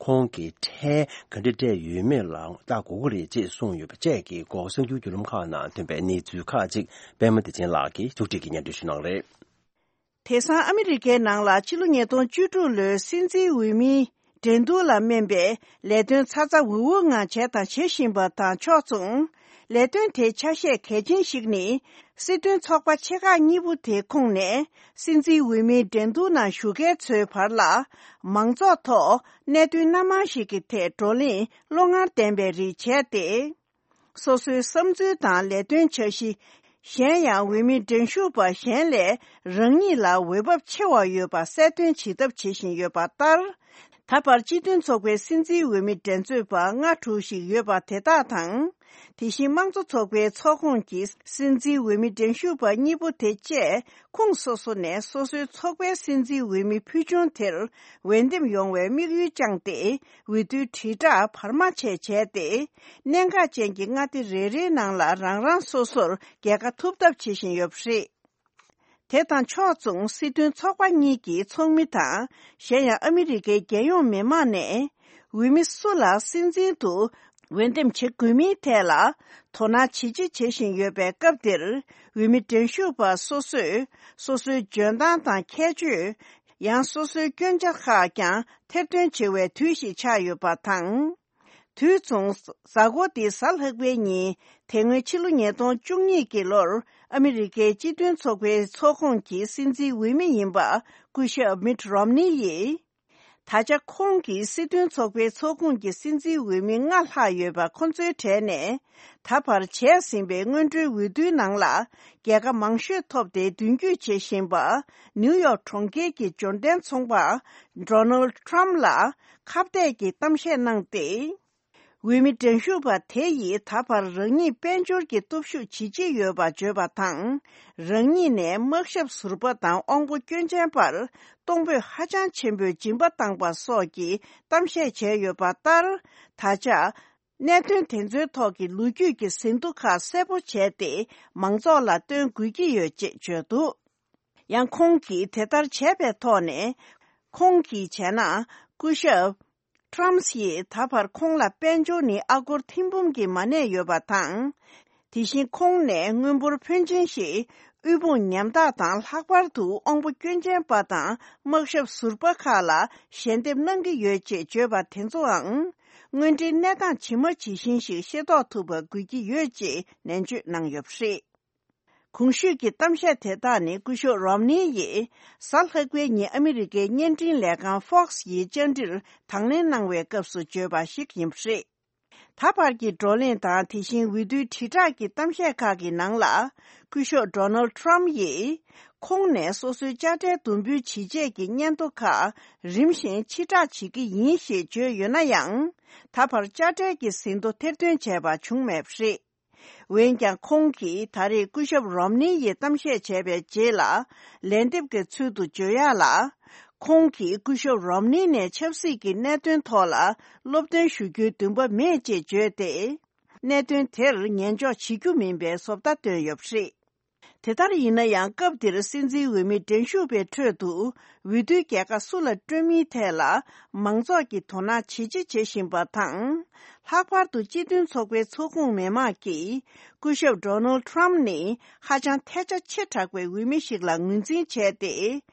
ཁོང་གིས་ཁྲལ་ག་འདྲ་སྤྲད་ཡོད་མེད་ལ་ལྟ་དགོས་ཀྱི་རེད་ཅེས་གསུངས་ཡོད་པ་བཅས་ཀྱི་སྐོར་གསར་འགྱུར་བརྒྱུད་ལམ་ཁག་ནང་ཐོན་པའི་གནས་ཚུལ་ཁག་ཅིག་པད་མ་བདེ་ཆེན་ལགས་ཀྱིས་ཕྱོགས་སྒྲིག་གིས་སྙན་སྒྲོན་ཞུ་གནང་རེད། དེང་སང་ཨ་མི་རི་ཀའི་ནང་ལ་ཕྱི་ལོ་ཉིས་སྟོང་བཅུ་དྲུག་ལོའི་སྲིད་འཛིན་འོས་མིའི་འགྲན་བསྡུར་ལ་སྨན་པའི་ལས་དོན་ཚ་ཚ་འུར་འུར་ངང་བྱས་དང་བྱེད་བཞིན་པ་དང་ཕྱོགས་མཚུངས། ལས་དོན་དེའི་ཆ་ཤས་གལ་ཆེན་ཞིག་ནི། སྲིད་དོན་ཚོགས་པ་ཆེ་ཁག་གཉིས་པོ་དེའི་ཁོངས་ནས་སྲིད་འཛིན་འོས་མིའི་འགྲན་བསྡུར་ནང་ཞུགས་མཁན་ཚོའི་བར་ལ། མང་ཚོགས་ཐོག་གནད་དོན་སྣ་མང་ཞིག་གི་ཐད་བགྲོ་གླེང་བློ་ངར་ལྡན་པའི་རིགས་བྱས་ཏེ། སོ་སོའི་བསམ་ཚུལ་དང་ལས་དོན་འཆར་གཞི། གཞན་ཡང་འོས་མི་འགྲན་ཞུགས་པ་གཞན་ལས་རང་ཉིད་ལ་འོས་བབ་ཆེ་བ་ཡོད་པ་གསལ་སྟོན་བྱེད་ཐབས་བྱེད་བཞིན་ཡོད་པ་ལྟར། ད་བར་སྤྱི་མཐུན་ཚོགས་པའི་སྲིད་འཛིན་འོས་མི་འགྲན་རྩོད་པ་ལྔ་དྲུག་ཞིག་ཡོད་པ་དེ་དག་དང་། དེ་བཞིན་དམངས་གཙོ་ཚོགས་པའི་ཚོགས་ཁོངས་ཀྱི་སྲིད་འཛིན་འོས་མི་འགྲན་ཞུགས་པ་གཉིས་པོ་དེ་བཅས་ཁོངས་སོ་སོ་ནས་སོ་སོའི་ཚོགས་པའི་སྲིད་འཛིན་འོས་མི་ཕུལ་བྱུང་དེར་འོས་འདེམས་ཡོང་བའི་དམིགས་ཡུལ་བཅངས་ཏེ། འོས་བསྡུའི་དྲིལ་བསྒྲགས་བར་མ་ཆད་བྱས་ཏེ། གནད་འགག་ཅན་གྱི་མངའ་སྡེ་རེ་རེའི་ནང་ལ་རང་རང་སོ་སོར་རྒྱལ་ཁ་ཐོབ་ཐབས་བྱེད་བཞིན་ཡོད་པ་རེད། དེ་དང་ཕྱོགས་མཚུངས་སྲིད་དོན་ཚོགས་པ་གཉིས་ཀྱི་ཚོགས་མི་དང་། གཞན་ཡང་ཨ་མི་རི་ཀའི་རྒྱལ་ཡོངས་མི་མང་ནས། འོས་མི་སུ་ལ་སྲིད་འཛིན་དུ་འོས་འདེམས་བྱེད་དགོས་མིན་ཐད་ལ་དོ་སྣང་ཇི་ཆེ་བྱེད་བཞིན་ཡོད་པའི་སྐབས་འདིར། འོས་མི་འགྲན་ཞུགས་པ་སོ་སོས་སོ་སོའི་འཇོན་ཐང་དང་ཁྱད་ཆོས། ཡང་སོ་སོའི་སྐྱོན་ཆ་ཁག་ཀྱང་ཐེར་འདོན་བྱེད་པའི་དུས་ཤིག་ཆགས་ཡོད་པ་དང་། དུས་མཚུངས། གཟའ་འཁོར་འདིའི་གཟའ་ལྷག་པའི་ཉིན། དེ་སྔོན་ཕྱི་ལོ་ཉིས་སྟོང་བཅུ་གཉིས་ཀྱི་ལོར་ཨ་མི་རི་ཀའི་སྤྱི་མཐུན་ཚོགས་པའི་ཚོགས་ཁོངས་ཀྱི་སྲིད་འཛིན་འོས་མི་ཡིན་པ་སྐུ་ཞབས་མིད་རོམ་ནི་ཡིས། ད་ཆ་ཁོང་གིས་སྲིད་དོན་ཚོགས་པའི་ཚོགས་ཁོངས་ཀྱི་སྲིད་འཛིན་འོས་མི་ལྔ་ལྷག་ཡོད་པ་ཁོ་ཚོའི་གྲས་ནས། ད་བར་བྱས་ཟིན་པའི་སྔོན་འགྲོའི་འོས་བསྡུའི་ནང་ལ་རྒྱལ་ཁ་མང་ཤོས་ཐོབ་སྟེ་མདུན་སྐྱོད་བྱེད་བཞིན་པ། ནིའུ་ཡོག་གྲོང་ཁྱེར་གྱི་འབྱོར་ལྡན་ཚོང་པ་ཌོ་ནལ་ཊམ་ལ་ཁ་གཏད་ཀྱི་གཏམ་བཤད་གནང་སྟེ། འོས་མི་འགྲན་ཞུགས་པ་དེ་ཡིས་ད་བར་རང་ཉིད་དཔལ་འབྱོར་གྱི་སྟོབས་ཤུགས་ཇི་ཆེ་ཡོད་པ་བརྗོད་པ་དང་། རང་ཉིད་ནས་དམག་ཞབས་ཟུར་པ་དང་དབང་པོ་སྐྱོན་ཅན་པར་གཏོང་ཕོད་ཧ་ཅང་ཆེན་པོས་སྦྱིན་པ་བཏང་པ་སོགས་ཀྱི་གཏམ་བཤད་བྱས་ཡོད་པ་ལྟར། ད་ཆ་གནད་དོན་དེ་ཚོའི་ཐོག་གི་ལོ་རྒྱུས་ཀྱི་ཟིན་ཐོ་ཁག་གསལ་པོ་བྱས་ཏེ། མང་ཚོགས་ལ་སྟོན་དགོས་ཀྱི་ཡོད་ཅེས་བརྗོད་འདུག་ཡང་ཁོང་གིས་དེ་ལྟར་བྱས་པའི་ཐོག་ནས། ཁོང་གིས་བྱས་ན། སྐུ་ཞབས་ཁྲམ་ཡིས་ད་བར་ཁོང་ལ་དཔལ་འབྱོར་ནི་ཨ་སྒོར་ཐེར་འབུམ་གྱིས་མ་གནས་ཡོད་པ་དང་། དེ་བཞིན་ཁོང་ནས་དངུལ་འབོར་ཕོན་ཆེན་ཞིག་དབུལ་ཕོངས་ཉམ་ཐག་དང་། ལྷག་པར་དུ་དབང་པོ་སྐྱོན་ཅན་པ་དང་དམག་ཞབས་ཟུར་པ་ཁག་ལ་ཞལ་འདེབས་གནང་གི་ཡོད་ཅེས་བརྗོད་པ་དེ་ཚོའང་། དངོས་འབྲེལ་གནས་སྟངས་ཇི་མ་ཇི་བཞིན་ཞིག་ཤེས་རྟོགས་ཐུབ་པ་དགོས་ཀྱི་ཡོད་ཅེས་ནན་བརྗོད་གནང་ཡོད་པ་རེད། གོང་ཞུས་ཀྱི་གཏམ་བཤད་དེ་དག་ནི་སྐུ་ཞབས་རོམ་ནི་ཡིས་གཟའ་ལྷག་པའི་ཉིན་ཨ་མི་རི་ཀའི་བརྙན་འཕྲིན་ལས་ཁང་Fox་ཡི་བཅར་འདྲིར་དང་ལེན་གནང་བའི་སྐབས་སུ་བརྗོད་པ་ཞིག་ཡིན་པ་རེད། ད་བར་གྱི་བགྲོ་གླེང་དང་། དེ་བཞིན་འོས་བསྡུའི་དྲིལ་བསྒྲགས་ཀྱི་གཏམ་བཤད་ཁག་གི་ནང་ལ། སྐུ་ཞབས་Donald Trump་ཡིས་ཁོང་ནས་སོ་སོའི་དཔྱ་ཁྲལ་བསྡོམས་འབུལ་ཇི་བྱས་ཀྱི་སྙན་ཐོ་ཁག་རིམ་བཞིན་ཕྱིར་བསྒྲགས་བྱེད་ཀྱི་ཡིན་ཞེས་བརྗོད་ཡོད་ན་ཡང་། ད་བར་དཔྱ་ཁྲལ་གྱི་ཟིན་ཐོ་ཐེར་འདོན་བྱས་པ་བྱུང་མེད་པ་རེད། འོན་ཀྱང་ཁོང་གིས་ད་རེས་སྐུ་ཞབས་རོམ་ནི་ཡིས་གཏམ་བཤད་བྱས་པའི་རྗེས་ལ། ལན་འདེབས་ཀྱི་ཚུལ་དུ་བརྗོད་ཡག་ལ། ཁོང་གིས་སྐུ་ཞབས་རོམ་ནི་ནས་ཆབ་སྲིད་ཀྱི་གནད་དོན་ཐོག་ལ་སློབ་སྟོན་ཞུ་རྒྱུའི་འདུན་པ་མེད་ཅེས་བརྗོད་དེ། གནད་དོན་དེར་ཉན་འཇོག་བྱེད་རྒྱུ་མིན་པའི་བཟོ་ལྟ་བཏོན་ཡོད་པ་རེད། དེ་ལྟར་ཡིན་ན་ཡང་། སྐབས་འདིར་སྲིད་འཛིན་འོས་མི་འགྲན་ཞུགས་པའི་ཁྲོད་དུ། འོས་བསྡུའི་རྒྱལ་ཁ་སུ་ལ་སྤྲོད་མིན་ཐད་ལ། མང་ཚོགས་ཀྱིས་དོ་སྣང་ཇེ་ཆེ་བྱེད་བཞིན་པ་དང་། ལྷག་པར་དུ་སྤྱི་མཐུན་ཚོགས་པའི་ཚོགས་ཁོངས་མི་མང་གིས། སྐུ་ཞབས་Donald Trump་ནི་ཧ་ཅང་ཐལ་ཆ་ཆེ་དྲགས་པའི་འོས་མི་ཞིག་ལ་ངོས་འཛིན་བྱས་ཏེ།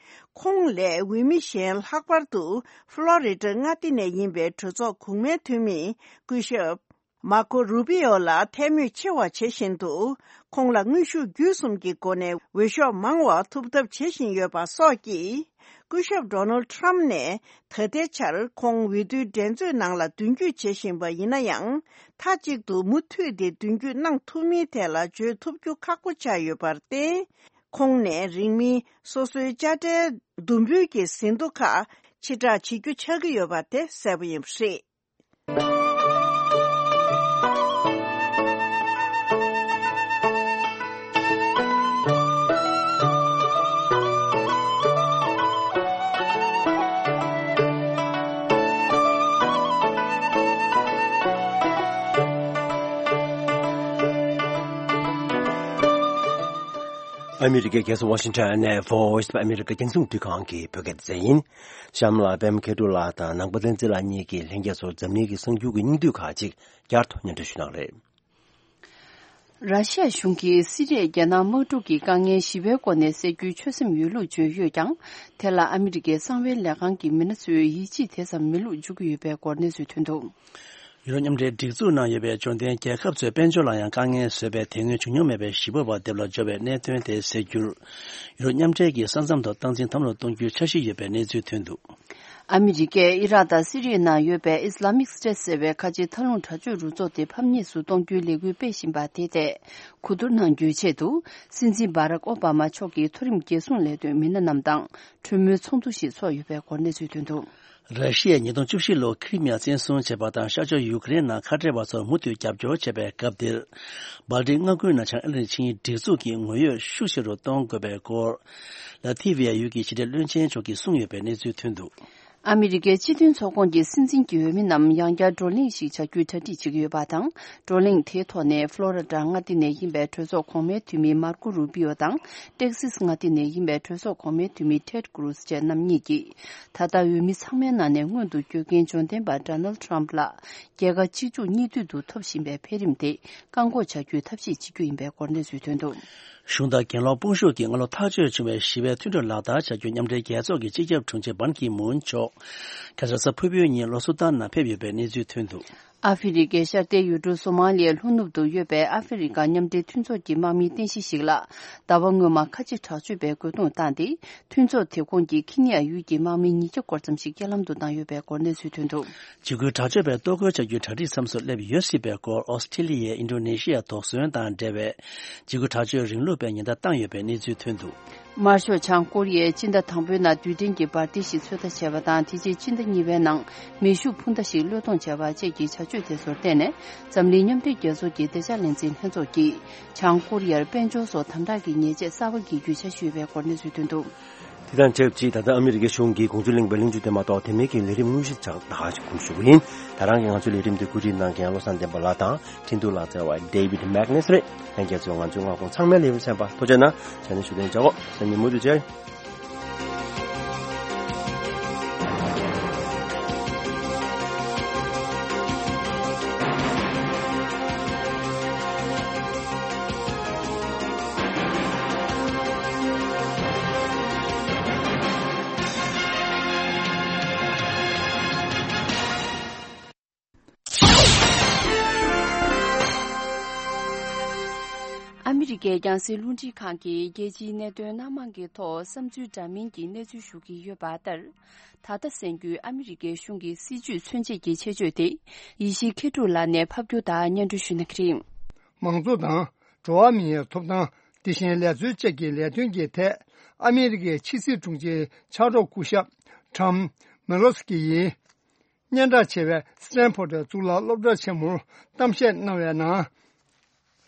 ཁོང་ལས་འོས་མི་གཞན། ལྷག་པར་དུ་ཕློ་རི་ཌ་མངའ་སྡེ་ནས་ཡིན་པའི་གྲོས་ཚོགས་གོང་མའི་འཐུས་མི་སྐུ་ཞབས་མར་ཁོ་རུ་པི་ཨོ་ལ་ཐལ་མོ་ཆེ་བ་བྱེད་བཞིན་དུ། ཁོང་ལ་དངོས་ཤུགས་བརྒྱུད་གསུམ་གྱི་སྒོ་ནས་འོས་ཤོག་མང་བ་ཐོབ་ཐབས་བྱེད་བཞིན་ཡོད་པ་སོགས་ཀྱིས། སྐུ་ཞབས་Donald Trump་ནས་ད་ལྟའི་ཆར་ཁོང་འོས་བསྡུའི་འགྲན་རྩོད་ནང་ལ་མདུན་སྐྱོད་བྱེད་བཞིན་པ་ཡིན་ན་ཡང་། མཐའ་གཅིག་ཏུ་མུ་མཐུད་དེ་མདུན་སྐྱོད་གནང་ཐུབ་མིན་ཐད་ལ་བརྗོད་ཐུབ་རྒྱུ་ཁག་པོ་ཆགས་ཡོད་པར་བརྟེན། ཁོང་ནས་རིང་མིན་སོ་སོའི་དཔྱ་ཁྲལ་བསྡོམས་འབུལ་གྱི་ཟིན་ཐོ་ཁག་ཕྱིར་བསྒྲགས་བྱེད་རྒྱུ་ཆགས་ཀྱི་ཡོད་པ་དེ་གསལ་པོ་ཡིན་པ་རེད། ཨ་མི་རི་ཀའི་རྒྱལ་ས་ཝ་ཤིང་ཊོན་ནས་Voice of America་རྒྱང་སྲིང་རླུང་འཕྲིན་ཁང་གི་བོད་སྐད་སྡེ་ཚན་ཡིན། གཤམ་ལ་པད་མ་མཁས་གྲུབ་ལགས་དང་ནང་པ་བསྟན་འཛིན་ལགས་གཉིས་ཀྱིས་ལྷན་རྒྱས་ཚོར་འཛམ་གླིང་གི་གསར་འགྱུར་གྱི་སྙིང་བསྡུས་ཁག་ཅིག་བསྐྱར་དུ་སྙན་སྒྲོན་ཞུ་གནང་རེད། ར་ཤི་ཡ་གཞུང་གིས་སི་རི་ཡའི་རྒྱལ་ནང་དམག་འཁྲུག་གི་དཀའ་ངལ་ཞི་བའི་སྒོ་ནས་སེལ་རྒྱུའི་ཆོད་སེམས་ཡོད་ལུགས་བརྗོད་ཡོད་ཀྱང་། དེ་ལ་ཨ་མི་རི་ཀའི་གསང་བའི་ལས་ཁང་གི་མི་སྣ་ཚོས་ཡིད་ཆེས་དེ་ཙམ་མེད་ལུགས་བརྗོད་ཀྱི་ཡོད་པའི་སྐོར་གནས་ཚུལ་ཐོན་འདུག་ཡུ་རོབ་མཉམ་འབྲེལ་སྒྲིག་འཛུགས་ནང་ཡོད་པའི་འབྱོར་ལྡན་རྒྱལ་ཁབ་ཚོས་དཔལ་འབྱོར་ལ་ཡང་དཀའ་ངལ་བཟོས་པའི་དེ་སྔོན་བྱུང་མྱོང་མེད་པའི་ཞི་བའི་བར་དེབ་ལ་འབྱོར་བའི་གནད་དོན་དེ་གསལ་རྒྱུར། ཡུ་རོབ་མཉམ་འབྲེལ་གྱིས་ས་མཚམས་ཐོག་སྟངས་འཛིན་དམ་རུ་གཏོང་རྒྱུའི་འཆར་གཞི་ཡོད་པའི་གནས་ཚུལ་ཐོན་འདུག་ཨ་མི་རི་ཀས་ཨི་རག་དང་སི་རི་ཡའི་ནང་ཡོད་པའི་Islamic State་ཟེར་བའི་ཁ་ཆེའི་མཐའ་ལྷུང་དྲག་སྤྱོད་རུ་ཚོགས་དེ་ཕམ་ཉེས་སུ་གཏོང་རྒྱུའི་ལས་འགུལ་སྤེལ་བཞིན་པ་དེ་ཐད་གོ་བསྡུར་གནང་རྒྱུའི་ཆེད་དུ། སྲིད་འཛིན་Barack Obama་མཆོག་གིས་མཐོ་རིམ་རྒྱལ་སྲུང་ལས་དོན་མི་སྣ་རྣམས་དང་གྲོས་མོལ་ཚོགས་འདུ་ཞིག་ཚོགས་ཡོད་པའི་སྐོར་གནས་ཚུལ་ཐོན་འདུག་ར་ཤི་ཡས་ཉིས་སྟོང་བཅུ་བཞི་ལོར་ཁི་རི་མི་ཡ་བཙན་བཟུང་བྱས་པ་དང་། ཤར་ཕྱོགས་ཡུ་ཀེ་རེན་ནང་ཁ་བྲལ་བ་ཚོར་མུ་མཐུད་རྒྱབ་སྐྱོར་བྱས་པའི་སྐབས་འདིར། སྦལ་ཏིག་མངའ་ཁུལ་ནང་བྱང་ཨ་ལན་ཆིངས་ཡིག་སྒྲིག་འཛུགས་ཀྱི་ངོ་འཕྲོད་ཤུགས་ཆེ་རུ་གཏོང་དགོས་པའི་སྐོར། ལ་ཐི་བི་ཡ་ཡུལ་གྱི་ཕྱི་དྲིལ་བློན་ཆེན་མཆོག་གིས་གསུངས་ཡོད་པའི་གནས་ཚུལ་ཐོན་འདུག་ཨ་མི་རི་ཀའི་སྤྱི་མཐུན་ཚོགས་ཁོངས་ཀྱི་སྲིད་འཛིན་གྱི་འོས་མི་རྣམས་ཡང་བསྐྱར་བགྲོ་གླེང་ཞིག་བྱ་རྒྱུའི་གྲ་སྒྲིག་བྱེད་ཀྱི་ཡོད་པ་དང་། བགྲོ་གླེང་དེའི་ཐོག་ནས་ཕློ་རི་ཌ་མངའ་སྡེ་ནས་ཡིན་པའི་གྲོས་ཚོགས་གོང་མའི་འཐུས་མི་མར་ཀོ་རུ་པི་ཨོ་དང་། ཏེག་སིས་མངའ་སྡེ་ནས་ཡིན་པའི་གྲོས་ཚོགས་གོང་མའི་འཐུས་མི་ཊེཌ་ཀུ་རུ་སི་བཅས་རྣམ་གཉིས་ཀྱིས། ད་ལྟ་འོས་མི་ཚང་མའི་ནང་ནས་སྔོན་དུ་བསྐྱོད་མཁན་འབྱོར་ལྡན་པ་Donald Trump་ལགས་རྒྱལ་ཁ་གཅིག་མཇུག་གཉིས་མཐུད་དུ་ཐོབ་བཞིན་པའི་འཕེལ་རིམ་དེ་བཀག་འགོག་བྱ་རྒྱུའི་ཐབས་ཤེས་བྱེད་རྒྱུ་ཡིན་པའི་སྐོར་གནས་ཚུལ་ཐོན་འདུག་གཞུང་དང་གྱེན་ལོག་དཔུང་ཤུགས་ཀྱིས་སྔ་ལོ་ཐག་གཅོད་བྱུང་བའི་ཞི་བའི་མཐུན་གྲོས་ལག་བསྟར་བྱ་རྒྱུར་མཉམ་འབྲེལ་རྒྱལ་ཚོགས་ཀྱི་སྤྱི་ཁྱབ་དྲུང་ཆེ་བན་ཁི་མུན་མཆོག་ཁ་སང་གཟའ་ཕུར་བུའི་ཉིན་ལྷོ་སུ་དཱན་ནང་ཕེབས་ཡོད་པའི་གནས་ཚུལ་ཐོན་འདུག་ཨ་ཧྥེ་རི་ཁའི་ཤར་ཏེ་ཡུལ་གྲུ་སོ་མ་ལི་ཡའི་ལྷོ་ནུབ་ཏུ་ཡོད་པའི་ཨ་ཧྥེ་རི་ཁ་མཉམ་འབྲེལ་མཐུན་ཚོགས་ཀྱི་དམག་མིའི་རྟེན་གཞི་ཞིག་ལ་ཟླ་བ་སྔོན་མ་ཁ་ཆེ་དྲག་སྤྱོད་པའི་རྒོལ་རྡུང་བཏང་སྟེ། མཐུན་ཚོགས་དེ་ཁོངས་ཀྱི་ཁི་ནི་ཡ་ཡུལ་གྱི་དམག་མི་ཉིས་བརྒྱ་སྐོར་ཙམ་ཞིག་རྐྱེན་ལམ་དུ་བཏང་ཡོད་པའི་སྐོར་གནས་ཚུལ་ཐོན་འདུག་འཇིགས་སྐུལ་དྲག་སྤྱོད་པའི་གཏོར་རྒོལ་བྱ་རྒྱུའི་གྲ་སྒྲིག་མཚམས་སུ་སླེབས་ཡོད་སྲིད་པའི་སྐོར། ཨོ་སི་ཁྲི་ལི་ཡའི་ཨིན་ཌོ་ནེ་ཤི་ཡ་དོགས་ཟོན་དང་འབྲེལ་བའི་འཇིགས་སྐུལ་དྲག་སྤྱོད་རིང་ལུགས་པའི་ཉེན་བརྡ་བཏང་ཡོད་པའི་གནས་ཚུལ་ཐོན་འདུག་དམར་ཤོག་བྱང་ཀོ་རི་ཡས་སྤྱི་ཟླ་དང་པོའི་ནང་རྡུལ་ཕྲན་གྱི་འབར་མདེལ་ཞིག་ཚོད་ལྟ་བྱས་པ་དང་། དེ་རྗེས་སྤྱི་ཟླ་གཉིས་པའི་ནང་མེ་ཤུགས་འཕུར་མདའ་ཞིག་བློས་གཏོང་བྱས་པ་བཅས་ཀྱི་བྱ་སྤྱོད་དེ་ཚོར་བརྟེན་ནས། འཛམ་གླིང་མཉམ་འབྲེལ་རྒྱལ་ཚོགས་ཀྱི་བདེ་འཇགས་ལས་འཛིན་ལྷན་ཚོགས་ཀྱིས་བྱང་ཀོ་རི་ཡར་དཔལ་འབྱོར་སོགས་དམ་དྲག་གི་ཉེས་ཆད་གསར་པ་གི་རྒྱུ་ཆ་ཞུས་པའི་སྐོར་གནས་ཚུལ་ཐོན་འདུག། དེ་དང་ཆབས་ཅིག་ད་ལྟ་ཨ་མི་རི་ཀའི་གཞུང་གིས་དགོངས་ཚུལ་གླེང་བའི་གླེང་བརྗོད་དེ་མ་གཏོགས། དེ་མིན་གྱི་ལས་རིམ་དངོས་གཞི་ཆགས་ད་ག་ཞིག་སྒོམ་ཞུ་གི་ཡིན། ད་རང་གི་ང་ཚོའི་ལས་རིམ་དེ་བཀོད་སྒྲིག་གནང་མཁན་བློ་བཟང་བསྟན་པ་ལགས་དང་། འཕྲིན་གཏོང་ལག་རྩལ་བ་David Magnus རེད། ལྷན་རྒྱས་ཚོས་ང་ཚོའི་མངའ་ཁོངས་ཚང་མའི་ལས་རིམ་གསན་པར་ཐུགས་རྗེ་གནང་། ཞལ་ནས་ཞུ་དོན་བྱ་གོ། སང་ཉིན་མུ་མཐུད་མཇལ། ཨ་མི་རི་ཀའི་རྒྱང་སྲིང་རླུང་འཕྲིན་ཁང་གིས་རྒྱལ་སྤྱིའི་གནད་དོན་སྣ་མང་གི་ཐོག་བསམ་ཚུལ་འདྲ་མིན་གྱི་གནས་ཚུལ་ཞུ་གི་ཡོད་པ་ལྟར། ད་ལྟ་གསན་རྒྱུའི་ཨ་མི་རི་ཀའི་གཞུང་གི་སྲིད་བྱུས་མཚོན་བྱེད་ཀྱི་ཆེད་བརྗོད་དེ། ཡེ་ཤེས་མཁས་གྲུབ་ལགས་ནས་ཕབ་སྒྱུར་དང་སྙན་སྒྲོན་ཞུ་གནང་གི་རེད། མང་གཙོ་དང་། འགྲོ་བ་མིའི་ཐོབ་ཐང་། དེ་བཞིན་ལས་རྩོལ་བཅས་ཀྱི་ལས་དོན་གྱི་ཐད། ཨ་མི་རི་ཀའི་ཕྱི་སྲིད་དྲུང་ཆེ་ཕྱག་རོགས་སྐུ་ཞབས་Tom Malinowski ཡིས། སྙན་གྲགས་ཆེ་བའི་སི་ཏན་ཕོར་ཌི་གཙུག་ལག་སློབ་གྲྭ་ཆེན་མོར་གཏམ་བཤད་གནང་བའི་ནང་།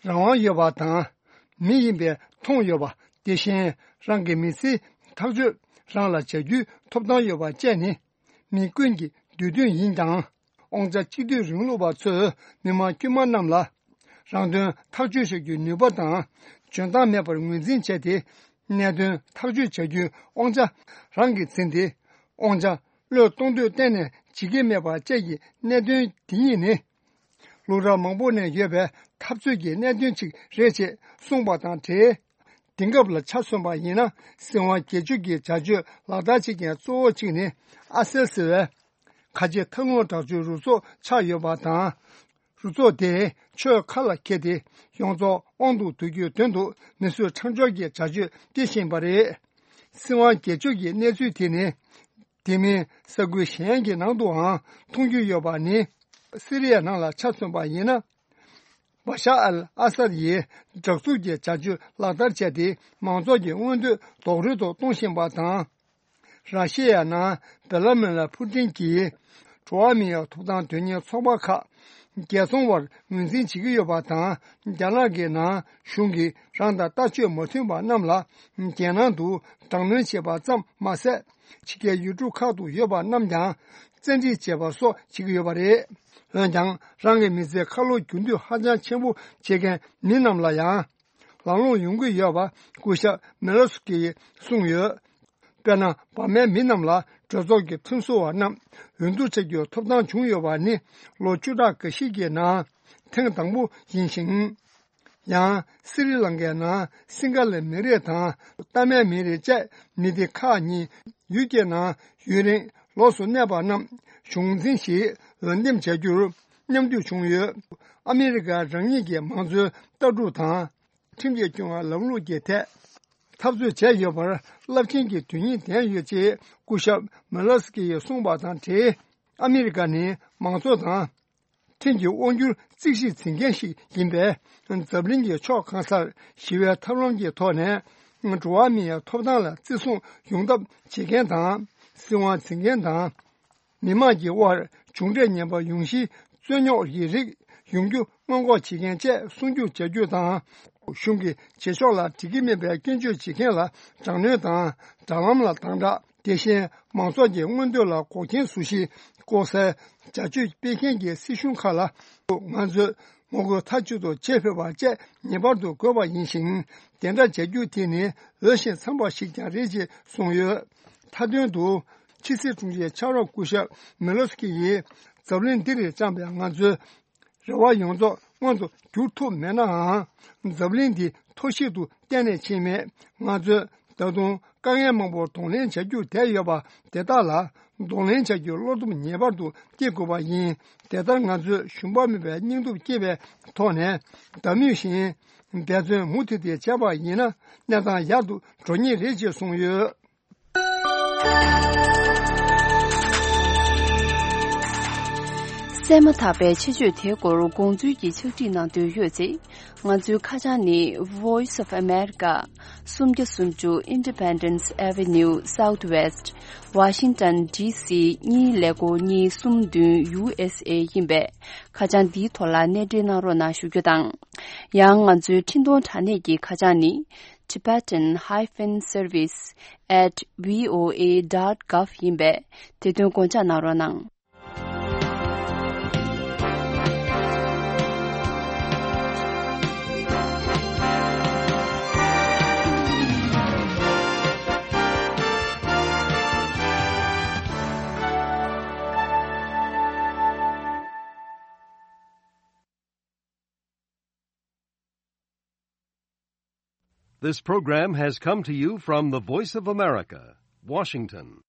རང་དབང་ཡོད་པ་དང་། མི་ཡིན་པས་མཐོང་ཡོད་པ། དེ་བཞིན་རང་གི་མི་ཚེའི་ཐག་གཅོད་རང་ལ་བྱ་རྒྱུའི་ཐོབ་ཐང་ཡོད་པ་བཅས་ནི། མི་ཀུན་གྱི་འདོད་འདུན་ཡིན་ཀྱང་། དབང་ཆ་གཅིག་སྡུད་རིང་ལུགས་པ་ཚོས་མི་དམངས་དཀྱུས་མ་རྣམས་ལ། རང་དོན་ཐག་གཅོད་བྱ་རྒྱུའི་ནུས་པ་དང་། འཇོན་ཐང་མེད་པར་ངོས་འཛིན་བྱས་ཏེ། གནད་དོན་ཐག་གཅོད་བྱ་རྒྱུའི་དབང་ཆ་རང་གིས་འཛིན་ཏེ། དབང་ཆ་བློས་གཏོང་འདོད་གཏན་ནས་བྱེད་ཀྱི་མེད་པ་བཅས་ཀྱི་གནད་དོན་འདི་གཉིས་ནི། སློབ་གྲྭ་མང་པོ་ནས་ཡོད་པའི་འཐབ་རྩོད་ཀྱི་གནད་དོན་ཅིག་རེད་ཅེས་གསུངས་པ་དང་འབྲེལ། དེང་སྐབས་ལ་ཆ་མཚོན་པ་ཡིན་ན། སྲིད་དབང་སྒེར་གཅོད་ཀྱི་བྱ་སྤྱོད་ལག་བསྟར་བྱེད་མཁན་གཙོ་བོ་གཅིག་ནི། ཨ་སེལ་ཟེར་བའི་ཁ་ཆེ་ཐབས་ལམ་དྲག་སྤྱོད་རུ་ཚོགས་ཆགས་ཡོད་པ་དང་། རུ་ཚོགས་དེས་ཆོས་ཁ་ལ་འཁྱེར་ཏེ། ཡོངས་རྫོགས་དབང་དུ་བསྡུ་རྒྱུའི་དོན་དུ་མི་གསོད་ཁྲག་སྦྱོར་གྱི་བྱ་སྤྱོད་སྤེལ་བཞིན་པ་རེད། སྲིད་དབང་སྒེར་གཅོད་ཀྱི་གནས་ཚུལ་དེ་ནི། དེ་མིན་ས་ཁུལ་གཞན་གྱི་ནང་དུའང་མཐོང་རྒྱུ་ཡོད་པ་ནི། སི་རི་ཡའི་ནང་ལ་ཆ་མཚོན་པ་ཡིན་ན། བ་ཤ་ཨལ་ཨ་སཱད་ཡིས་དྲག་རྩུབ་ཀྱི་བྱ་སྤྱོད་ལག་བསྟར་བྱས་ཏེ། མང་ཚོགས་ཀྱི་མངོན་འདོད་རྡོག་རོལ་དུ་གཏོང་བཞིན་པ་དང་། ར་ཤི་ཡའི་ནང་བྷ་ལ་མི་ལ་ཕུ་ཏིན་གྱིས། འགྲོ་བ་མིའི་ཐོབ་ཐང་དོན་གཉེར་ཚོགས་པ་ཁག་རྒྱལ་བཙོང་བར་ངོས་འཛིན་བྱེད་ཀྱི་ཡོད་པ་དང་། རྒྱ་ནག་གི་ནང་གཞུང་གིས་རང་དང་ལྟ་སྤྱོད་མ་མཐུན་པ་རྣམས་ལ། རྒྱལ་ནང་དུ་དྲག་གནོན་བྱེད་པ་ཙམ་མ་ཟད། ཕྱི་རྒྱལ་ཡུལ་གྲུ་ཁག་ཏུ་ཡོད་པ་རྣམས་ཀྱང་བཙན་ཁྲིད་བྱེད་པ་སོགས་བྱེད་ཀྱི་ཡོད་པ་རེད། འོན་ཀྱང་། རང་གི་མི་ཚེ་ཁ་ལོ་སྒྱུར་འདོད་ཧ་ཅང་ཆེན་པོ་བྱེད་མཁན་མི་རྣམས་ལ་ཡང་། ལམ་ལྷོང་ཡོང་གི་ཡོད་པ་སྐུ་ཞབས་མེ་ལོ་སི་ཀི་ཡིས་གསུངས་ཡོད། དཔེར་ན། འབར་མའི་མི་རྣམས་ལ་གྲོས་ཚོགས་ཀྱི་ཁྲིམས་བཟོ་བ་རྣམས་འོས་བསྡུ་བྱ་རྒྱུའི་ཐོབ་ཐང་བྱུང་ཡོད་པ་ནི། ལོ་བཅུ་ཕྲག་འགའ་ཞིག་གི་ནང་ཐེངས་དང་པོ་ཡིན་ཞིང་། ཡང་། སི་རི་ལང་ཀའི་ནང་སིང་ག་ལའི་མི་རིགས་དང་། གཏའ་མའི་མི་རིགས་བཅས་མི་སྡེ་ཁག་གཉིས་ཡུལ་གྱི་ནང་ཡུན་རིང་ལོགས་སུ་གནས་པ་རྣམས་གཞུང་འཛིན་ཞིག་འོས་འདེམས་བྱ་རྒྱུར་མཉམ་འཇུག་བྱུང་ཡོད། ཨ་མི་རི་ཀ་རང་ཉིད་ཀྱི་མང་གཙོའི་ལྟ་གྲུབ་དང་། ཁྲིམས་ཀྱིས་སྐྱོང་བའི་ལམ་ལུགས་ཀྱི་ཐད་འཐབ་རྩོད་བྱས་ཡོད་པར་རླབས་ཆེན་གྱི་དོན་སྙིང་ལྡན་ཡོད་ཅེས་སྐུ་ཞབས་མེ་ལོ་སི་ཀི་ཡིས་གསུངས་པ་དང་འབྲེལ། ཨ་མི་རི་ཀ་ནི་མང་གཙོ་དང་། ཁྲིམས་ཀྱི་དབང་སྒྱུར་རྩིས་ཞིབ་འཛིན་མཁན་ཞིག་ཡིན་པས། འཛམ་གླིང་གི་ཕྱོགས་གང་སར་ཞི་བའི་ཐབས་ལམ་གྱི་ཐོག་ནས་འགྲོ་བ་མིའི་ཐོབ་ཐང་ལ་བརྩི་སྲུང་ཡོང་ཐབས་བྱེད་མཁན་དང་། སྲིད་དབང་འཛིན་མཁན་དང་། མི་དམངས་ཀྱི་དབར་མཇུག་འབྲས་ངན་པ་ཡོང་གཞིའི་རྩོད་རྙོག་གི་རིགས་ཡོང་རྒྱུ་སྔོན་འགོག་བྱེད་མཁན་བཅས་སྲུང་སྐྱོབ་བྱ་རྒྱུ་དང་། གཞུང་གི་བྱེད་ཕྱོགས་ལ་འགྲིག་གི་མིན་པའི་སྐྱོན་བརྗོད་བྱེད་མཁན་ལ་དྲག་གནོན་དང་། དྲ་ལམ་ལ་དམ་དྲག་དེ་བཞིན་མང་ཚོགས་ཀྱི་མངོན་འདོད་ལ་འགོག་རྐྱེན་བཟོ་གཞི་བཀོག་སའི་བྱ་སྤྱོད་སྤེལ་མཁན་གྱི་སྲིད་གཞུང་ཁག་ལ། ང་ཚོས་ངོ་རྒོལ་མཐའ་གཅིག་ཏུ་བྱེད་ཕོད་པ་བཅས་ངེས་པར་དུ་དགོས་པ་ཡིན་ཞིང་། དེ་འདྲ་བྱ་རྒྱུ་དེ་ནི་འོས་ཤིང་འཚམ་པ་ཞིག་ཀྱང་རེད་ཅེས་གསུངས་ཡོད། མཐའ་དོན་དུ། ཕྱི་སྲིད་དྲུང་ཆེ་ཕྱག་རོགས་སྐུ་ཞབས་མེ་ལོ་སི་ཀི་ཡིས། འཛམ་གླིང་འདི་རུ་བཅངས་པའི་ང་ཚོའི་རེ་བ་ཡོངས་རྫོགས་མངོན་དུ་འགྱུར་ཐུབ་མེད་ནའང་། འཛམ་གླིང་འདི་མཐོ་ཤོས་དུ་གཏན་ནས་ཕྱིན་མེད། ང་ཚོས་ད་དུང་དཀའ་ངལ་མང་པོར་གདོང་ལེན་བྱ་རྒྱུར་བསྡད་ཡོད་པ་དེ་དག་ལ་གདོང་ལེན་བྱ་རྒྱུའི་བློ་སྟོབས་ངེས་པར་དུ་སྐྱེ་དགོས་པ་ཡིན། དེ་ལྟར་ང་ཚོས་ཞུམ་པ་མེད་པའི་སྙིང་སྟོབས་བསྐྱེད་པའི་ཐོག་ནས། ཟླ་མུས་བཞིན་འབད་བརྩོན་མུ་མཐུད་དེ་བྱས་པ་ཡིན་ན། གནས་སྟངས་ཡག་ཏུ་འགྲོ་ངེས་རེད་ཅེས་གསུངས་ཡོད། གསན་མ་ཐག་པའི་ཆེད་བརྗོད་དེའི་སྐོར་དགོངས་ཚུལ་གྱི་ཕྱག་བྲིས་གནང་འདོད་ཡོད་ཚེ། ང་ཚོའི་ཁ་བྱང་ནི། Voice of America། སུམ་བརྒྱ་སུམ་ཅུ་Independence Avenue Southwest། Washington D C གཉིས་ཀླད་ཀོར་གཉིས་གསུམ་བདུན། U S A ཡིན་པས། ཁ་བྱང་འདིའི་ཐོག་ལ་གནས་འབྲེལ་གནང་རོགས་གནང་ཞུ་རྒྱུ་དང་། ཡང་ང་ཚོའི་འཕྲིན་གཏོང་དྲ་གནས་ཀྱི་ཁ་བྱང་ནི། Tibetan hyphen service at V O A dot gov ཡིན་པས། དེ་དོན་དགོངས་འཇགས་གནང་རོགས་གནང་། This program has come to you from the Voice of America, Washington.